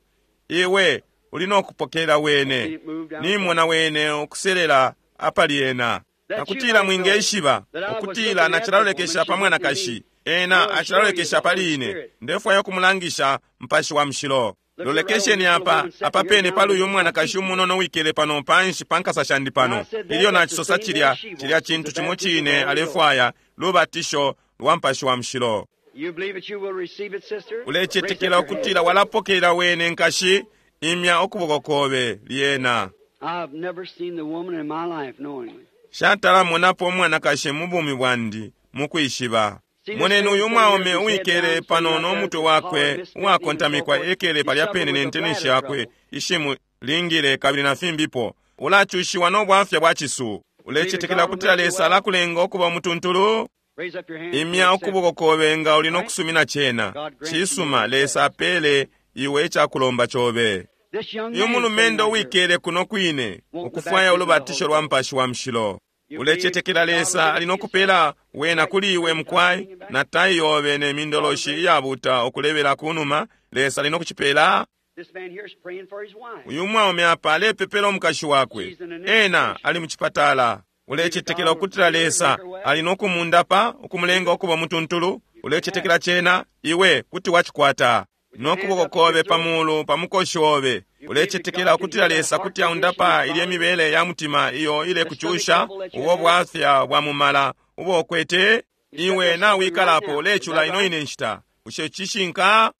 Iwe uli nokupokela wene. Nimona wene ukuselela apali ena. Nakutila mwingeshiba ukutila nacilalolekesha pa mwanakashi, ena acilalolekesha pali ine. Ndefwaya ukumulangisha Mupashi wa Mushilo. Lolekesheni apa, apa pene pali uyu mwanakashi umunono wikele pano panshi pa nkasa shandi pano. Ilyo nacisosa cilya, cilya cintu cimo cine alefwaya, lubatisho lwa Mupashi wa Mushilo. Ulecetekela ukutila walapokelela wene, nkashi? Imya ukuboko kobe lyena. Shatala monapo umwanakashi mu bumi bwandi mukwishiba. Moneni uyu mwaume uwikele pano no mutwe wakwe uwakontamikwa, ekele palya pene ne ntenenshi yakwe ishimu lingile kabili na fimbipo. Ulacushiwa no bwafya bwa cisu. Ulecetekela ukutila Lesa alakulenga ukuba umutuntulu? Imya ukuboko kobe nga uli no kusumina cena. Cisuma, Lesa apele iwe icakulomba cobe. Uyu mulumendo uwikele kuno kwine ukufwaya ulubatisho lwa Mupashi wa Mushilo. Ulecetekela Lesa ali no kupela wena kuli iwe mukwai, na tai yobe ne mindoloshi iyabuta ukulebela kunuma? Lesa ali no kucipela. Uyu mwaume apa alepepela umukashi wakwe, ena ali mucipatala. Ulecetekela ukutila Lesa ali no kumundapa, ukumulenga ukuba mutuntulu? Ulecetekela cena? Iwe kuti wacikwata. No kuboko kobe pamulu pa mukoshi obe, ulecetekela ukutila Lesa kuti aundapa ilye mibele ya mutima iyo ile kucusha ubo bwafya bwa mumala ubo ukwete? Iwe nawikalapo ulecula ino ine nshita. Bushe cishinka?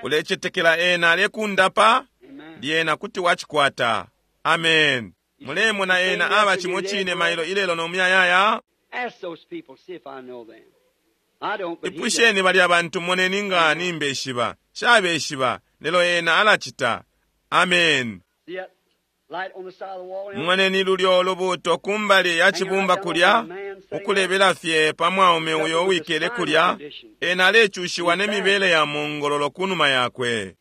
Ulecetekela ena alekundapa? Lyena kuti wacikwata. Amen. Mulemona ena aba cimo cine mailo ilelo no muyayaya? Ipusheni balya bantu, moneni nga nimbeshiba. Shabeshiba, lelo ena alacita. Amen. Moneni lulyo lubuto kumbali ya cibumba kulya, ukulebela fye pa mwaume uyo uwikele kulya. Ena alecushiwa ne mibele ya mongololo kunuma yakwe.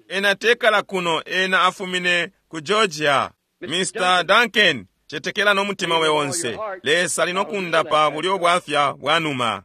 Ena tekala kuno, ena afumine ku Georgia. Mister Duncan, cetekela no mutima we onse. Lesa ali no kundapa bulyo bwafya bwa numa.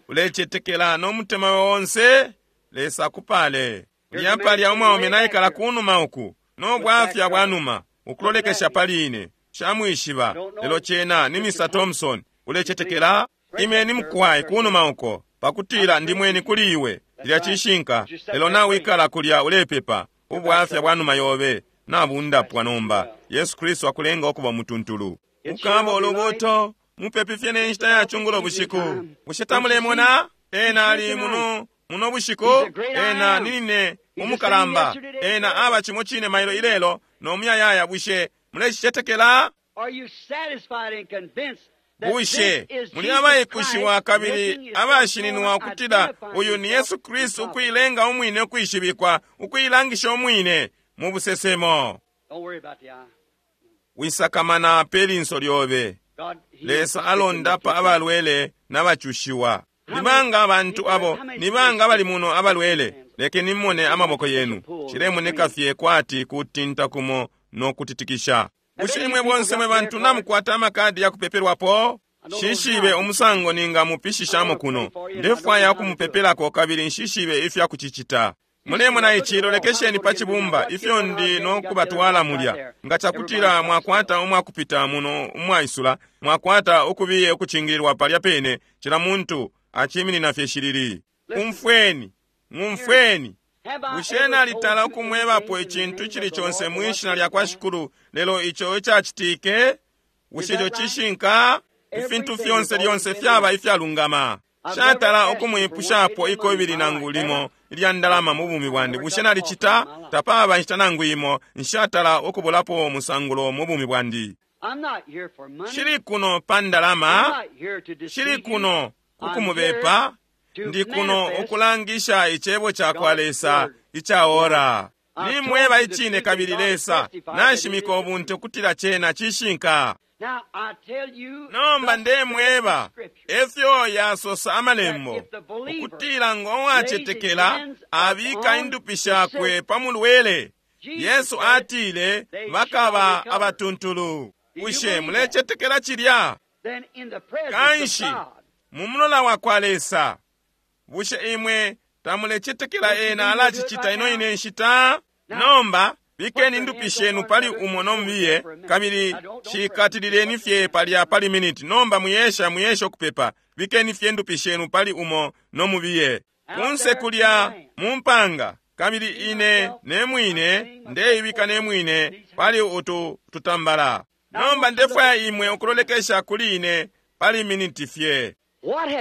Ulecetekela no mutima we onse? Lesa akupale. Lyapalya umwaume naikala kunuma uku no bwafya bwa numa, ukulolekesha pali ine. Shamwishiba, lelo cena ni Mister Thompson. Ulecetekela? Imeni mukwai kunuma uko, pakutila ndimweni kuli iwe. Lya cishinka, lelo nawikala kulya ulepepa. Ubwafya bwa numa yobe nabundapwa nomba. Yesu Kristu akulenga ukuba mutuntulu. Ukaba ulubuto mupepi fye ne nshita ya chungulo bushiku. Bushe tamulemona? Ena ali muno muno bushiku. Ena ninine umukalamba. Ena aba cimo cine mailo ilelo no muyayaya. Bushe mulecicetekela? Bushe muli abaipushiwa kabili abashininwa ukutila uyu ni Yesu Kristu ukuilenga umwine ukwishibikwa, ukuilangisha umwine mu busesemo? Wisakamana pe linso lyobe. Lesa alondapa abalwele n'abacushiwa. Nibanga abantu abo, nibanga abali muno abalwele? Lekeni mmone amaboko yenu. Cilemoneka fye kwati kutinta kumo no kutitikisha. Bushe imwe bonse mwe bantu namukwata amakadi ya kupepelwapo? Shishibe umusango ninga mupishishamo kuno. Ndefwaya ukumupepelako kabili nshishibe ifya kucicita. Mulemona ici, lolekesheni pa cibumba ifyo ndi no kubatwala mulya. Nga cakutila mwakwata umwakupita muno umwaisula, mwakwata ukubiye ukucingililwa palya pene, cila muntu aciminina fye shilili. Umfweni, ng'umfweni. Bushe nalitala ukumwebapo icintu icili conse mwishina lya kwa Shikulu, lelo ico icacitike? Bushe ico cishinka? Ifintu fyonse lyonse fyaba ifyalungama. Shatala ukumwipushapo ikobili nangu limo ilya ndalama mu bumi bwandi. Bushe nalicita? Tapaba inshita nangu imo nshatala ukubulapo umusangulo mu bumi bwandi. Shili kuno pa ndalama, shili kuno kukumubepa, ndi kuno ukulangisha icebo ca kwa Lesa ica ora. Nimweba icine kabili Lesa nashimika ubunte ukutila cena cishinka. Nomba ndemweba efyo yasosa amalembo, ukutila ngo wacetekela abika indupi shakwe pa mulwele. Yesu atile bakaba abatuntulu. Bushe mulecetekela cilya? Kanshi mu mulola wa kwa Lesa, bushe imwe tamulecetekela ena alacicita ino ine nshita? Nomba Bikeni indupi shenu pali umo nomubiye, kabili shikatilileni fye palya pali miniti. Nomba muyesha muyesha ukupepa. Bikeni fye indupi shenu pali umo nomubiye. Kunse kulya mu mpanga, kabili ine ne mwine ndeibika ne mwine pali utu tutambala. Nomba ndefwaya imwe ukulolekesha kuli ine pali miniti fye.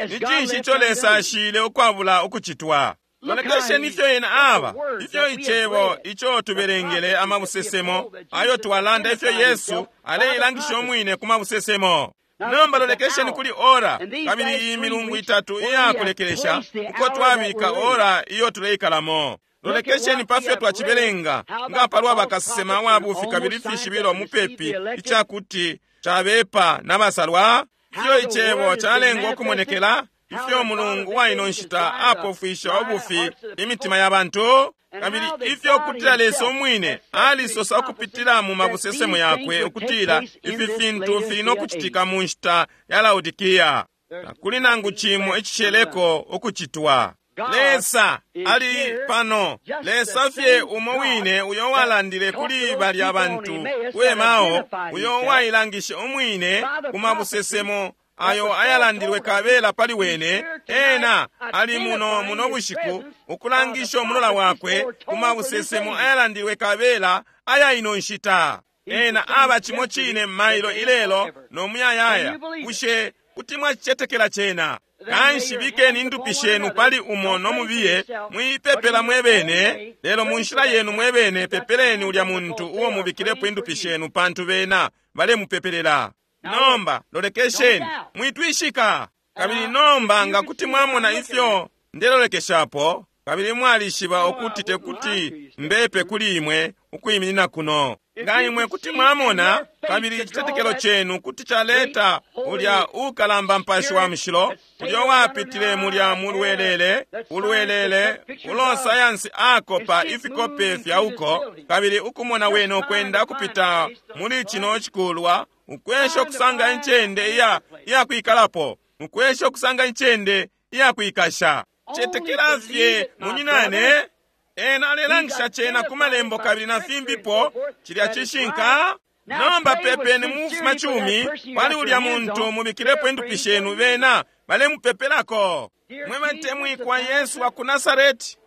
Ni cinshi ico Lesa ashile ukwabula ukucitwa? Lolekesheni ifyo ena aba, ifyo icebo ico tubelengele amabusesemo ayo twalanda, ifyo Yesu aleilangisha umwine ku mabusesemo. Nomba lolekesheni kuli ora, kabili iyi milungu itatu iyakulekelesha uko twabika ora iyo tuleikalamo. Lolekesheni pafyo twacibelenga nga palwa bakasesema wa bufi kabili fishibilo mupepi icakuti cabepa n'abasalwa, ifyo icebo calengwa ukumonekela, ifyo mulungu wa ino nshita apofwisha ubufi imitima ya bantu, kabili ifyo kutila Lesa umwine alisosa ukupitila mu mabusesemo yakwe ukutila ifi fintu fili nokucitika mu nshita ya Laodikia. Takuli nangu cimo icisheleko ukucitwa. Lesa ali pano, Lesa fye umo wine uyo walandile kuli balya bantu ku Emao, uyo wailangishe umwine ku mabusesemo ayo ayalandilwe kabela pali wene. Ena ali muno muno bushiku ukulangisha umulola wakwe ku mabusesemo ayalandilwe kabela aya ino nshita. Ena aba cimo cine mailo ilelo no muyayaya. Bushe kuti mwacicetekela cena? Kanshi bikeni indupi shenu pali umo nomubiye, mwipepela mwebene, lelo mu nshila yenu mwebene pepeleni ulya muntu uo mubikilepo indupi shenu, pantu bena balemupepelela. Nomba lolekesheni, mwitwishika. Kabili nomba nga kuti mwamona ifyo ndelolekeshapo, kabili mwalishiba ukuti tekuti mbepe kuli imwe ukwiminina kuno. Nga imwe kuti mwamona, kabili icitetekelo chenu kuti chaleta ulya ukalamba mpashi wa mushilo, ulya wapitile mulya mulwelele, ulwelele, ulo sayansi akopa ifikope fya uko, kabili ukumona wene ukwenda kupita muli chino chikulwa, ukwesha okusanga incende iya iya kwikalapo, ukwesha okusanga incende iya kwikasha. Chetekela fye munyinane. Ena alelangisha chena ku malembo kabili na fimbipo, chilya chishinka. Nomba pepeni mufuma chumi pali ulya muntu mubikilepo indupi shenu, bena balemupepelako. Mwe batemwikwa Yesu wa ku Nasareti,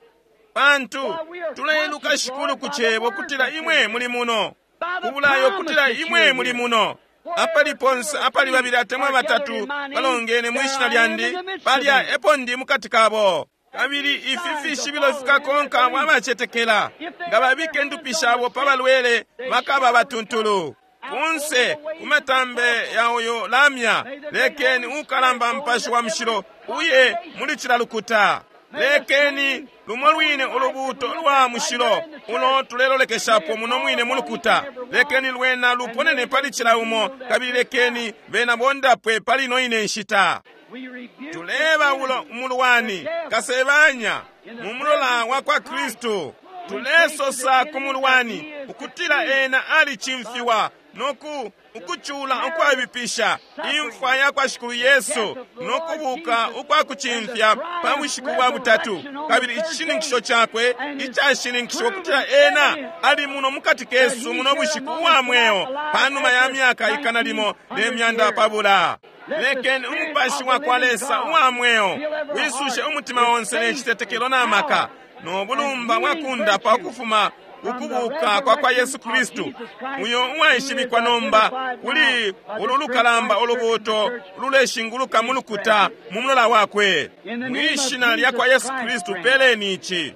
pantu tuleiluka shikulu ku chebo kutila imwe muli muno, kubulayo kutila imwe muli muno. Apali ponse apali babili atemwa batatu balongene mwishina lyandi, palya epo ndi mukati kabo. Kabili ifi fishibilo fikakonka mwabacetekela, nga babike ndupi shabo pa balwele bakaba batuntulu. Kunse kumatambe ya uyu lamya, lekeni ukalamba mpashi wa mushilo uye muli chila lukuta. Lekeni lumo lwine ulubuto lwa mushilo ulo tulelolekeshapo muno mwine mulukuta, lekeni lwena luponene pali chila umo, kabili lekeni bena bondapwe pali ino ine nshita. Tuleba ulo umulwani kasebanya mu mulola wa kwa Kristu. Tulesosa ku mulwani ukutila ena alichimfiwa noku ukuchula ukwabipisha imfwa ya kwa Shikulu Yesu nokubuka ukwakuchimfya pa bushiku bwa butatu, kabili icishininkisho chakwe icashininkishiwa ukutila ena ali muno mukati kesu muno bushiku uwa mweo panuma ya myaka ikana limo ne myanda pabula. Lekeni umupashi wa kwa Lesa uwa mweo wisushe umutima onse ne chitetekelo na maka no bulumba bwakundapa ukufuma ukubuka kwa kwa Yesu Kristu, uyo uwaishibikwa nomba kuli ulu lukalamba ulubuto luleshinguluka mulukuta mu mulola wakwe. Mwishina lya kwa Yesu Kristu peleni ichi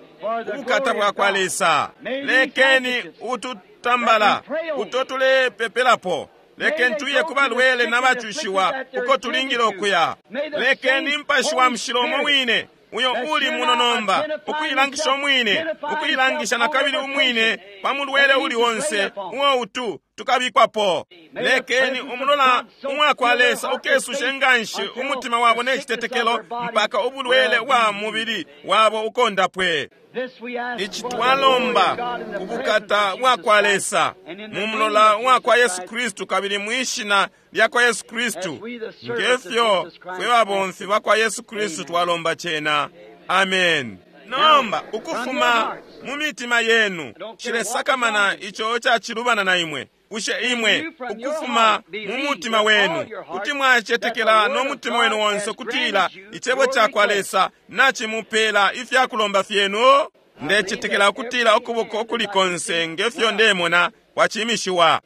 ubukata bwa kwa Lesa. Lekeni ututambala uto tulepepelapo, lekeni tuye ku balwele n'abacushiwa uko tulingile okuya. Lekeni mpashi wa mushilo umo wine uyo uli muno nomba ukuilangisha umwine, ukuilangisha na kabili umwine pa mulwele uli onse uwo utu tukabikwapo. Lekeni umulola umwa kwa Lesa ukesushe nganshi umutima wabo ne chitetekelo mpaka ubulwele bwa mubili wabo ukondapwe. Ichi twalomba kubukata bwa kwa Lesa mu mulola wa kwa Yesu Kristu kabili mwishina lya kwa Yesu Kristu, ngefyo fwe babomfi ba kwa Yesu Kristu twalomba chena. Amen. Nomba ukufuma mu mitima yenu, cilesakamana ico cacilubana na imwe. Bushe imwe ukufuma mu mutima wenu kuti mwacetekela no mutima wenu wonse kutila icebo cakwa Lesa nacimupela ifyakulomba fyenu? Ndecetekela ukutila ukuboko ukuli konse ngefyo ndemona kwacimishiwa.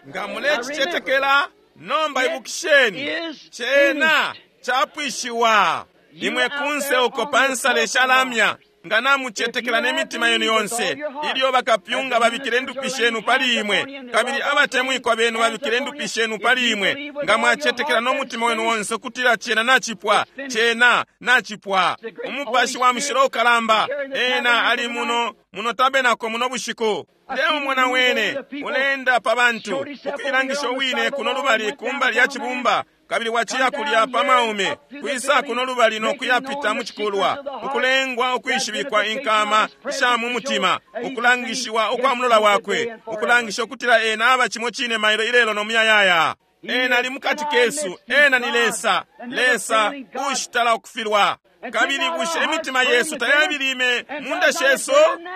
Nga mulecicetekela, nomba ibukisheni, cena capwishiwa. Imwe kunse uko pansale shalamya, nga namucetekela ne mitima yenu yonse, ilyo bakapyunga babikile ndupi shenu pali imwe, kabili abatemwikwa benu babikile ndupi shenu pali imwe, nga mwacetekela no mutima wenu wonse kutila cena nacipwa, cena nacipwa. Umupashi wa mushilo ukalamba ena ali muno muno tabenako muno bushiku. Ndeumona wene ulenda pa bantu ukuilangisha wine kuno lubali kumbali ya cibumba, kabili waciya kulya pa maume kwisa kuno lubali no kuyapita mu cikulwa, ukulengwa ukwishibikwa inkama sha mu mutima, ukulangishiwa ukwa mulola wakwe, ukulangisha ukutila ena aba cimo cine mailo ilelo no muyayaya. Ena ali mukati kesu, ena ni Lesa, Lesa ushitala ukufilwa. Kabili bushe imitima yesu tayabilime munda shesu?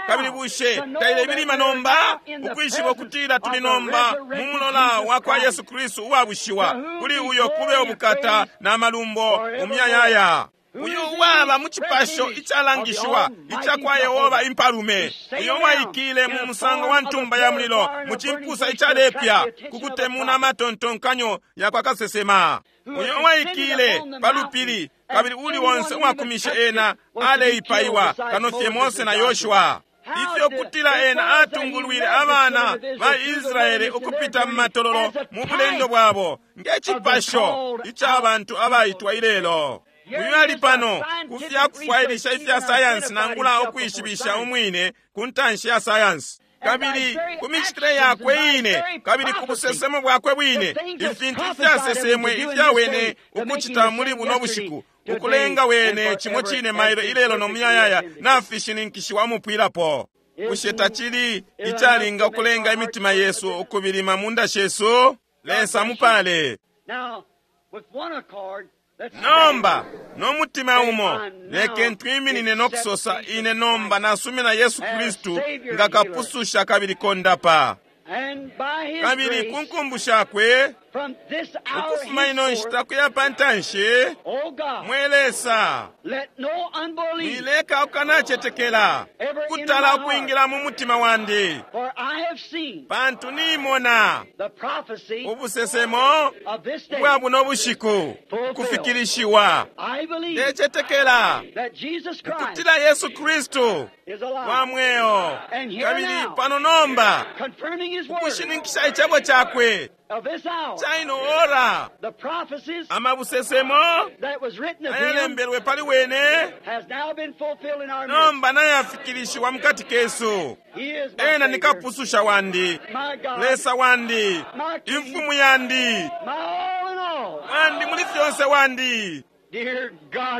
Kabili bushe tailebilima nomba ukwishiba ukutila tuli nomba mu mulola wa kwa Yesu Kristu uwabushiwa, kuli uyo kube ubukata na malumbo umuyayaya. Uyu waba mu cipasho icalangishiwa ica kwa Yehova impalume, uyo waikile mu musango wa ntumba ya mulilo mu cimpusa icalepya ku kutemuna amatontonkanyo ya kwa kasesema, uyo waikile pa lupili, kabili uli wonse uwakumishe ena aleipaiwa kano fye Mose na Yoshua. Ifyo kutila ena atungulwile abana ba Israele ukupita mu matololo mu bulendo bwabo nge cipasho ica bantu abaitwa ilelo. Uyu ali pano ku fya kufwailisha ifya sayansi nangula ukwishibisha umwine ku ntanshi ya sayansi, kabili ku micitile yakwe ine, kabili ku busesemo bwakwe bwine, ifintu ifyasesemwe ifya wene ukucita muli buno bushiku, ukulenga wene cimo cine mailo ilelo no muyayaya nafishininkishiwa umupwilapo. Bushe tacili icalinga ukulenga imitima yesu ukubilima munda shesu? Lesa mupale. Nomba no mutima umo leke twiminine no kusosa, ine nomba nasumina Yesu Kristu nga kapususha kabili kondapa. Kabili ku nkumbu shakwe ukufuma ino nshita kuya pa ntanshi, mwe Lesa, mwileka ukanacetekela kutala ukwingila mu mutima wandi, pantu nimona ubusesemo ubwa buno bushiku kufikilishiwa. Ndecetekela ukutila Yesu Kristu wa mweo, kabili pano nomba ukushininkisha icebo cakwe caino ora, amabusesemo ayalembelwe pali wene nomba nayafikilishiwa mukati kesu. Ena ni kapususha wandi, Lesa wandi, imfumu yandi, wandi muli fyonse wandi.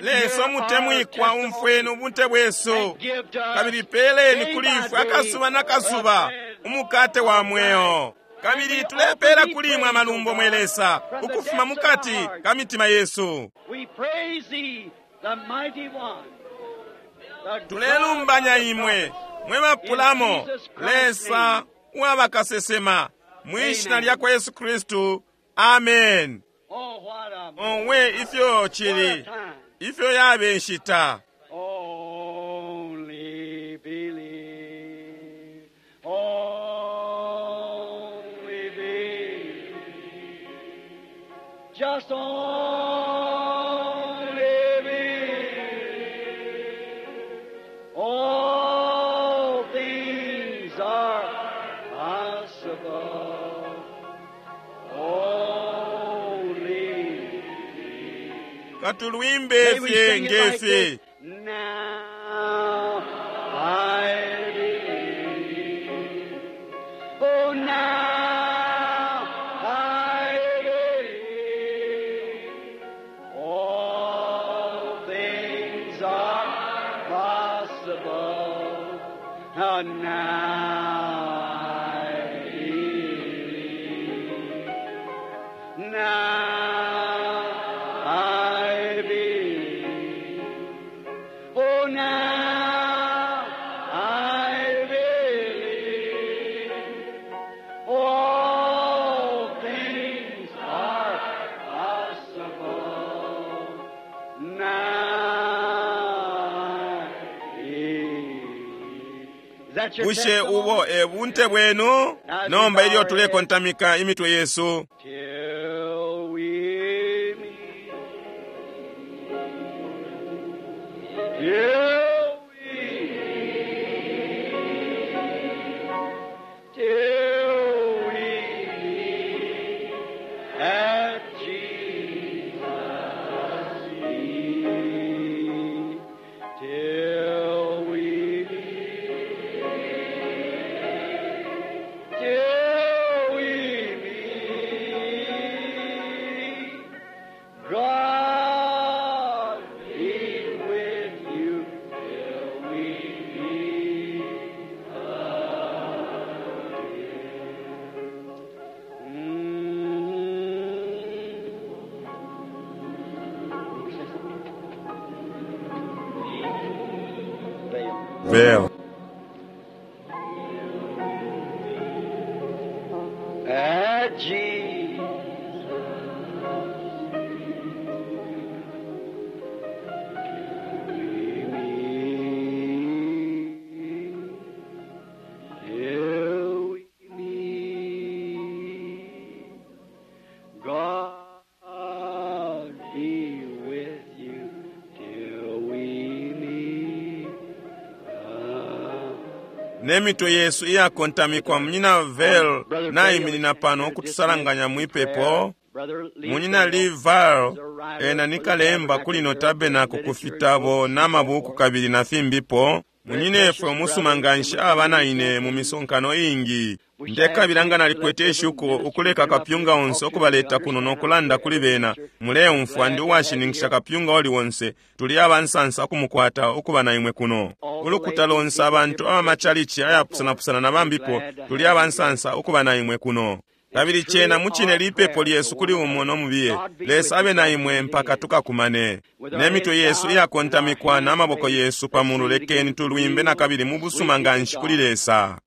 Lesa umutemwikwa, umfweni ubunte bwesu, kabili peleni kuli ifwe akasuba na kasuba umukate wa mweo. Kabili tulepela kuli imwe amalumbo, mwe Lesa, ukufuma mukati ka mitima yesu. Tulelumbanya imwe mwe bapulamo, Lesa uwabakasesema, mwishina lya kwa Yesu Kristu. Amen. Owe ifyo cili, ifyo yabe nshita. Only believe, only believe, just only believe. All things are possible. Only Katulwimbe May we fye sing it like ngefi. this. Now I believe. Oh, now I believe. All things are possible. Oh, now I believe. Now I believe. Oh, now Bushe ubo e bunte bwenu? Nomba ilyo tulekontamika imitwe yesu, Till we meet. Till we meet. Till we meet at Jesus' feet. Till we meet. Till we meet, God be with you till we meet again. Mm. Veo. At Jesus. Till we meet, God be with you till we meet. Nemitwe yesu iyakontamikwa, munyina Vel nayiminina pano okutusalanganya mwipepo. Munyina Lee Val ena ni kalemba kuli no tabernacle ku fitabo n'amabuku kabili na fimbipo. Munyinefwe umusuma nganshi aba naine mu misonkano ingi. Ndekabila nga nalikwete ishuko ukuleka kapyunga onse okubaleta kuno n'okulanda kuli bena. Muleumfwa ndi uwashininkisha kapyunga oli wonse tuli abansansa okumukwata okuba na imwe kuno. Ulukuta lonse abantu abamachalichi ayapusanapusana na bambipo tuli abansansa okuba na imwe kuno. Kabili chena muchine lipepo lyesu kuli umo nomubiye. Lesa abe na imwe mpaka tukakumane. Nemitwe yesu iyakontamikwa n'amaboko yesu pamulu, lekeni tulwimbe na kabili mu busuma nganshi kuli Lesa.